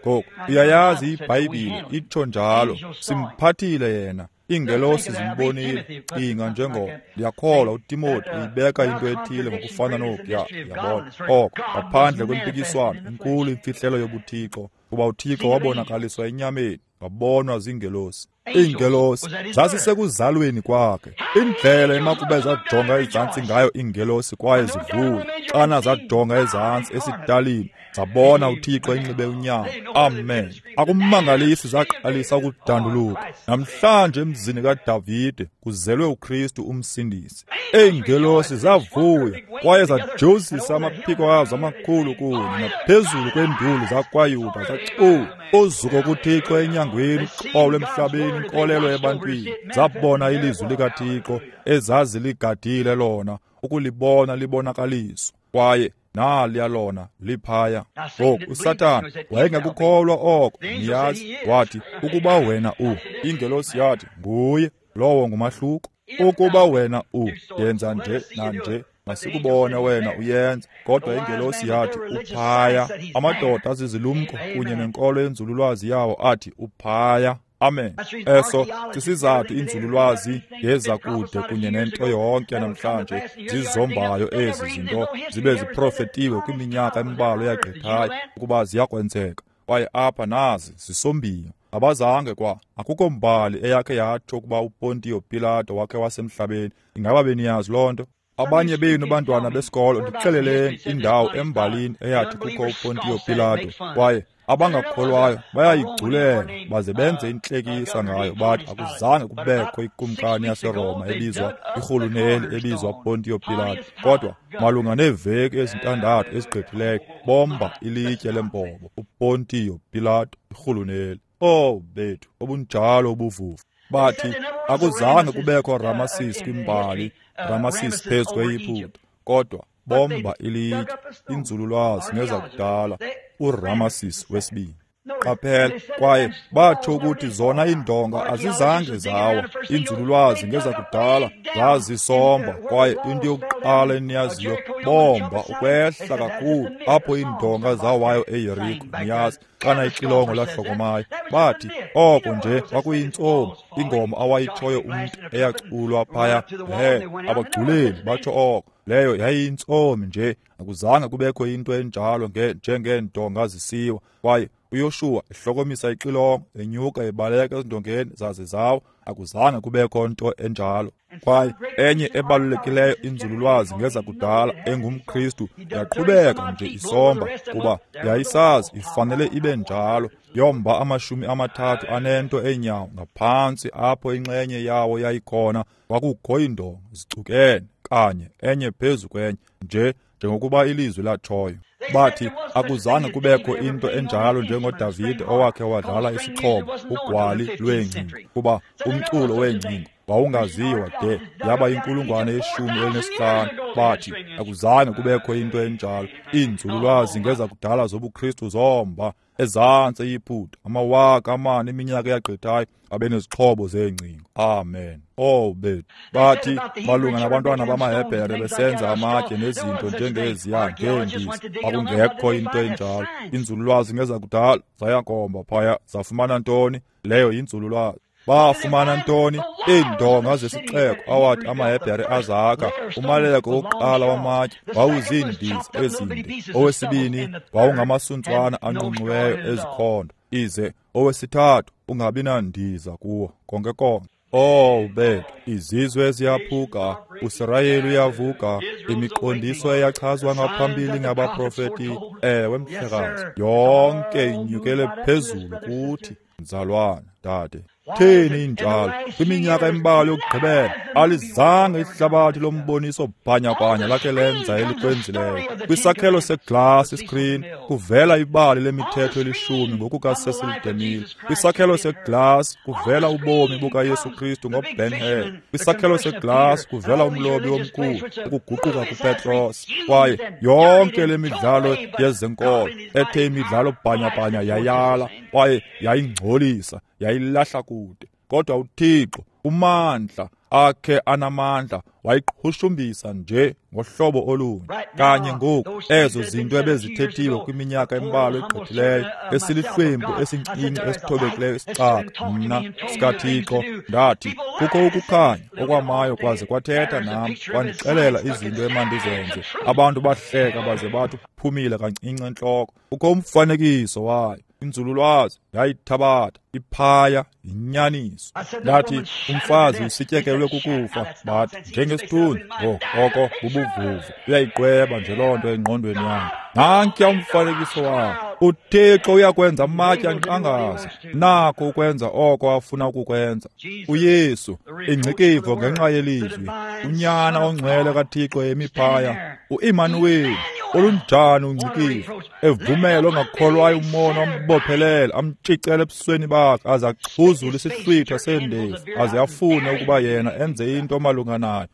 Ngoku uyayazi iBhayibhile itsho njalo, simphathile yena. Iingelosi zimbonile. Cinga njengo ndiyakholwa uTimothy uyibeka into ethile ngokufana nokuya, yabona. Oko ngaphandle kwempikiswano inkulu imfihlelo yobuThixo, kuba uThixo wabonakaliswa enyameni, wabonwa ziingelosi. Iingelosi zazisekuzalweni kwakhe. Indlela emakube zajonga ezantsi ngayo iingelosi kwaye zivuya xana zajonga ezantsi esitalini, zabona uThixo enxibe unyama. Amen. Akumangalisi zaqalisa ukudanduluka. Namhlanje emzini kaDavide kuzelwe uKristu umsindisi. Iingelosi zavuya kwaye zajozisa amaphiko azo amakhulu kunye naphezulu kwenduli zakwaYuda zacula uzuko kuThixo enyangweni, uxolo emhlabeni, inkolelo ebantwini. Zabona ilizwi likaThixo ezaziligadile lona, ukulibona libonakaliswa, kwaye naliya lona liphaya. Ngoku uSathana wayengakukholwa oko, niyazi. Wathi, ukuba wena u, ingelosi yathi, nguye lowo ngumahluko. Ukuba wena u, yenza nje nanje, masikubone wena uyenza. Kodwa ingelosi yathi uphaya. Amadoda azizilumko kunye nenkolo yenzululwazi yawo athi uphaya. Amen. Eso sisizathu inzululwazi ngeza kude kunye nento yonke namhlanje zizombayo ezi zinto zibe ziprofetiwe kwiminyaka embalwa eyagqithayo ukuba ziyakwenzeka. Kwaye apha nazi zisombiwe. Abazange kwa akukho mbali eyakhe yatsho ukuba uPontio Pilato wakhe wasemhlabeni. Ingaba beniyazi loo nto? Abanye benu bantwana besikolo ndixeleleni indawo embalini eyathi kukho uPontio Pilato, kwaye abangakholwayo bayayigculela baze benze intlekisa ngayo, bathi akuzange kubekho ikumkani yaseRoma ebizwa irhuluneli ebizwa Pontio Pilato. Kodwa malunga neeveki ezintandathu ezigqithileyo bomba ilitye lembobo uPontio Pilato irhuluneli. Oh bethu, obunjalo ubuvuvu. Bathi akuzange kubekho Ramesses kwimbali, Ramesses phezu kweYiputa, kodwa bomba ilitye. Inzululwazi ngezakudala uRamesses wesibini. Qaphela, kwaye batsho ukuthi zona iindonga azizange zawa. Inzululwazi ngezakudala zazisomba, kwaye into yokuqala eniyaziyo bomba ukwehla kakhulu apho iindonga zawayo eYeriko, niyazi, xana ixilongo lahlokomayo. Bathi oko nje kwakuyintsomi, ingoma awayitshoyo umntu eyaculwa phaya. He, abagculeli batsho oko. Leyo yayiyintsomi nje, akuzange kubekho into enjalo njengeendonga zisiwa. Kwaye uYoshuwa ehlokomisa ixilongo, enyuka ebaleka ezindongeni zaze zawo, akuzange kubekho nto enjalo. Kwaye enye ebalulekileyo inzululwazi ngezakudala engumKristu yaqhubeka nje isomba, kuba yayisazi ifanele ibe njalo. Yomba amashumi amathathu anento enyawo ngaphantsi apho inxenye yawo yayikhona, kwakukho iindonga zicukene kanye enye phezu kwenye nje njengokuba ilizwi latshoyo. Bathi akuzange kubekho into enjalo njengoDavide owakhe wadlala isixhobo ugwali lweengcingo, kuba umculo weengcingo wawungaziwa de yaba inkulungwane yeshumi elinesihlanu. Bathi akuzange kubekho into enjalo. Iinzululwazi ngezakudala zobuKristu zomba ezantsi eYiputa amawaka amane iminyaka eyagqithayo abenezixhobo zeengcingo. Amen. Oh bethu. Bathi malunga nabantwana bamaHebhere besenza amatye nezinto njengeziya ngeendiza, kwakungekho into enjalo. Inzululwazi ngezakudala zayakomba phaya, zafumana ntoni? Leyo yinzululwazi. Bafumana ntoni? Iindonga zesixeko awathi amaHebhere azakha. Umaleko wokuqala wamatye wawuziindiza ezinde, owesibini wawungamasuntswana anqunqiweyo ezikhondo, ize owesithathu ungabi nandiza kuwo konke konke. Oh bethu, izizwe ziyaphuka, uSirayeli uyavuka, imiqondiso eyachazwa ngaphambili ngabaprofeti, ewe mhlekazi, yonke inyukele phezulu kuthi. Mzalwana, dade, theni injalo? Kwiminyaka embalwa yokugqibela alizange ihlabathi lomboniso bhanyabhanya lakhe lenza elikwenzileyo. Kwisakhelo seglasi screen kuvela ibali lemithetho elishumi ngokukaCecil DeMille. Kwisakhelo seglasi kuvela ubomi bukaYesu Kristu ngoBen Hur. Kwisakhelo seglasi kuvela umlobi omkhulu ukuguquka kuPetros. Kwaye yonke le midlalo yezenkolo ethe imidlalo bhanyabhanya yayala kwaye yayingcolisa, yayilahla kude. Kodwa uThixo umandla akhe anamandla wayiqhushumbisa nje ngohlobo olunye. Kanye ngoku ezo zinto ebezithethiwe kwiminyaka embalwa egqithileyo, esilihlwempu esincinci esithobekileyo isicaka mna sikaThixo, ndathi kukho ukukhanya okwamayo kwaze kwathetha nam, kwandixelela izinto emandizenze. Abantu bahleka baze bathi uphumile kancinci entloko. Kukho umfanekiso wayo. Inzululwazi yayithabatha iphaya yinyaniso. Ndathi umfazi usityekelwe kukufa, bathi njengesithunzi. Oh, oko bubuvuvu, uyayiqweba nje loo nto engqondweni yakhe. Nankuya umfanekiso wakhe. UThixo uyakwenza amatye anqangaze, nako ukwenza oko afuna ukukwenza. UYesu, ingcikivo ngenxa yelizwi, unyana ongcwele kaThixo emi phaya, uImanuweli, olunjani ungcikivo, evumela ongakholwayo umona ambophelele, amtshicele ebusweni bakhe, aze axhuzule isihlwitha seendevu, aze afune ukuba yena enze into malunga nayo.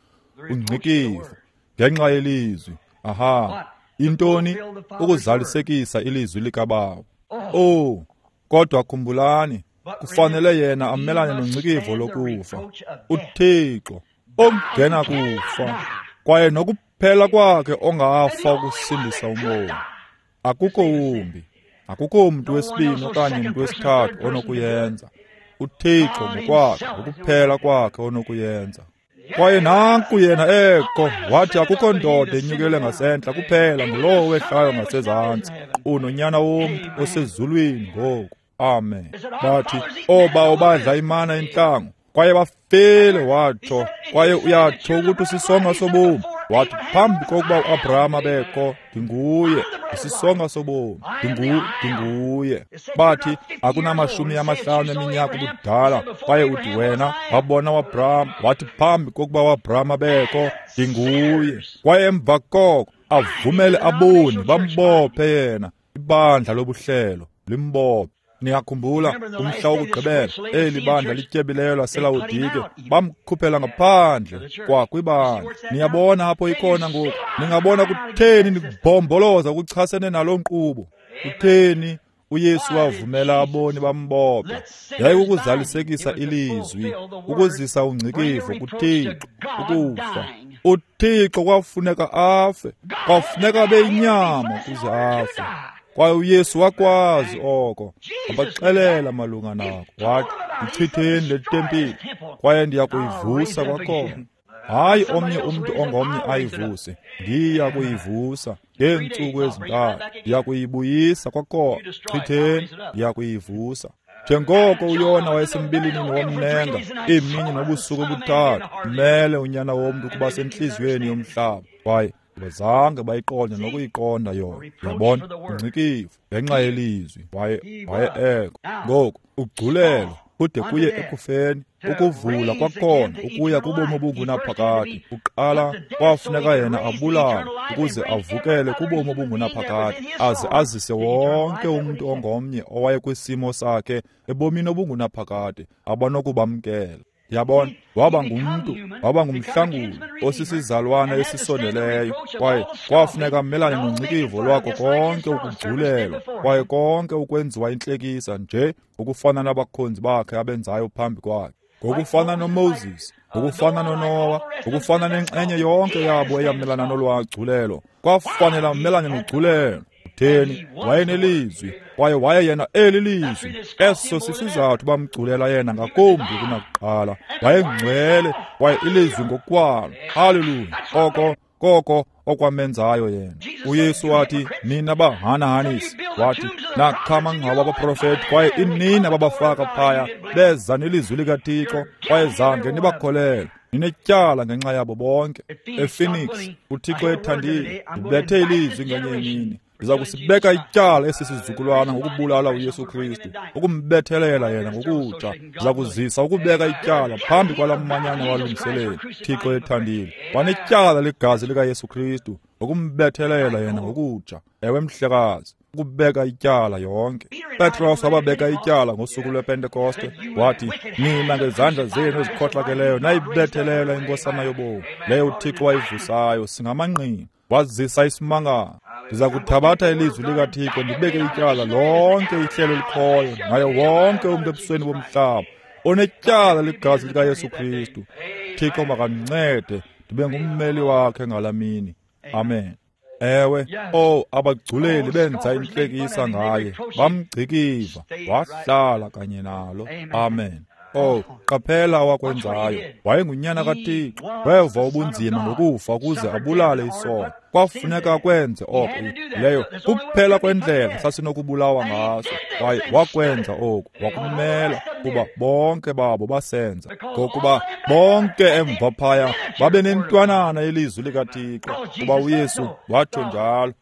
Ungcikivo ngenxa yelizwi. Aha. Intoni? Ukuzalisekisa ilizwi likaBawo. Oh, kodwa khumbulani, kufanele yena amelane nongcikivo lokufa. UThixo ongena kufa, kwaye nokuphela kwakhe ongafa ukusindisa umoya. Akukho wumbi, akukho mntu wesibini okanye mntu wesithathu onokuyenza. UThixo ngokwakhe, ukuphela kwakhe onokuyenza. Kwaye nanku yena ekho, wathi akukho ndoda enyukele ngasentla kuphela ngulowo wehlayo ngasezantsi, unonyana womntu osezulwini ngoku. Amen. Bathi oobawo badla imana entlango, kwaye bafile, watsho. Kwaye uyatsho ukuthi usisonga sobomi. Wathi phambi kokuba uAbraham abekho, ndinguye, isisonga sobomi, ndingu ndinguye. Bathi akunamashumi amahlanu eminyaka ubudala, kwaye uthi wena wabona uAbraham. Wathi phambi kokuba uAbraham abekho, ndinguye. Kwaye emva koko avumele aboni bambophe yena, ibandla lobuhlelo limbophe. Niyakhumbula umhla wokugqibela, eli bandla lityebileyo laseLawodike bamkhuphela ngaphandle kwakwibandla. Niyabona apho ikhona ngoku. Ningabona kutheni nikubhomboloza kuchasene naloo nkqubo. Kutheni uYesu wavumela aboni bambophe? Yayikukuzalisekisa ilizwi, ukuzisa ungcikivo kuThixo, ukufa. UThixo kwafuneka afe, kwafuneka abe yinyama ukuze afe. Kwaye uYesu wakwazi oko, wabaxelela malunga nako. Wathi, "Yichitheni le tempile, kwaye ndiya kuyivusa kwakhona." Hayi omnye umntu ongomnye ayivuse, ndiya kuyivusa ngeentsuku ezintathu, ndiya kuyibuyisa kwakhona. Chitheni, ndiya kuyivusa. Njengoko uYona wayesembilinini womnenga iimini nobusuku obuthathu, mele unyana womntu ukuba sentliziyweni yomhlaba. Kwaye abazange bayiqonde nokuyiqonda yona. Yabona, ungcikivo ngenxa yelizwi. Waye waye ekho ngoku ugculelo kude kuye ekufeni, ukuvula kwakhona ukuya kubomi obungunaphakade. Uqala kwafuneka yena abulawe ukuze avukele kubomi obungunaphakade, aze azise wonke umntu ongomnye owayekwisimo sakhe ebomini obungunaphakade abanokubamkela. Yabona, waba ngumntu, waba ngumhlanguli osisizalwana esisondeleyo, kwaye kwafuneka amelane nongcikivo lwakho konke ukugculelwa, kwaye konke ukwenziwa intlekisa nje ngokufana nabakhonzi bakhe abenzayo phambi kwakhe. Ngokufana noMoses, ngokufana noNowa, ngokufana nenxenye yonke yabo eyamelana nolwagculelo, kwafanele amelane nogculelo. Kutheni? Wayenelizwi, kwaye waye yena eli lizwi. Eso sisizathu bamgculela yena ngakumbi kunakuqala. Wayengcwele, kwaye ilizwi ngokwalo. Haleluya! Oko koko okwamenzayo yena. uYesu wathi, nina bahanahanisi, wathi nakha amangcwaba abaprofeti, kwaye inini ababafaka phaya, beza nelizwi likaThixo, kwaye zange nibakholelwe. Ninetyala ngenxa yabo bonke. EPhoenix, uThixo ethandile, ndibethe ilizwi ngenye imini. Ndiza kusibeka ityala esi sizukulwana ngokubulala uYesu Kristu, ukumbethelela yena ngokutsha. Ndiza kuzisa ukubeka ityala phambi kwala manyana walungiseleli. Thixo ethandile, wanetyala legazi likaYesu Kristu ngokumbethelela yena ngokutsha. Ewe mhlekazi, ukubeka ityala yonke. Petros wababeka ityala ngosuku lwePentekoste, wathi, nina ngezandla zenu ezikhohlakeleyo nayibethelela inkosana yobomi leyo uThixo wayivusayo, singamangqina. Wazisa isimangalo. Ndiza kuthabatha ilizwi likaThixo ndibeke ityala lonke ihlelo elikhoyo naye wonke umntu ebusweni bomhlaba onetyala ligazi likaYesu Kristu. Thixo makandincede ndibe ngummeli wakhe ngalaa mini. Amen. Ewe, oh, abagculeli benza intlekisa ngaye, bamgcikiva, wahlala kanye nalo. Amen. Oh, qaphela awakwenzayo. Wayengunyana kaThixo, weva ubunzima ngokufa ukuze abulale isono. Kwafuneka akwenze oko. Leyo kuphela kwendlela sasinokubulawa ngaso. Kwaye wakwenza oku, wakumela, kuba bonke babo basenza. Ngokuba bonke emva phaya babe nentwanana yelizwi likaThixo, kuba uYesu watsho njalo.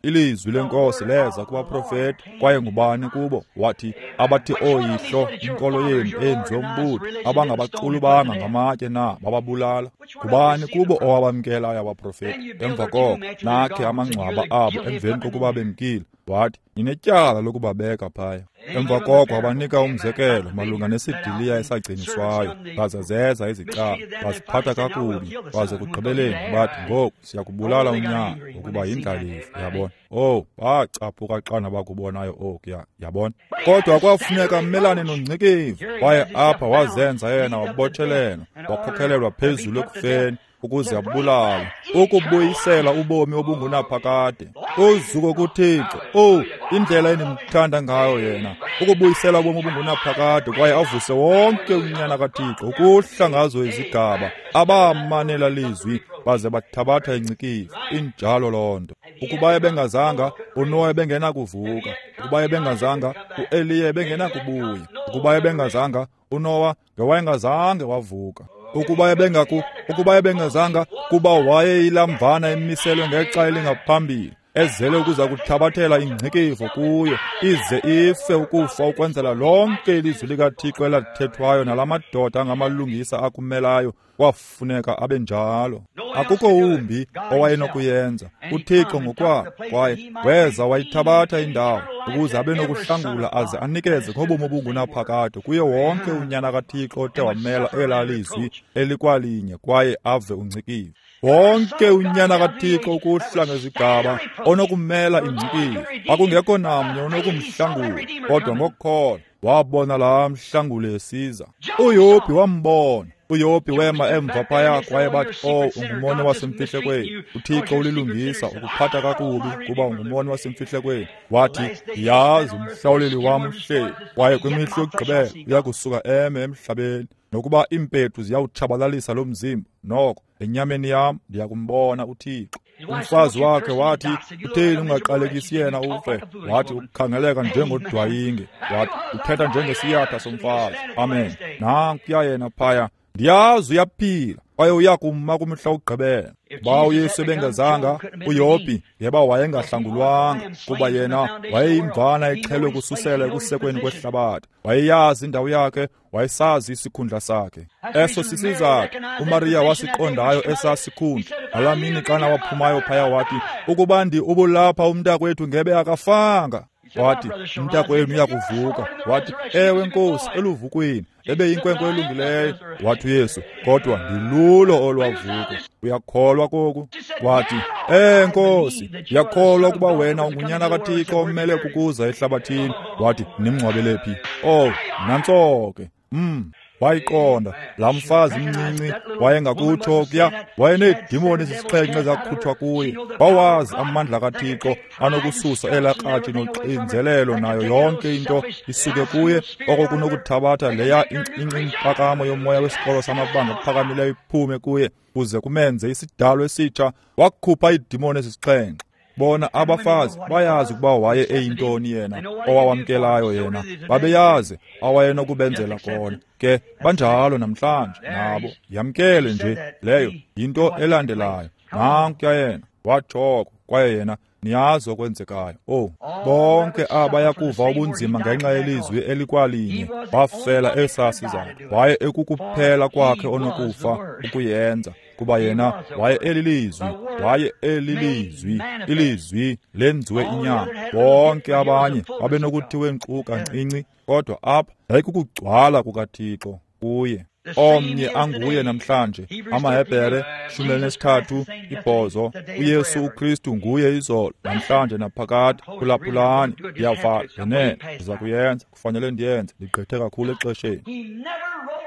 Ilizwi lenkosi leza kubaprofeti, kwaye ngubani kubo? Wathi, abathi oyihlo inkolo yenu eyenziwe umbutho, abangabaxulubanga ngamatye na bababulala. Ngubani kubo owabamkelayo abaprofeti? Emva koko nakhe amangcwaba abo emveni kokuba bemkile. Wathi, ninetyala lokubabeka phaya. Emva koko wabanika umzekelo malunga nesidiliya esagciniswayo, baza zeza izicaba, baziphatha kakubi, baze kugqibeleni bathi, ngoku siyakubulala unyana ngokuba yindlalifa. Yabona? Oh, bacaphuka xana bakubonayo okuya, yabona? Kodwa kwafuneka amelane nongcikivo, kwaye apha wazenza yena wabotshelelwa, wakhokhelelwa phezulu ekufeni ukuze abulale, ukubuyisela ubomi obungunaphakade. Uzuko kuThixo. Oh, indlela endimthanda ngayo yena, ukubuyisela ubomi obungunaphakade, kwaye avuse wonke unyana kaThixo ukuhla ngazo izigaba abamanela lizwi baze bathabatha ingcikivo. Injalo loo nto. Ukuba ebengazanga, uNowa ebengenakuvuka. Ukuba ebengazanga, uEliya ebengenakubuya. Ukuba ebengazanga, uNowa ngewayengazange wavuka. Ukuba ebengaku, ukuba ebengazanga, kuba wayeyilamvana emiselwe ngexa elingaphambili, ezele ukuza kuthabathela ingcikivo kuyo, ize ife ukufa ukwenzela lonke ilizwi likaThixo elathethwayo nalamadoda angamalungisa akumelayo. Kwafuneka abe njalo. Akukho wumbi owayenokuyenza. UThixo ngokwakhe kwaye weza wayithabatha indawo ukuze abe nokuhlangula aze anikeze ngobomi obungunaphakade kuye wonke unyana kaThixo othe wamela elaa lizwi elikwalinye kwaye ave ungcikivo. Wonke unyana kaThixo ukuhla ngezigaba onokumela ingcikivo, akungekho namnye onokumhlangula, kodwa ngokukholwa wabona laa mhlanguli esiza. uYobhi wambona. uYobhi wema emva phaya kwaye bathi, oh, ungumoni wasemfihlekweni. uThixo ulilungisa, ukuphatha kakubi kuba ungumoni wasemfihlekweni. Wathi, ndiyazi umhlawuleli wam uhleli, kwaye kwimihla yokugqibela uya kusuka eme emhlabeni. Nokuba iimpethu ziyawutshabalalisa lo mzimba, noko enyameni yam ndiyakumbona uThixo. Umfazi wakhe wathi, utheni ungaqalekisi yena ufe? Wathi, ukukhangeleka njengodwayinge. Wathi, uthetha njengesiyatha somfazi. Amen. Nankuya yena phaya. Ndiyazi uyaphila, kwaye uyakuma kumhla wokugqibela. Ba uYesu ebengazanga, uYobhi ngeba wayengahlangulwanga, kuba yena wayeyimvana exhelwe kususela ekusekweni kwehlabathi. Wayeyazi indawo yakhe, wayesazi isikhundla sakhe. Eso sisizathu uMariya wasiqondayo esaa sikhundla. Ngalaa mini xana waphumayo phaya wathi, ukuba ndi ubulapha umntakwethu ngebe akafanga. Wathi, umntakwenu uyakuvuka. Wathi, ewe Nkosi, eluvukweni ebeyinkwenkwe elungileyo. Wathi uYesu, kodwa ndilulo olwavuko. Uyakholwa koku? Wathi, eh Nkosi, ndiyakholwa ukuba wena ungunyana kaThixo omele kukuza ehlabathini. Wathi, nimngcwabele phi? Oh, nantso ke. Mm. Wayiqonda laa mfazi mncinci wayengakutsho kuya, wayeneedimoni ezisixhenxe ezakhutshwa kuye. Wawazi amandla kaThixo anokususa elaa kratshi noxinzelelo nayo yonke into isuke kuye, oko kunokuthabatha leya impakamo yomoya wesikolo samabanga aphakamileyo iphume kuye kuze kumenze isidalo esitsha. Wakhupha iidimoni ezisixhenxe. Bona abafazi bayazi ukuba waye eyintoni yena owawamkelayo yena, babeyazi awayenokubenzela kona. Ke banjalo namhlanje nabo, yamkele nje leyo yinto elandelayo. Nankuya yena watshoko, kwaye yena niyazi okwenzekayo. Oh, bonke abayakuva ubunzima ngenxa yelizwi elikwalinye bafela esaa sizathu. Waye ekukuphela kwakhe onokufa ukuyenza, kuba yena waye elilizwi, waye elilizwi, ilizwi lenziwe inyama. Bonke abanye babenokuthiwe nkqu kancinci, kodwa apha yayikukugcwala kukaThixo kuye. Omnye anguye namhlanje. AmaHebhere shumi elinesithathu ibhozo. UYesu uKristu nguye izolo, namhlanje naphakade. Phulaphulani, ndiyavala ngenene, ndiza kuyenza, kufanele ndiyenze, ndigqithe kakhulu exesheni.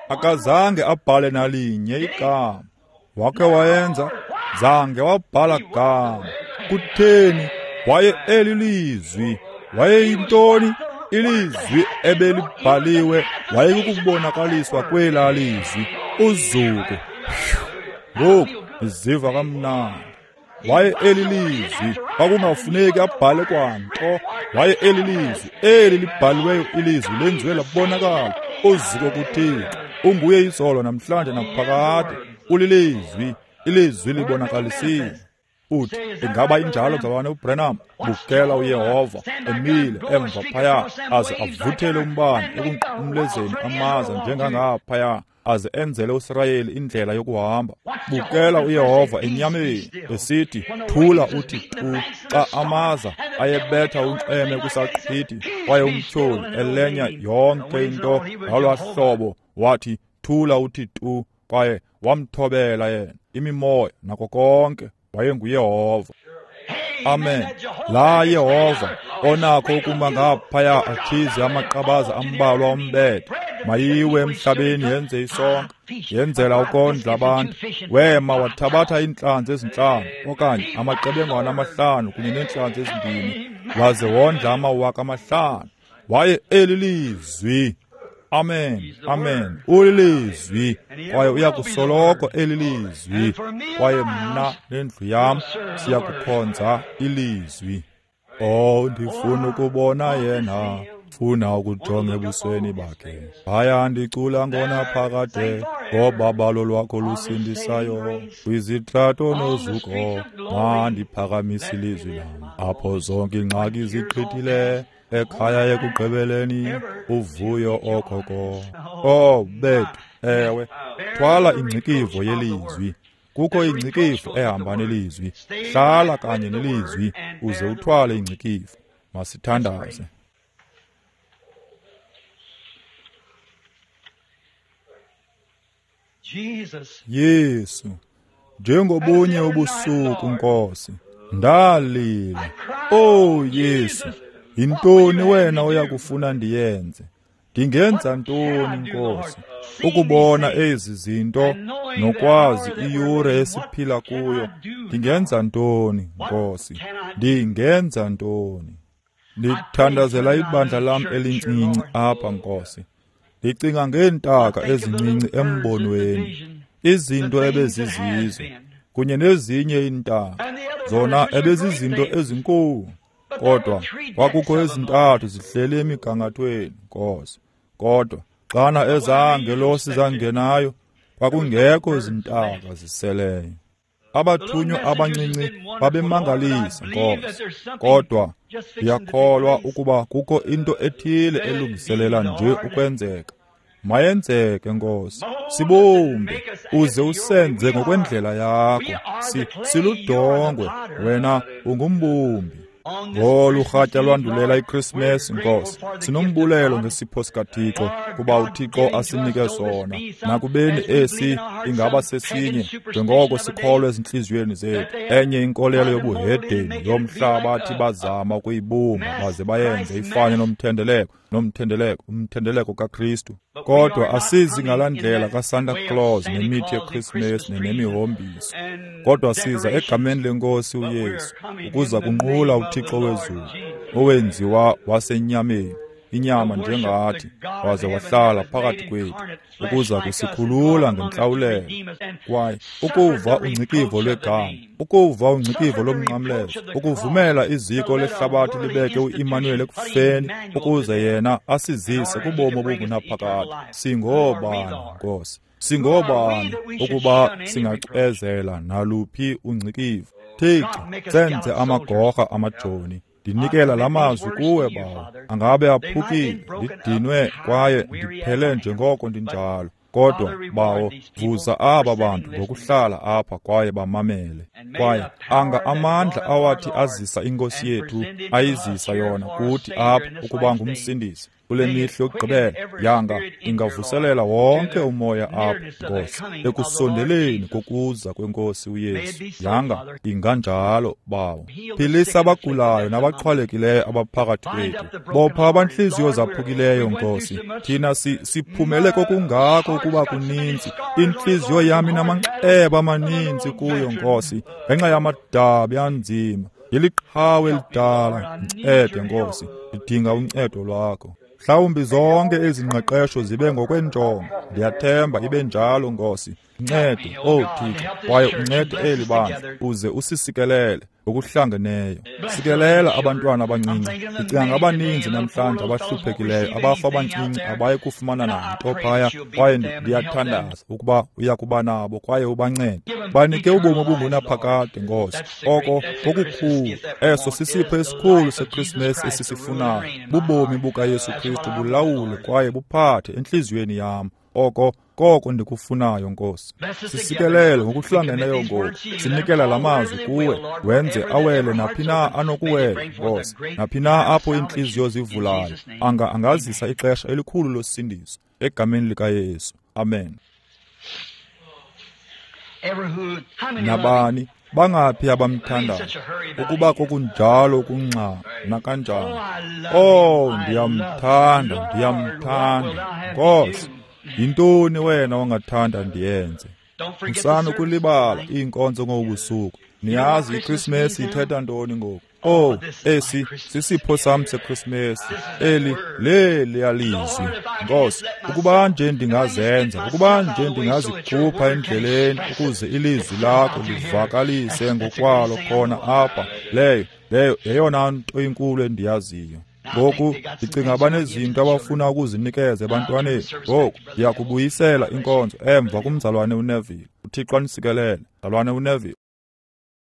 Akazange abhale nalinye igama. Wakhe wayenza, zange wabhala gama. Kutheni? Waye elilizwi. Wayeyintoni? Ilizwi ebelibhaliwe. Wayekukubonakaliswa kwelaa lizwi. Uzuko. Ngoku ndiziva kamnandi. Waye elilizwi, kwakungafuneki abhale kwanto. Waye elilizwi, eli libhaliweyo ilizwi lenziwe labonakala. Uzuko kuThixo. Unguye izolo, namhlanje naphakade. Ulilizwi, ilizwi libonakalisiwe. Uthi, ingaba injalo mzalwane uBranham? Bukela uYehova emile emva phaya, aze avuthele umbane ekunqumlezeni amaza njengangaphaya, aze enzele uSirayeli indlela yokuhamba. Bukela uYehova enyameni esithi, thula uthi tu, xa amaza ayebetha unxweme kwisaqhwithi, kwaye umtyholi elenya yonke into ngalwaa hlobo, wathi, thula uthi tu, kwaye wamthobela yena, imimoya nako konke. WayenguYehova. Amen. La Yehova onakho ukuma ngaphaya atshize amaqabaza ambalwa ombethe, mayiwe emhlabeni yenze isonka, yenzela ukondla abantu. Wema wathabatha iintlanzi ezintlanu okanye amaqebengwana amahlanu kunye neentlanzi ezimbini, waze wondla amawaka amahlanu. Waye elilizwi. Amen, amen. Ulilizwi, kwaye uyakusoloko elilizwi, kwaye mna nendlu yam siyakukhonza ilizwi. Oh, ndifuna ukubona yena, funa ukujonga ebusweni bakhe. Haya ndicula ngona phakade, ngobabalo lwakho lusindisayo, kwizitrato nozuko, mandiphakamise ilizwi lam. Apho zonke iingxaki ziqhithile, ekhaya ekugqibeleni uvuyo okoko. Oh bethu, ewe, thwala ingcikivo yelizwi. Kukho ingcikivo ehamba nelizwi. Hlala kanye nelizwi uze uthwale ingcikivo. Masithandaze. Yesu, njengobunye ubusuku Nkosi, ndalila. Oh Yesu, yintoni wena oyakufuna ndiyenze? Ndingenza ntoni Nkosi ukubona ezi zinto nokwazi iyure esiphila kuyo? Ndingenza ntoni Nkosi? Ndingenza ntoni? Ndithandazela ibandla lam elincinci apha Nkosi. Ndicinga ngeentaka ezincinci embonweni, izinto ebezizizo kunye nezinye iintaka, zona ebezizinto ezinkulu. Kodwa kwakukho ezintathu zihleli emigangathweni Nkosi. Kodwa xana ezangelosi zangenayo, kwakungekho zintaka ziseleyo. Abathunywa abancinci babemangalisa Nkosi, kodwa ndiyakholwa ukuba kukho into ethile elungiselela nje ukwenzeka. Mayenzeke Nkosi, sibumbe uze usenze ngokwendlela yakho. Si, siludongwe, wena ungumbumbi. Ngolu rhatya lwandulela iChristmas Nkosi, sinombulelo ngesipho sikaThixo, kuba uThixo asinike sona. Nakubeni esi ingaba sesinye, njengoko sikholwa ezintliziyweni zethu, enye inkolelo yobuhedeni yomhlaba athi bazama ukuyibumba baze bayenze ifane nomthendeleko, nomthendeleko, umthendeleko kaKristu. Kodwa asizi ngalaa ndlela kaSanta Claus nemithi yeChristmas nemihombiso, kodwa siza egameni leNkosi uYesu ukuza kunqula uThixo wezulu, owenziwa wasenyameni, inyama njengathi, waze wahlala phakathi kwethu ukuza kusikhulula ngentlawulelo. Kwaye ukuva ungcikivo lwegama, ukuva ungcikivo lomnqamlezo, ukuvumela iziko lehlabathi libeke uImmanuel ekufeni ukuze yena asizise kubomi obungunaphakade. Singobani Nkosi? Singobani ukuba singacezela naluphi ungcikivo? Thixo, senze amagorha amajoni. Ndinikela la mazwi kuwe Bawo, angabe aphukile, ndidinwe kwaye ndiphele njengoko ndinjalo. Kodwa Bawo, vuza aba bantu ngokuhlala apha kwaye bamamele. Kwaye anga amandla awathi azisa iNkosi yethu, ayizisa yona kuthi apha ukuba ngumsindisi kule mihla yokugqibela, yanga ingavuselela wonke umoya apha, Nkosi, ekusondeleni kokuza kweNkosi uYesu. Yanga inganjalo, Bawo. Philisa abagulayo nabaxhwalekileyo abaphakathi kwethu. Bopha abantliziyo zaphukileyo, Nkosi. Thina si, siphumele kokungako ukuba kuninzi. Intliziyo yam inamanxeba amaninzi kuyo, Nkosi, ngenxa yamadabi anzima. Yiliqhawe elidala, ncede, Nkosi, ndidinga uncedo lwakho. Mhlawumbi zonke ezi ngqeqesho zibe ngokwenjongo. Ndiyathemba ibe njalo, Nkosi. Ncede, owu Thixo, kwaye uncede eli bandla, uze usisikelele ngokuhlangeneyo. Sikelela abantwana abancinci. Ndicinga ngabaninzi namhlanje abahluphekileyo, abafa abancinci abayi kufumana nanto phaya, kwaye ndiyathandaza ukuba uya kuba nabo kwaye ubancede. Banike ubomi obungunaphakade, Nkosi. Oko kokukhulu, eso sisipho esikhulu seKrisimesi esisifunayo. Bubomi bukaYesu Kristu bulawule kwaye buphathe entliziyweni yam. Oko koko ndikufunayo, Nkosi. Sisikelele ngokuhlangeneyo ngoku. Sinikela la mazwi kuwe, wenze awele naphi na anokuwela, Nkosi. Naphi na apho iintliziyo zivulayo, anga angazisa ixesha elikhulu losindiso. Egameni likaYesu. Amen. Nabani bangaphi abamthandayo? Ukuba kokunjalo kunxa nakanjani. Oh, ndiyamthanda, ndiyamthanda, Nkosi. Yintoni wena ongathanda ndiyenze? Musani ukulibala iinkonzo ngobusuku. Niyazi iKrisimesi ithetha ntoni ngoku? Oh, esi sisipho sam seKrisimesi. Eli leliya lizwi. Nkosi, ukuba nje ndingazenza, ukuba nje ndingazikhupha endleleni ukuze ilizwi lakho livakalise ngokwalo khona apha, leyo leyo yeyona nto inkulu endiyaziyo. Ngoku ndicinga banezinto abafuna ukuzinikeza ebantwaneni. Ngoku ndiyakubuyisela inkonzo emva kumzalwane uNeville. UThixo anisikelele, mzalwane uNeville.